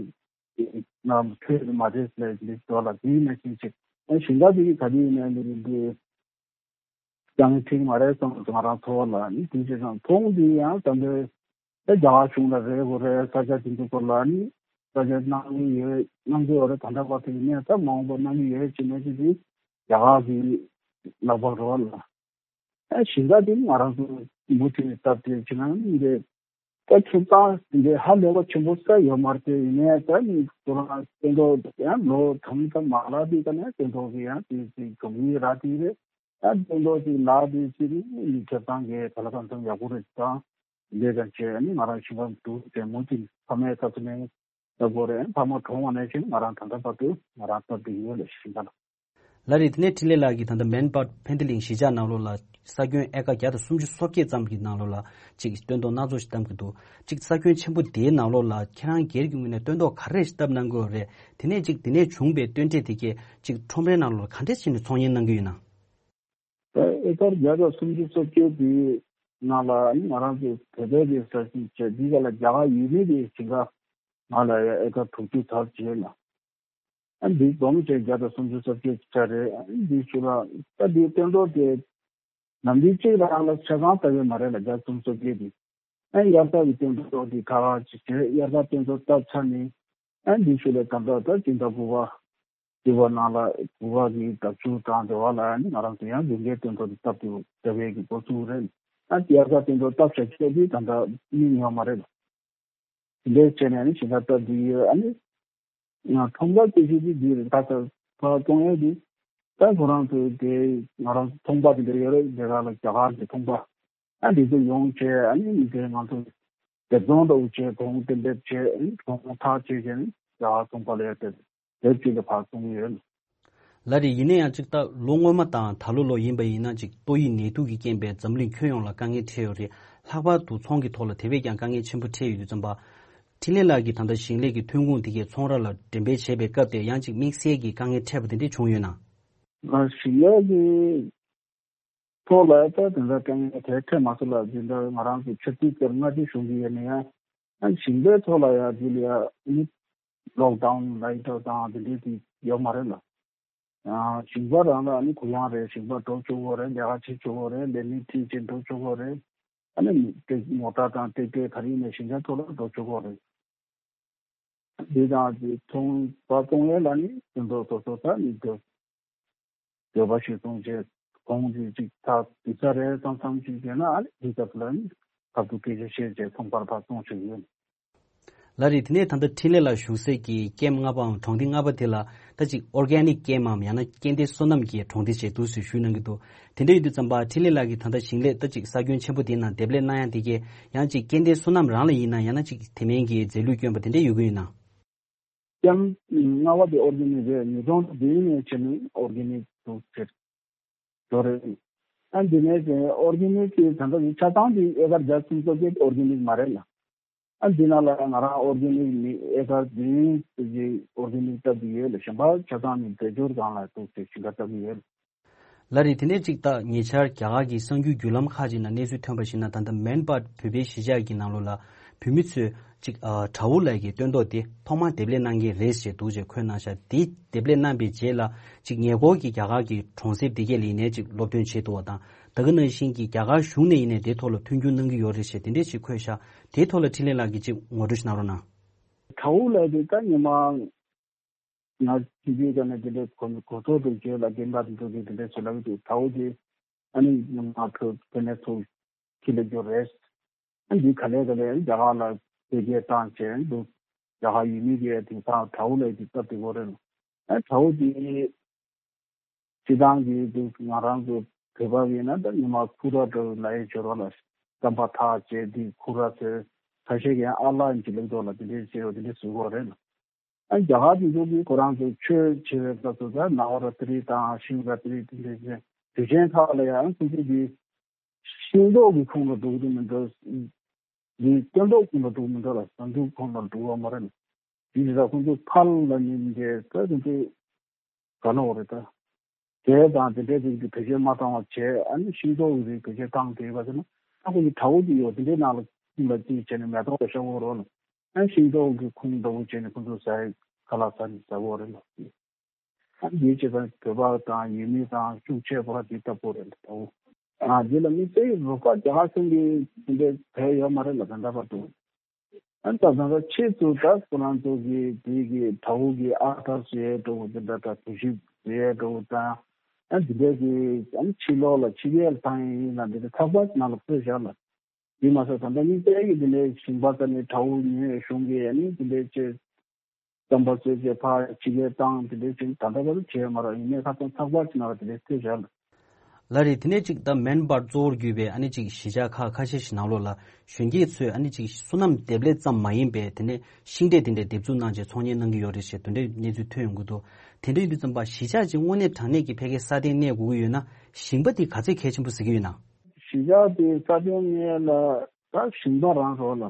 ནམ་འཕྲོད་མ་འཕྲོད་ལས་འདི་ལྟོ་ལ་དེའི་ནང་བཞིན་ཅིག་ཨ་ཞིང་ཁ་དེ་ག་དུས་ནས་འདི་རེད་འདི་ཀྱང་ཁྲིག་མ་རེད་བསམ་ང་རང་ཚོ་བ་ལ་ནི་དེ་ཅི་ཙང་མཐོང་འདི་ཡང་ད་ལྟ་རྒྱ་གར་གཞུང་ལ་རེ་དགོས་རེད། ས་ཆ་དེ་ཚོ་སྐོར་ལ་ནི་ས་ཆ་གནང་གི་ཡོད་གནང་གི་ཡོད་རེད། ད་ལྟ་བར་དུ་ཡིན་ནའི་ད་མ་འོངས་པ་གནང་གི་ཡོད་ཅེས་ནས་ཅི་དེ་རྒྱ་གར་གྱི་ལག་པར་རོལ་ལ། ཨ་ཞིང་ཁ་དེ་ང་རང་ཚོ་མུ་མཐུད་ནས་སྟབས་བདེ་བྱེད་ན་འདི་ད་ཁྱོད་ཚང་འདི་ཧ་ལས་པ་ཆེན་པོ་ས་ཡོད་མ་རེད། ཡིན་ནའི་ད་ནི་ཁོ་རང་སྟོན་ཐོག་ཡང་ལོ་གྲངས་ཀ་མ་ལག་དེ་ཀ་ནས་སྟོན་ཐོག་གི་ཡང་དེ་དེ་གྲོང་མི་ར་དེ་རེད། ད་སྟོན་ཐོག་དེ་ལག་དེ་ཅི་རེད་ནི་ཁྱོད་ཚང་གི་ག་ལ་གང་འཚམ་ཡག་པོ་རེད། ད་ལས་ཀ་བྱས་ནི་ང་རང་ཞིང་ཁ་འདུག་དེ་མུ་མཐུད་ཕ་མའི་ཚབ་ཏུ་ནས་ལྟ་དགོས་རེད། ཕ་མ་གྲོངས་པ་ནས་བྱས་ནི་ང་རང་ད་ལྟ་བར་དུ་ང་རང་སྟབས་བདེ་ཡོད་ལ་ཞིང་ཁ་ལ། ལགས་རེད། དེ་ནས་འཕྲིན་ལས་ལགས་ཀྱིས་ད་ལྟ་མན་སྦར་ཕན་ཐི་ལིང་གཞིས་ཆགས་ནང་ལོགས་ལ་ས་ཁྱོན་ཨེ་ཀར་བརྒྱ་དང་སུམ་ཅུ་སོ་བརྒྱད་ཙམ་གྱི་ནང་ལོགས་ལ་ཅིག་སྟོན་ཐོག་སྣ་ཚོགས་ཤིག་བཏབ་ཀྱི་འདུག་ཅིག་ས་ཁྱོན་ཆེན་པོ་དེའི་ནང་ལོགས་ལ་ཁྱེད་རང་སྒེར་གྱི་ངོས་ནས་སྟོན་ཐོག་ག་རེ་ཞིག་བཏབ་གནང་གི་ཡོད་རེད། དེ་ནས་ཅིག་དེ་ནས་བྱུང་བའི་སྟོན་འབྲས་དེ་གས་ཅིག་ཁྲོམ་རའི་ནང་ལོགས་ལ་ག་འདྲས་བྱས་ནས་ཚོང་གཉེར་གནང་གི་ཡོད་ན། ད་ཨེ་ཀར་བརྒྱ་དང་སུམ་ཅུ་སོ་བརྒྱད་དེའི་ནང་ལ་ང་རང་ཚོ་བོད་པའི་གི་ས་ཞིང་བྱས་འདི་ག་ལ་རྒྱ་གར་ཡུལ་མི་གི་ཞིང་ཁ་ང་ལ་ཡ་ཨེ་ཀར་དྲུག་ཅུ་ཚར་བྱས་ལ། ཨ་འདི་སྡོམ་བྱས་བརྒྱ་དང་སུམ་ཅུ་སོ་བརྒྱད་ཆ་རེད། ཨ་འདི་ཚོ་ལ་ད་འདི་སྟོན་ཐོག་དེ་ནམ་འདི་གཅིག་རང་ལ་ཆ་ཚང་ལྟ་གི་མ་རེད་ལ་བརྒྱ་སུམ་ཅུ་སོ་བརྒྱད་དེ། ཨ་དབྱར་རྩྭ་གི་སྟོན་ཐོག་དེ་ཁ་ཁ་ཅིག་བྱས་དབྱར་རྩྭ་སྟོན་ཐོག་བཏབ་ཚར་ནས་ཨ་འདི་ཚོ་ལ་ད་ལྟ་ད་སྤྱི་ཟླ་དགུ་པ་དགུ་པ་ནང་ལ་དགུ་པ་གི་ཟླ་མཇུག་དང་དེ་བ་ལ་ཨ་ནི་ང་རང་ཚོ་ཡང་ལུང་པའི་སྟོན་ཐོག་དེ་བཏབ་ཐུབ་བྱ་བའི་གི་འགོ་བཙུགས་རེད། ཨ་དབྱར་རྩྭ་སྟོན་ཐོག་བཏབ་བྱ་ཆོག་དེ་ད་ལྟ་མི་ཉོ་མ་རེད་ལ། དེ་འདྲའི་བྱས་ནས་ནི་ཞིང་ཁ་བཏབ་འདི་ཡོད། ཨ་ནི་ང་ཁྲོམ་ར་སྐད་ཆ་འདི་འདི་རེད། ད་ལྟ་ཕར་གཏོང་ཡས་འདི་ད་ཁོ་རང་ཚོའི་དེ་ང་རང་ཚོ་ཚོང་པ་དེ་འདྲ་ཡོད་རེད། དེ་ག་ལ་རྒྱ་གར་གྱི་ཚོང་པ་ཨ་འདི་ཚོ་ཡོང་བྱས་ཨ་ནི་མི་དེ་ང་ཚོ་སྡེབ་ཚོང་འདྲ་བོ་བྱས་གོང་གཏན་འབེབས་བྱས་ཨ་ནི་གོང་ཐག་བཅད་བྱས་ནི་རྒྱ་གར་ཚོང་པ་ལ་ཡར་དེ་དེབ་ཅིག་ལ་ཕར་གཏོང་ཡོད། ལགས་རེད། ཡིན་ན་ཡང་ཅིག་ད་ལོ་སྔོན་མ་དང་ད་ལོ་ལོ་ཡིན་པ་ཡིན་ན་ཅིག་ཏོག་དབྱིབས་ནད་དུག་གི་རྐྱེན་པས་འཛམ་གླིང་ཁྱོན་ཡོངས་ལ་དཀའ་ངལ་འཕྲད་ཡོད་རེད། ལྷག་པར་དུ་ཚོང་གི་ཐོག་ལ་དེ་བས་ཀྱང་དཀའ་ངལ་ཆེན་པོ་འཕྲད་ཡོད་དུས་ཙམ་པ། འཕྲིན་ལས་ལགས་ཀྱིས་ད་ལྟ་ཞིང་ལས་ཀྱི་ཐོན་ཁུངས་དེ་གས་ཚོང་ར་ལ་འགྲེམས་སྤེལ་བྱེད་པའི་སྐབས་དེ་ཡང་ཅིག་དམིགས་བསལ་གྱི་དཀའ་ངལ་འཕྲད་པ་དེ་འདྲས་བྱུང་ཡོད་ན། ང་ཞིང་ལས་ཀྱི་ཐོག་ལ་ད་དེ་འདྲ་དཀའ་ངལ་དེ་འཕྲད་མ་སོང་ལ། འདི་འདྲ་ང་རང་ཚོ་ཆབ་སྲིད་ཀྱི་མངའ་སྡེ་གཞུང་གི་ཡོད་ན་ཡང་ཨ་ཞིང་པའི་ཐོག་ལ་ཡང་འདི་ལ་ཡང་ནི་ལོག་ཌའུན་ལའི་ཊར་དང་དེ་འདྲས་དེ་ཡོད་མ་རེད་ལ། ཞིང་པ་རང་ལ་ཨ་ནི་གུ་ཡངས་རེད། ཞིང་པ་འགྲོ་ཆོག་གི་རེད། ལས་ཀ་བྱེད་ཆོག་གི་རེད། ལས་མི་ཁྲིད་བྱེད་འགྲོ་ཆོག་གི་རེད། ཨ་ནི་ཏེ་མོ་ཊ་དང་ཏེ་ཏེ་ག་རེ་ཡིན་ནའི་ཞིང་ཁའི་ཐོག་ལ་འགྲོ་ཆོག་གི་རེད། འདི་དང་འདི་ཚོང་པ་གཏོང་ཡས་ལ་ནི་དེ་འདྲ་སོ་སོ་ད་ནི་འདོད་འདོད་པ་ཞིག་གཏོང་བྱས་གོང་གི་ཅིག་ད་དུས་ཚོད་རེ་ཙམ་ཙམ་ཞིག་བྱས་ན་ཨ་ནི་དུས་སྐབས་ལ་ནི་ཁ་ཐུག་སྐད་ཆ་བཤད་བྱས་ཚོང་པར་ཕར་གཏོང་བྱེད་ཀྱི་ཡོད། ལགས་རེད། དེ་ནས་ད་ལྟ་འཕྲིན་ལས་ལགས་བཞུགས་སའི་གི་ཀེམ་ལྔ་པའམ་གྲོང་སྡེ་ལྔ་པ་དེ་ལ་ད་ཅིག་ཨོར་གེ་ནིག་ཀེམ་མམ་ཡང་ན་སྐྱེ་ལྡན་སོ་ནམ་གྱི་གྲོང་སྡེ་ཞེས་འདུག་ཟེར་ཞུས་གནང་གི་འདུག་དེ་འདྲ་ཡོད་དུས་ཙམ་པ་འཕྲིན་ལས་ལགས་ཀྱིས་ད་ལྟ་ཞིང་ལས་ད་ཅིག་ས་ཁྱོན་ཆེན་པོ་དེའི་ནང་འདེབས་ལས་གནང་ཡ་དེ་གས་ཡང་ཅིག་སྐྱེ་ལྡན་སོ་ནམ་རང་ལ་ཡིན་ན་ཡང་ན་ཅིག་དེ་མིན་གྱི་རྫས་ལུད་བསྐྱོན་པ་དེ་འདྲ་ཡོད་ཀྱི་ཡོད་ན། ཀེམ་ལྔ་པ་དེ་ཨོར་གེ་ནིག་རེད། ཉིས་སྟོང་བདུན་ནས་བྱས་ནས་ཨོར་གེ་ནིག་འདུག་ཟེར། དོ་རེད། ཨ་འདི་ནས་ཀྱི་ཨོར་གེ་ནིག་གི་ད་ལྟ་ཆ་ཚང་འདི་ཨེ་ཀར་བརྒྱ་སུམ་ཅུ་སོ་བརྒྱད་ཨོར་གེ་ནིག་མ་རེད་ལ། ཨ་འདི་ནང་ལ་ང་རང་ཨོར་གེ་ནིག་ནི་ཨེ་ཀར་བདུན་ཙམ་ཅིག་ཨོར་གེ་ནིག་བཏབ་ཀྱི་ཡོད་ལ། གཞན་པ་ཆ་ཚང་ནི་འདོད་སྦྱོར་སྒང་ལ་འདུག་ཟེར་ཞིང་ཁ་བཏབ་ཀྱི་ཡོད། ལགས་རེད། དེ་ནས་ཅིག་ད་ཉེ་ཆར་རྒྱ་གར་གྱི་གསར་འགྱུར་བརྒྱུད་ལམ་ཁག་ཅིག་ནང་གནས་ཚུལ་ཐོན་པར་གཞིགས་ན། ད་ལྟ་མན་སྦར་བོད་པའི་གཞིས་ཆགས་ཀྱི་ནང་ལོགས་ལ་བོད་མི་ཚོས་ཅིག་ཨ་དྲ་བོ་ལས་ཀྱི་སྟོན་ཐོག་དེ་ཐོག་མར་འདེབས་ལས་གནང་མཁན་རེད་ཅེས་འདུག་ཅེས་འཁོད་གནང་ཤག་དེ་འདེབས་ལས་གནང་པའི་རྗེས་ལ་ཅིག་ཉེ་འཁོར་གྱི་རྒྱ་གར་གྱི་གྲོང་གསེབ་དེ་གས་ལ་ཡིན་ནའི་ཅིག་སློབ་སྟོན་བྱེད་ཐུབ་པ་དང་། ད་ག་ནང་བཞིན་གྱི་རྒྱ་གར་གཞུང་ནས་ཡིན་ནའི་དེ་ཐོག་ལ་མཐུན་འགྱུར་གནང་གི་ཡོད་རེད་ཅེས་དེ་འདྲས་ཅིག་འཁོད་ཤག་དེའི་ཐོག་ལ་འཕྲིན་ལས་ལགས་ཀྱིས་ཅིག་ངོ་སྤྲོད་ཞིག་གནང་རོགས་གནང་། དྲ་བོ་ལས་དེ་ད་ཉི་མ་ ང་ཕྱི་རྒྱལ་ཁ་ནས་དེ་འདྲའི་གོ་གོ་རྟོགས་འདུག་བརྗོད་ལ་རྒན་པ་དེ་ཚོ་གིས་དེ་འདྲའི་བྱེད་ལབ་ཀྱི་འདུག། དྲ་བོ་དེ་ཨ་ནི་ང་ཕོ་ཕོ་ནས་ཚུར་ཁྱི་ལ་རྒྱུ་རེད། ཨ་འདི་ག་ལེ་ག་ལེ་རྒྱ་གར་ལ་འཕེལ་རྒྱས་བཏང་བྱས་འདུག། རྒྱ་གར་ཡུལ་མི་གིས་དེང་སང་དྲ་བོ་ལ་དེ་སྟབས་བདེ་པོ་རེད། ཨ་དྲ་བོ་དེ་སྤྱི་བཏང་གི་དེ་ང་རང་ཚོ་བོད་པ་ཡིན་ན་ད་ཉི་མ་ཁུ་ར་འདྲ་ལ་ཡི་སྦྱོར་བ་ལ་རྩམ་པ་ཐག་བཅད་དེ་ཁུ་ར་ཚོས་ཁ་ཤས་ཀྱིས་ཨ་ལ་ཡིན་གྱི་ལུགས་ཐོག་ལ་དེ་འདྲའི་བྱས་ཡོད་དེ་འདྲའི་བཟོ་གི་རེད། ཨ་རྒྱ་གར་དེ་ཚོ་གིས་ཁོ་རང་ཚོ་ཆོས་བྱེད་པའི་སྐབས་སུ་ད་ནཱ་བ་ར་ཏི་རི་དང་ཤིབ་ར་ཏི་རི་དེ་འདྲའི་དུས་ཆེན་ཁག་ལ་ཡང་ཁོ་ཚོ་གི་ཤིང་ཏོག་གི་ཁོངས་ལ་འགྲོ་གི་འདུག་མི་འདུག། འདི་སྟོན་ཐོག་ཁོངས་ལ་འགྲོ་མི་འདུག་ལ་ཟ་འབྲུ་ཁོངས་ལ་འགྲོ་བ་མ་རེད། དེ་ཡིན་ཙང་ཁོ་ཚོ་ཕར་ལ་ནི་འདི་ད་ཁོ་ཚོ་ག་ནོག་རེད་ད། དེ་དང་དེ་འདྲའི་རིགས་ཀྱི་བེད་སྤྱོད་མ་བཏང་བ་བྱས། ཨ་ནི་ཤིང་ཏོག་གི་རིགས་བེད་སྤྱོད་བཏང་དེ་བ་ཟེར་ན་ཨ་ཁོ་ཚོ་དྲ་བོ་གི་ཡོད་དེ་འདྲའི་ནང་ལ་ཁོང་ལ་ཅིག་བྱས་ནས་མེ་ཏོག་ལ་ཤོག་བོ་རོ་ལ། ཨ་ཤིང་ཏོག་གི་ཁོང་འདྲ་བོ་བྱས་ནས་ཁོ་ཚོ་ཟ་ཡི་ཁ་ལག་ཟ་ནས་ཟ་བོ་རེད་ལ། ཨ་འདིའི་བྱེད་སྟངས་བོད་པ་དང་ཡུལ་མི་དང་ཤུགས་ཆེ་བ་དེ་ལྟ་བུ་རེད་འདུག། ཨ་འདི་ལ་མི་སྤྱི་ཡི་རོགས་པ་རྒྱ་གར་གཞུང་གིས་དེ་འདྲའི་བས་ཡོད་མ་རེད་ལ་ད་ལྟ་བར་དུ། ཨ་ད་ད་ལྟ་ཕྱིས་སུ་ད་ཁོ་རང་ཚོ་གིས་དེ་གི་དྲ་བོ་གི་ཨ་ཐར་བཟོ་ཡས་འགྲོ་བ་དེ་འདྲ་དང་གྲུ་བཞི་བཟོ་ཡས་འགྲོ་བ་དང་། ཨ་འདི་འདྲ་གི་ཨ་ཕྱི་ལོགས་ལ་ཕྱི་རྒྱལ་ལ་བཏང་ཡས་ཡིན་ན་འདི་འདྲ་ཚགས་པར་ནང་ལ་བཀོད་བཞག་ལ། དེ་མ་ཟད་ད་ལྟ་མི་སྤྱི་ཡི་དེ་འདྲའི་ཞིང་པ་དང་ནི་དྲ་བོ་ཉོས་གཞུང་གིས་ཨ་ནི་དེ་འདྲའི་ཆེད། རྩམ་པ་བཟོས་རྗེས་ཕར་ཕྱི་རྒྱལ་བཏང་དེ་འདྲའི་ཅིག་ད་ལྟ་བར་དུ་བྱས་མ་རེད། ཡིན་ནའི་ཁ་སང་ཚགས་པར་ཅིག་ནང་ལ་དེ་འདྲའི་བཀོད་བཞག་ལ། ལ་རེད། དེ་ནས་ཅིག་ད་མན་པར་གཙོ་བོར་གྱུར་པའི་ཨ་ནི་ཅིག་གཞིས་ཆགས་ཁག་ཁ་ཤས་ཤིག་ནང་ལོགས་ལ་གཞོན་སྐྱེས་ཚོས་ཨ་ནི་ཅིག་སོ་ནམ་འདེབས་ལས་ཙམ་མ་ཡིན་པའི་དེ་ནས་ཤིང་འབྲས་དེ་འདྲའི་འདེབས་འཛུགས་གནང་བྱས་ཚོང་གཉེར་གནང་གི་ཡོད་རེད་ཞེས་དེ་འདྲའི་གནས་ཚུལ་ཐོན་ཡོང་གི་འདུག། དེ་འདྲ་ཡིན་དུས་ཙམ་པ་གཞིས་ཆགས་ཅིག་དངོས་གནས་དྲང་གནས་ཀྱི་ཕ་གིའི་ས་སྟེང་གནས་དགོས་ཀྱི་ཡོད་ན་ཞིང་པ་དེ་ག་ཚོད་གལ་ཆེན་པོ་གཟིགས་ཀྱི་ཡོད་ན། གཞིས་ཆགས་དེ་ས་སྟེང་གནས་ལ་ད་ཞིང་པ་རང་རོགས་ལ།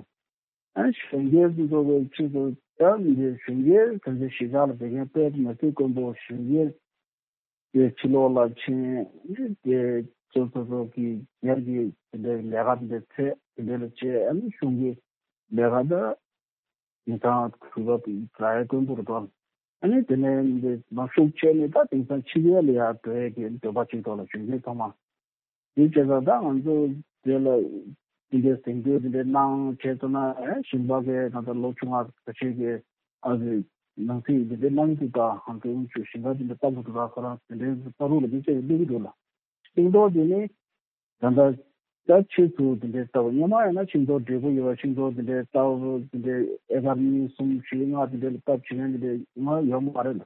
ཨ་གཞོན་སྐྱེས་ཚོ་གི་ཆེད་དུ་ད་འདི་གཞོན་སྐྱེས་གང་ཚེ་གཞིས་ཆགས་ལ་བསྡད་མཁན་དཔེ་མི་སྲིད་དཀོན་པོ། གཞོན་སྐྱེས་དེ་ཕྱི་ལོགས་ལ་ཕྱིན་དེ་ཚོ་ཚོ་ཚོ་གི་སྒེར་གྱི་དེ་འདྲའི་ལས་ཀ་དེ་འདྲ་ཚད་དེ་འདྲ་ལ་བྱས། ཨ་ནི་གཞུང་གི་ལས་ཀ་ད་དེང་སང་གུས་པ་ར་ཡ་དཀོན་པོ་རུ་གཏོང་། ཨ་ནི་དེ་ནས་འདི་མ་ཤུགས་ཆེ་ནས་ད་དེང་སང་ཕྱི་རྒྱལ་ལ་ཡར་འགྲོ་ཡས་ཀྱི་འདོད་པ་ཅིག་ཐོག་ལ་གཞོན་སྐྱེས་ཚང་མ། དེ་བྱས་ཙང་ད་ང་ཚོ་དེ་ལ་དེ་འདྲའི་གཟེངས་བསྟོད་དེ་འདྲའི་གནང་བྱས་ཙང་ན། ཨེ་ཞིང་པ་གི་ད་ལྟ་ལོ་ཆུང་བ་ཁ་ཤས་ཀྱིས་ཨ་ཙི་ནང་སྲིད་དེ་འདྲའི་གནང་གི་འདུག་ད། ང་ཚོ་དབུ་ཁྱུད་ཞིང་ཁ་དེ་འདྲ་ལྟ་བུ་འདུག་ད། ཁོ་རང་དེ་འདྲའི་ལྟ་རུ་ལ་དེ་བྱས་བསྡད་ཀྱི་འདུག་ལ། ཤིང་ཏོག་དེ་ནི་ད་ལྟ་ད་ཕྱིས་སུ་དེ་འདྲའི་ལྟ་བུ་སྔོན་མ་ཡིན་ན་ཤིང་ཏོག་བགྲེས་པོ་ཡོད་པ་ཤིང་ཏོག་དེ་འདྲའི་ལྟ་བུ་དེ་འདྲའི་ཨེ་ཀར་གཉིས་གསུམ་བཞི་ལྔ་དེ་འདྲའི་ལ་བཏབ་བྱེད་མཁན་དེ་འདྲའི་ང་ཡོད་མ་རེད་ལ།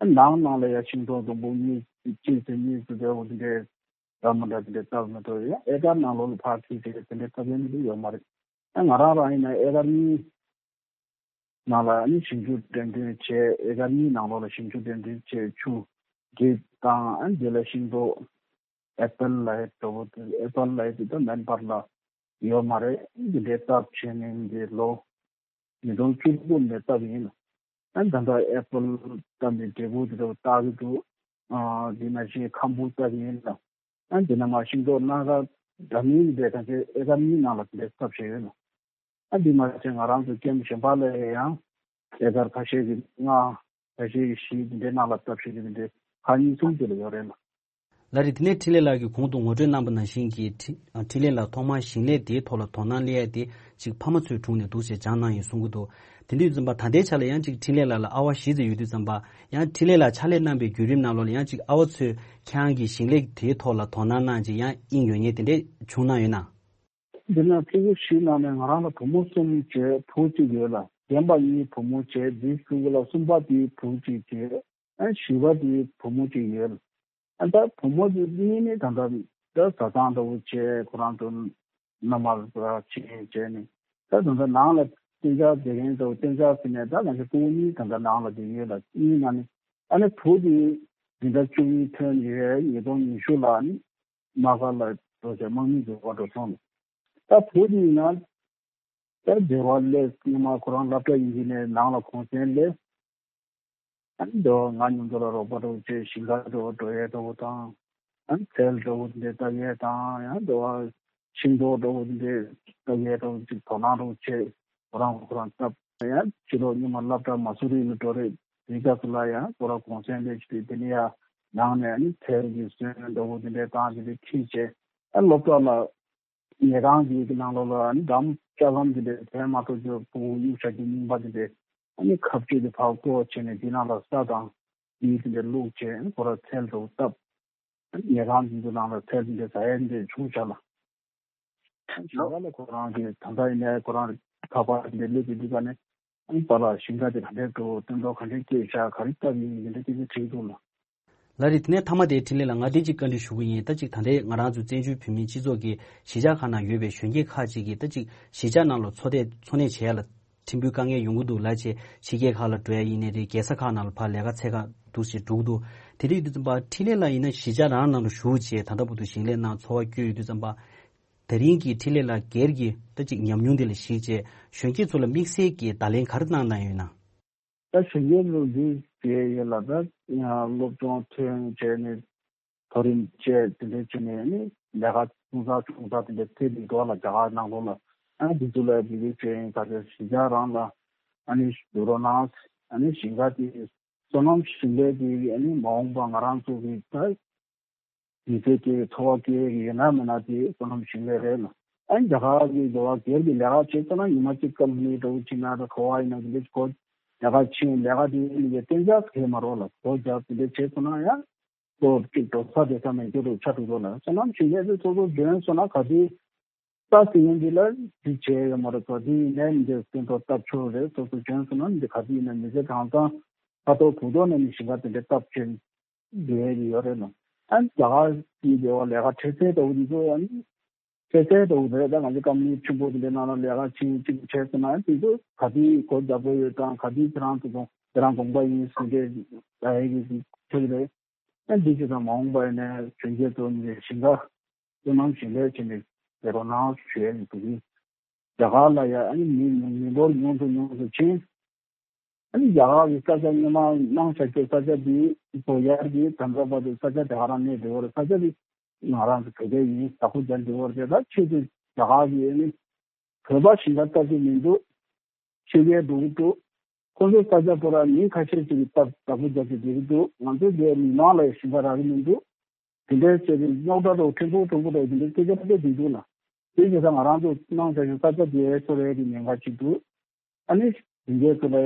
ནང་ནང་ལ་ཡ་ཤིང་ཏོག་སྡོང་པོ་གཉིས་གཅིག་ཙམ་གཉིས་ཙམ་དེ་འོ་དེ་འདྲའི་འདྲ་མི་འདྲ་དེ་འདྲའི་བཏབ་མི་ཐུབ། ཡང་ཨེ་ཀར་ནང་ལོགས་ལ་ཕར་ཁྲིད་བྱས་དེ་འདྲའི་བཏབ་ཡ་ནི་དེ་ཡོད་མ་རེད། ཨ་ང་རང་རང་ཡིན་ན་ཨེ་ཀར་གཉིས་ནང་ལ་ཨ་ནི་ཞིང་ཆུ་འདྲེན་འདྲེན་བྱས། ཨེ་ཀར་གཉིས་ནང་ལོགས་ལ་ཞིང་ཆུ་འདྲེན་འདྲེན་བྱས་ཆུ་འབྲས་དང་ཨ་འདི་ལ་ཤིང་ཏོག་ཨེ་པལ་ལ་ཡ་འགྲོ་བོ་དེ་ཨེ་པལ་ལ་ཡ་དེ་ད་མན་པར་ལ་ཡོད་མ་རེད། འདི་འདྲའི་སྟབས་བྱས་ནས་འདི་ལོ་ཉིས་སྟོང་བཅུ་དགུ་ནས་བཏབ་ཡིན། ཨ་ད་ལྟ་ཨེ་པལ་བཏབ་ནས་འབྲས་བུ་དེ་འདྲ་བཏགས་ཀྱི་འདུག། ཨ་དེ་ནང་བཞིན་ཁམ་བུ་བཏབ་ཡིན་ལ། ཨ་དེ་ནང་མ་ཤིང་ཏོག་སྣ་ཁ་འདྲ་མིན་དེ་གང་ཚེ་ཨེ་ཀར་གཉིས་ནང་ལ་དེ་འདྲ་བཏབ་བྱས་ཡོད་ལ། ཨ་དེ་མ་ཚད་ང་རང་ཚོ་ཀེམ་གཞན་པ་ལ་ཡང་ཨེ་ཀར་ཁ་ཤས་ཀྱི་ལྔ་ཁ་ཤས་ཀྱི་བཞི་དེ་འདྲའི་ནང་ལ་བཏབ་བྱས་ཀྱི་དེ་འདྲའི་ཁག་གཉིས་གསུམ་དེ་ལ་ཡོད་རེད་ལ། ལ་རེད། དེ་ནས་འཕྲིན་ལས་ལགས་ཀྱིས་གོང་དུ་ངོ་སྤྲོད་གནང་པ་ནང་བཞིན་གྱི་འཕྲིན་འཕྲིན་ལས་ལགས་ཐོག་མར་ཞིང་ལས་དེའི་ཐོག་ལ་དོ་སྣང་སླེབས་ཡ་དེ་ཅིག་ཕ་མ་ཚོའི་དྲུང་ནས་འདུག་ཅེས་སྦྱངས་གནང་ཡོད་གསུང་གི་འདུག། དེ་འདྲ་ཡོད་ཙམ་པ་ད་ལྟའི་ཆ་ལ་ཡང་ཅིག་འཕྲིན་ལས་ལགས་ལ་ཨ་བ་བཞི་ཙམ་ཡོད་དུས་ཙམ་པ་ཡང་འཕྲིན་ལས་ལགས་ཕྱག་ལས་གནང་པའི་བརྒྱུད་རིམ་ནང་ལོགས་ལ་ཡང་ཅིག་ཨ་བ་ཚོས་ཁྱེད་རང་གི་ཞིང་ལས་དེའི་ཐོག་ལ་དོ་སྣང་གནང་ཅིག་ཡང་དབྱིངས་ཡོད་མཁན་དེ་འདྲས་བྱུང་གནང་ཡོད་ན། འདི་ན་ཕྲུ་གུ་བཞི་ནང་ནས་ང་རང་ལ་བུ་མོ་གསུམ་བྱས་བུ་གཅིག་ཡོད་ལ། རྒན་པ་གཉིས་བུ་མོ་བྱས་འདིའི་ཕྲུ་གུ་ལ་གསུམ་པ་དེའི་བུ་གཅིག་བྱས། ཨ་བཞི་པ་དེའི་བུ་མོ་གཅིག་ཡོད། ཨ་ད་བུ་མོ་དེ་གཉིས་ནི་ད་ལྟ་ད་བཟའ་ཚང་འདྲ་བོ་བྱས་ཁོ་རང་ཚོ་མནའ་མར་ཕྱིན་བྱས་ནས། ད་ད་ལྟ་ནང་ལ་གཏན་འཇགས་བསྡད་མཁན་འདྲ་བོ། གཏན་འཇགས་ཟེར་ནས་ད་ང་ཚོ་སྤུ་གུ་གཉིས་ད་ལྟ་ནང་ལ་བསྡད་ཡོད་ལ། གཉིས་ནང་ནས་ཨ་ནི་བུ་དེ་འཛིན་གྲྭ་བཅུ་གཉིས་ཐོན་ཡོད། ཉིས་སྟོང་ཉི་ཤུ་ལ་ནི་དམག་སྒར་ལ་འགྲོ་བྱས་དམག་མི་འཛུལ་བ་འགྲོ་སོང་ལ། ད་བུ་དེ་ཡིན་ན་ད་སྡེ་བ་སླེབས། སྔོན་མ་ཁོ་རང་སློབ་གྲྭ་ཡིན་གྱི་ནས་ནང་ལ་གུང་སེང་སླེབས། ཨ་ནི་འདི་བ་ང་མཉམ་དུ་ལ་རོགས་པ་འདྲ་བོ་བྱས་ཞིང་ཁ་འདྲ་བོ་འགྲོ་ཡས་འདྲ་བོ་དང་། ཨ་ནི་ཚལ་འདྲ་བོ་འདི་འདྲ་བཏབ་ཡས་དང་། ཡང་འདི་བ་ཤིང་ཏོག་འདྲ་བོ་འདི་འདྲ་བཏབ་ཡས་འདྲ་བོ་ཅིག་དོ་སྣང་འདྲ་བོ་བྱས་ཁོ་རང་ཁོ་རང་བཏབ། ཡང་ཕྱི་ལོགས་སྔོན་མ་སློབ་གྲྭ་མ་སུ་རི་ལ་འགྲོ་རེད། དེའི་སྐབས་སུ་ལ་ཡང་ཁོ་རང་གུང་སེང་སླེབས་བྱས་དེ་ནས་ཡང་ནང་ནས་ཨ་ནི་ཚལ་གྱི་སོན་འདྲ་བོ་འདི་འདྲ་བཏང་བྱས་དེ་ཁྱེར་བྱས། ཨ་སློབ་གྲྭ་ལ་ཉལ་ཁང་གི་ནང་ལོགས་ལ་ཨ་ནི་འགྲམ་ལྕགས་ལམ་དེ་འདྲ་དེ་མ་གཏོགས་ཀྱི་ཕྲུ་གུ་གཡུག་བཞག་རྒྱུ་རྙིང་པ་དེ་འདྲ་ ཨ་ནི་ཁ་གཅོད་དེ་ཕར་བཀོག་བྱས་ནས་དེ་ནང་ལ་ས་དང་དེའི་དེ་འདྲ་བླུགས་བྱས་ཁོ་ར་ཚལ་དུ་བཏབ། ཉལ་ཁང་དེ་ཚོ་ནང་ལ་ཚལ་དེ་འདྲ་ཟ་ཡ་འདྲ་བྱུང་བཞག་ལ། ཞིང་ཁ་ལ་ཁོ་རང་གི་ད་ལྟ་ཡིན་ནའི་ཁོ་རང་ཁ་པར་དེ་འདྲ་སླེབས་ཀྱི་འདུག་ག་ནས་ཨ་ནི་པཱ་ལགས་ཞིང་ཁ་དེ་ག་འདྲས་འགྲོ་སྟོན་ཐོག་ག་འདྲས་སྐྱེས་བཞག་ག་རེ་བཏབ་ཡིན་འདི་འདྲ་སྐད་ཆ་དྲིས་འདུག་ལ། ལགས་རེད། དེ་ནས་མཐའ་མ་དེ་འཕྲིན་ལས་ལགས་ང་དེ་གཅིག་བཀའ་འདྲི་ཞུ་གི་ཡིན། ད་གཅིག་ད་ལྟའི་ང་རང་ཚོ་བཙན་བྱོལ་བོད་མིའི་སྤྱི་ཚོགས་ཀྱི་གཞིས་ཆགས་ཁག་ནང་ཡོད་པའི་གཞོན་སྐྱེས་ཁག་ཅིག་གིས་ད་གཅིག་གཞིས་ཆགས་ནང་ལ་འཚོ་སྡོད་འཚོ་གནས་བྱེད་ཡ་ལ་ཕྲན་བུ་དཀའ་ངལ་ཡོང་གི་འདུག་ལབ་བྱས་ཕྱི་རྒྱལ་ཁག་ལ་འགྲོ་ཡ་ཡིན་ནའི་རེད། རྒྱལ་ས་ཁག་ནང་ལ་ཕར་ལས་ཀ་འཚོལ་ག་འདུག་ཅེས་འགྲོ་གི་འདུག་དེ་འདྲ་ཡོད་དུས་ཙམ་པ་འཕྲིན་ལས་ལགས་ཡིན་ན་གཞིས་ཆགས་རང་ནང་ལ་བཞུགས་བྱས་ད་ལྟ་བར་དུ་ཞིང་ལས་ནང་འཚོ་བ་བསྐྱོད་ཡོད་དུས་ཙམ་པ། དེ་རིང་གི་འཕྲིན་ལས་ལགས་སྒེར་གྱི་ད་ཅིག་ཉམས་མྱོང་དེ་ལ་གཞིགས་བྱས་གཞོན་སྐྱེས་ཚོ་ལ་དམིགས་བསལ་གྱི་བརྡ་ལན་ག་རེ་གནང་གནང་ཡོད་ན། ད་གཞོན་སྐྱེས་ཚོ་འདི་བྱས་ཡོད་ལ་ད་སློབ་སྦྱོང་ཐོན་བྱས་ནས་མཐོ་རིམ་བཅས་དེ་འདྲ་བྱས་ནས་ནི་ལས་ཀ་ཆུང་ཙག་ཆུང་ཙག་དེ་འདྲ་ཐེབས་ཀྱི་འདུག་ལ་རྒྱ་གར་ནང་ལོགས་ལ་ཨ་འདི་ཚོ་ལ་འབྲེལ་འདྲིས་བྱས་ཡིན་ད་ཆ་གཞིས་ཆགས་རང་ལ་ཨ་ནི་བསྡུ་རོགས་གནང་ཨ་ནི་ཞིང་ཁ་དེ་སོ་ནམ་ཞིང་ལས་དེ་ཨ་ནི་མ་འོངས་པ་ང་རང་ཚོ་གི་ད། མི་ཚེ་སྐྱེལ་བའི་འཚོ་བ་སྐྱེལ་གྱི་ཡོད་ན་མེད་ན་དེ་སོ་ནམ་ཞིང་ལས་རེད་ལ། ཨ་ནི་རྒྱ་གར་གྱི་འགྲོ་བ་སྒེར་གྱི་ལས་ཀ་བྱེད་ཚོ་ན་ཉི་མ་གཅིག་ཀམ་པ་ནི་འགྲོ་བྱེད་ན་ད་ག་བ་ཡིན་ན་དེ་འདྲ་གོ་ལས་ཀ་ཕྱིན་ལས་ཀ་དེ་ཡིན་གྱི་གཏན་འཇགས་གས་མ་རོགས་ལ་གོ་རྒྱག་དེ་འདྲ་བྱེད་ཚོ་ན་ཡང་ལོ་གཅིག་འགྲོ་ས་དེ་ས་མེད་རྒྱུ་རུ་ཆ་འགྲོ་འགྲོ་ལ་སོ་ནམ་ཞིང་ལས་དེ་ཚོ་ཚོ་འཇོན་སོང་ན་ག་དུས་ལྟ་སྲིད་ཡོང་གི་ལ་འདི་བྱས་ཡོད་མ་རེད་ཚོ་དེ་ཡིན་ནའི་འདི་སྟོན་ཐོག་སྟབས་ཆོག་རེད་སོ་སོ་འཇོན་སོང་ན་འདི་ག་དུས་ཡིན་ན་མི་ཚེ་གང་ཚང་ཁ་ཐོག་གུ་ཐོག་ནས་ནི་ཞིང་ཁ་དེ་འདྲ་སྟབས་ཆེན། དེ་ཡོད་རེད་ལ། ཨ་ནི་རྒྱ་གར་གྱི་ལས་ཀ་ལས་ཀ་འཕྲལ་སེལ་ལྟ་བུ་འདི་ཚོ་ཨ་ནི་འཕྲལ་སེལ་ལྟ་བུ་རེད་ད་ང་ཚོ་ཀམ་པ་ནི་ཆེན་པོ་དེ་འདྲའི་ནང་ལ་ལས་ཀ་ཕྱིན་གཅིག་བྱས་ཟེར་ན་ཨ་ནི་དེ་ཚོ་ག་དུས་སྒོ་རྒྱག་དགོས་ཡོད་དང་ག་དུས་ཁྱེད་རང་ཚོ་ཚོ་དེ་རང་དགོངས་པ་ཡིན་ཟེར་འདྲའི་ལ་ཡི་གི་ཁྱོད་རེད། ཨ་ནི་འདི་ཚོ་དང་མ་འོངས་པ་ཡིན་ན་གཞོན་སྐྱེས་ཚོ་ནི་ཞིང་ཁ་སོ་ནམ་ཞིང་ལས་བྱས་ནས་ལས་རོགས་གནང་ཞུ་ཡ་ཡིན་དེ་རིང་རྒྱ་གར་ལ་ཡ་ཨ་ནི་མི་མི་འབོར་ཉུང་དུ་ཉུང་དུ་ཕྱིན། ཨ་ནི་རྒྱ་གར་གྱི་ས་ཆ་སྔོན་མ་གནང་བཞག་པའི་ས་ཆ་འདི་བོད་ཡར་གྱི་དམ་པ་བར་དུ་ས་ཆ་དེ་ག་རང་གནས་བདེ་བོར་ས་ཆ་འདི་ང་རང་ཚོ་བོད་སྐད་ཡིན་བདག་པོ་རྒྱག་བདེ་བོར་བྱས་ད་ཆེད་དུ་རྒྱ་གར་གྱི་ཨ་ནི་བོད་པ་ཞིང་ཁ་བཏབ་ཀྱི་མི་འདུག་ཕྱི་རྒྱལ་འགྲོ་གི་འདུག་ཁོ་ཚོའི་ས་ཆ་ཁོ་རང་མི་ཁ་ཤས་ཅིག་གིས་བཏབ་བདག་པོ་རྒྱག་གི་བསྡད་ཀྱི་འདུག་ང་ཚོའི་རྒྱལ་མི་མང་ལ་ཡང་ཞིང་ཁ་རག་གི་མི་འདུག་དེ་འདྲའི་བྱས་ཏེ་རྙོག་དྲ་རོ་ཕྲན་བུ་ཕྲན་བུ་རེད་དེ་འདྲའི་སྐད་ཆ་ཕ་གིར་འདུག་ལ། དེ་བྱས་ཙང་ང་རང་ཚོ་གནང་བྱ་ཞིག་ས་ཆ་དེ་ཚོ་རེད་དེ་ཉེན་ཁ་ཅིག་འདུག་ཨ་ནི་དེ་འདྲའི་ཚོ་ལ་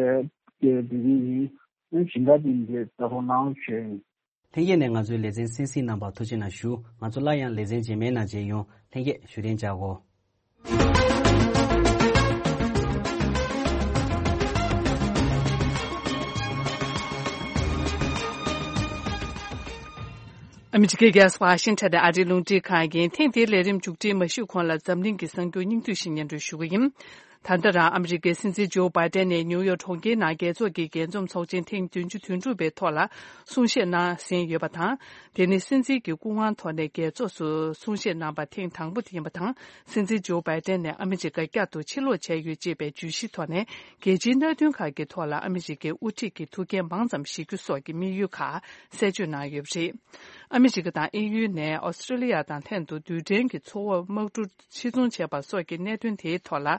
སྐད་དེ་རིང་ཡིན་ཨ་ནི་ཞིང་ཁ་དེ་འདྲའི་ལྟ་རོགས་གནང་ཞུ་ཡ་ཡིན། ལྷན་རྒྱས་ནས་ང་ཚོའི་ལེ་ཚན་གསན་གཟིགས་གནང་བར་ཐུགས་རྗེ་གནང་ཞུ། ང་ཚོ་སླར་ཡང་ལེ་ཚན་རྗེས་མའི་ནང་མཇལ་ཡོང་། ལྷན་རྒྱས་བཞུགས་གདན་འཇགས་གོ། ཨ་མི་རི་ཀའི་རྒྱལ་ས་ཝ་ཤིང་ཊོན་དུ་ཨ་རིའི་རླུང་འཕྲིན་ཁང་ཡིན། ཐེངས་འདིའི་ལས་རིམ་མཇུག་སྒྲིལ་མ་ཞུས་གོང་ལ་འཛམ་གླིང་གི་གསར་འགྱུར་སྙིང་བསྡུས་ཤིག་སྙན་སྒྲོན་ཞུ་གི་ཡིན། ད་ལྟ་རང་ཨ་མི་རི་ཀའི་སྲིད་འཛིན་ཇོ་བྷའི་ཏན་ནས་ནིའུ་ཡོག་གྲོང་ཁྱེར་ནང་རྒྱལ་ཚོགས་ཀྱི་རྒྱས་འཛོམས་ཚོགས་ཆེན་ཐེངས་བདུན་ཅུ་དོན་དྲུག་པའི་ཐོག་ལ་གསུང་བཤད་གནང་ཟིན་ཡོད་པ་དང་། དེ་ནི་སྲིད་འཛིན་གྱི་སྐུ་དབང་ཐོག་ནས་རྒྱལ་ཚོགས་སུ་གསུང་བཤད་གནང་པ་ཐེངས་དང་པོ་དེ་ཡིན་པ་དང་། སྲིད་འཛིན་ཇོ་བྷའི་ཏན་ནས་ཨ་མི་རི་ཀ་བསྐྱར་དུ་ཕྱིར་ལོག་བྱས་ཡོད་ཅེས་པའི་བརྗོད་གཞིའི་ཐོག་ནས་རྒྱལ་སྤྱིའི་གནད་དོན་ཁག་གི་ཐོག་ལ་ཨ་མི་རི་ཀའི་དབུ་ཁྲིད་ཀྱི་ཐུགས་འགན་མང་ཙམ་བཞེས་རྒྱུ་སོགས་ཀྱི་དམིགས་ཡུལ་ཁག་གསལ་བརྗོད་གནང་ཡོད་པ་རེད། ཨ་མི་རི་ཀ་དང་ཨེ་ཡུ་ནས་ཨོ་སི་ཀྲི་ལི་ཡ་དང་ལྷན་དུ་རྡུལ་ཕྲན་གྱི་མཚོ་འོག་དམག་གྲུ་ཕྱིར་ཚོང་བྱས་པ་སོགས་ཀྱི་གནད་དོན་དེའི་ཐོག་ལ།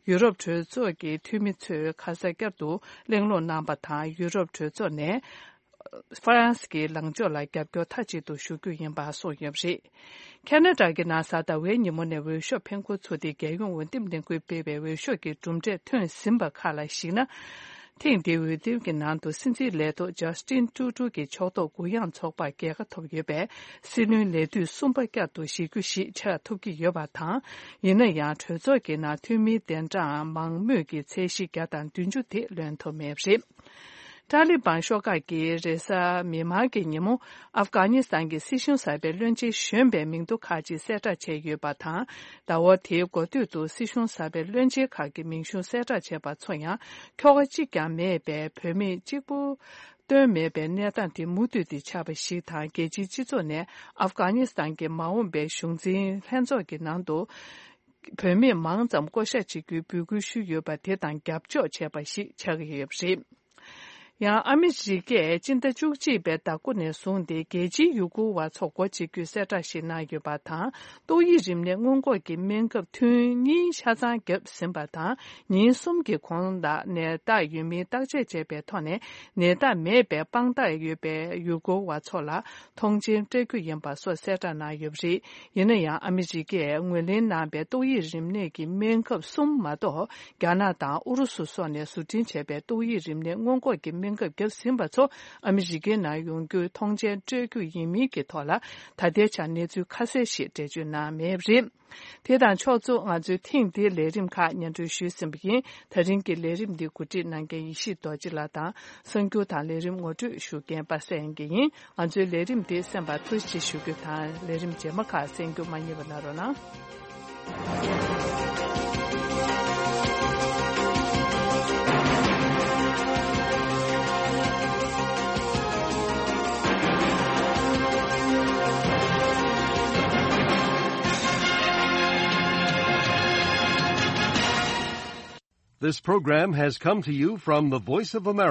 ཡུ་རོབ་གྲོས་ཚོགས་ཀྱི་འཐུས་མི་ཚོས་ཁ་ས་བསྐྱར་དུ་གླེང་སློང་གནང་པ་དང་ཡུ་རོབ་གྲོས་ཚོགས་ནས་ཧྥ་རན་སི་གི་ལངས་ཕྱོགས་ལ་རྒྱབ་སྐྱོར་མཐའ་གཅིག་ཏུ་ཞུ་རྒྱུ་ཡིན་པ་གསུངས་ཡོད་པ་རེད། ཁ་ན་ཌ་གི་ནང་གཟའ་ཟླ་བའི་ཉིན་མོ་ནས་འོས་ཤོག་འཕེན་འཁུར་ཚུགས་ཏེ་རྒྱལ་ཡོངས་འོས་འདེམས་ལས་ཁུངས་སྤེལ་བའི་འོས་ཤོག་གི་གྲུབ་འབྲས་ཐོན་ཟིན་པ་ཁག་ལ་གཞིགས་ན། ཐེངས་འདིའི་འོས་འདེམས་ཀྱི་ནང་དུ་སྲིད་འཛིན་ལས་ཐོག་ཇ་སི་ཏིན་ཀྲུ་ཀྲུ་གིས་ཕྱོགས་གཏོགས་དགུ་ཡངས་ཚོགས་པར་རྒྱལ་ཁ་ཐོབ་ཡོད་པས་སྲིད་བློན་ལས་དུས་གསུམ་པ་བསྐྱར་དུ་བཞེས་རྒྱུ་ཞིག་ཆགས་ཐུབ་ཀྱི་ཡོད་པ་དང་། ཡིན་ན་ཡང་གྲོས་ཚོགས་ཀྱི་ནང་འཐུས་མིའི་གདན་གྲངས་མང་མོས་ཀྱི་ཚད་གཞི་བརྒྱ་དང་བདུན་ཅུ་དེ་ལོན་ཐུབ་མེད་པ་རེད། ཏཱ་ལི་བན་ཤོག་ཁག་གིས་རེས་གཟའ་མིག་དམར་གྱི་ཉིན་མོ་ཨབ་གྷ་ནི་སི་ཐན་གྱི་སྲིད་གཞུང་གསར་པའི་བློན་ཆེན་གཞོན་པའི་མིང་ཐོ་ཁག་ཅིག་གསལ་བསྒྲགས་བྱས་ཡོད་པ་དང་། ཟླ་བ་དེའི་འགོ་སྟོད་དུ་སྲིད་གཞུང་གསར་པའི་བློན་ཆེན་ཁག་གི་མིང་གཞུང་གསལ་བསྒྲགས་བྱས་པ་ཚོ་ཡང་ཁྱོ་ག་གཅིག་ཀྱང་མེད་པའི་བུད་མེད་གཅིག་པུ་བཏོན་མེད་པའི་གནས་སྟངས་དེ་མུ་མཐུད་དེ་ཆགས་པ་ཞིག་དང་། རྒྱལ་སྤྱིའི་སྤྱི་ཚོགས་ནས་ཨབ་གྷ་ནི་སི་ཐན་གྱི་མ་འོངས་པའི་གཞུང་འཛིན་ལྷན་ཚོགས་ཀྱི་ནང་དུ་བུད་མེད་མང་ཙམ་བསྐོ་གཞག་བྱེད་རྒྱུའི་འབོད་སྐུལ་ཞུས་ཡོད་པ་དེ་དང་རྒྱབ་ཕྱོགས་བྱས་པ་ཞིག་ཆགས་ཀྱི་ཡོད་པ་རེད། ཡང་ཨ་མི་རི་ཀས་སྤྱི་ཟླ་བཅུ་གཅིག་པའི་ཟླ་མགོ་ནས་བཟུང་སྟེ་རྒྱལ་སྤྱིའི་ཡུལ་སྐོར་བ་ཚོ་སྒོ་འབྱེད་རྒྱུའི་གསལ་བསྒྲགས་ཤིག་གནང་ཡོད་པ་དང་། ཏོག་དབྱིབས་རིམས་ནད་སྔོན་འགོག་གི་སྨན་ཁབ་ཐུན་གཉིས་ཆ་ཚང་བརྒྱབ་ཟིན་པ་དང་། ཉིན་གསུམ་གྱི་གོང་ལ་ནད་རྟགས་ཡོད་མིན་བརྟག་དཔྱད་བྱས་པའི་ཐོག་ནས། ནད་རྟགས་མེད་པའི་དཔང་རྟགས་ཡོད་པའི་ཡུལ་སྐོར་བ་ཚོ་ལ་ཐོངས་མཆན་སྤྲད་རྒྱུ་ཡིན་པ་སོགས་གསལ་བསྒྲགས་གནང་ཡོད་པ་རེད། ཡིན་ན་ཡང་ཨ་མི་རི་ཀས་ངོས་ལེན་གནང་པའི་ཏོག་དབྱིབས་རིམས་ནད་ཀྱི་སྨན་ཁབ་གསུམ་མ་གཏོགས། རྒྱ་ནག་དང་ཨུ་རུ་སུ་སོགས་ནས་བཟོ་སྐྲུན་བྱས་པའི་ཏོག་དབྱིབས་རིམས་ནད་སྔོན་འགོག་གི་སྨན་ཁབ་བརྒྱབ་ཟིན་པ་ཚོ་ཨ་མི་རི་ཀའི་ནང་ཡོང་རྒྱུའི་ཐོངས་མཆན་སྤྲོད་རྒྱུ་ཡིན་མིན་གྱི་ཐོག་ལ། ད་ལྟའི་ཆར་གནས་ཚུལ་ཁ་གསལ་ཞིག་འགྲེལ་བརྗོད་གནང་མེད་པ་རེད། དེ་དང་ཕྱོགས་མཚུངས། ང་ཚོའི་ཐེངས་འདིའི་ལས་རིམ་ཁག་སྙན་སྒྲོན་ཞུས་ཟིན་པ་ཡིན། ད་རིང་གི་ལས་རིམ་འདི་གོ་སྒྲིག་གནང་མཁན་ཡེ་ཤེས་རྡོ་རྗེ་ལགས་དང་། གསར་འགྱུར་དང་ལས་རིམ་ངོ་སྤྲོད་ཞུ་མཁན་པ་སངས་དགེ་ཡིན། ང་ཚོའི་ལས་རིམ་འདི་གསན་པར་ཐུགས་རྗེ་ཆེ་ཞུ་རྒྱུ་དང་། ལས་རིམ་རྗེས་མ་ཁག་གསན་རྒྱུ་མ་བསྙེལ་བ་གནང་རོགས་གནང་། This program has come to you from the Voice of America.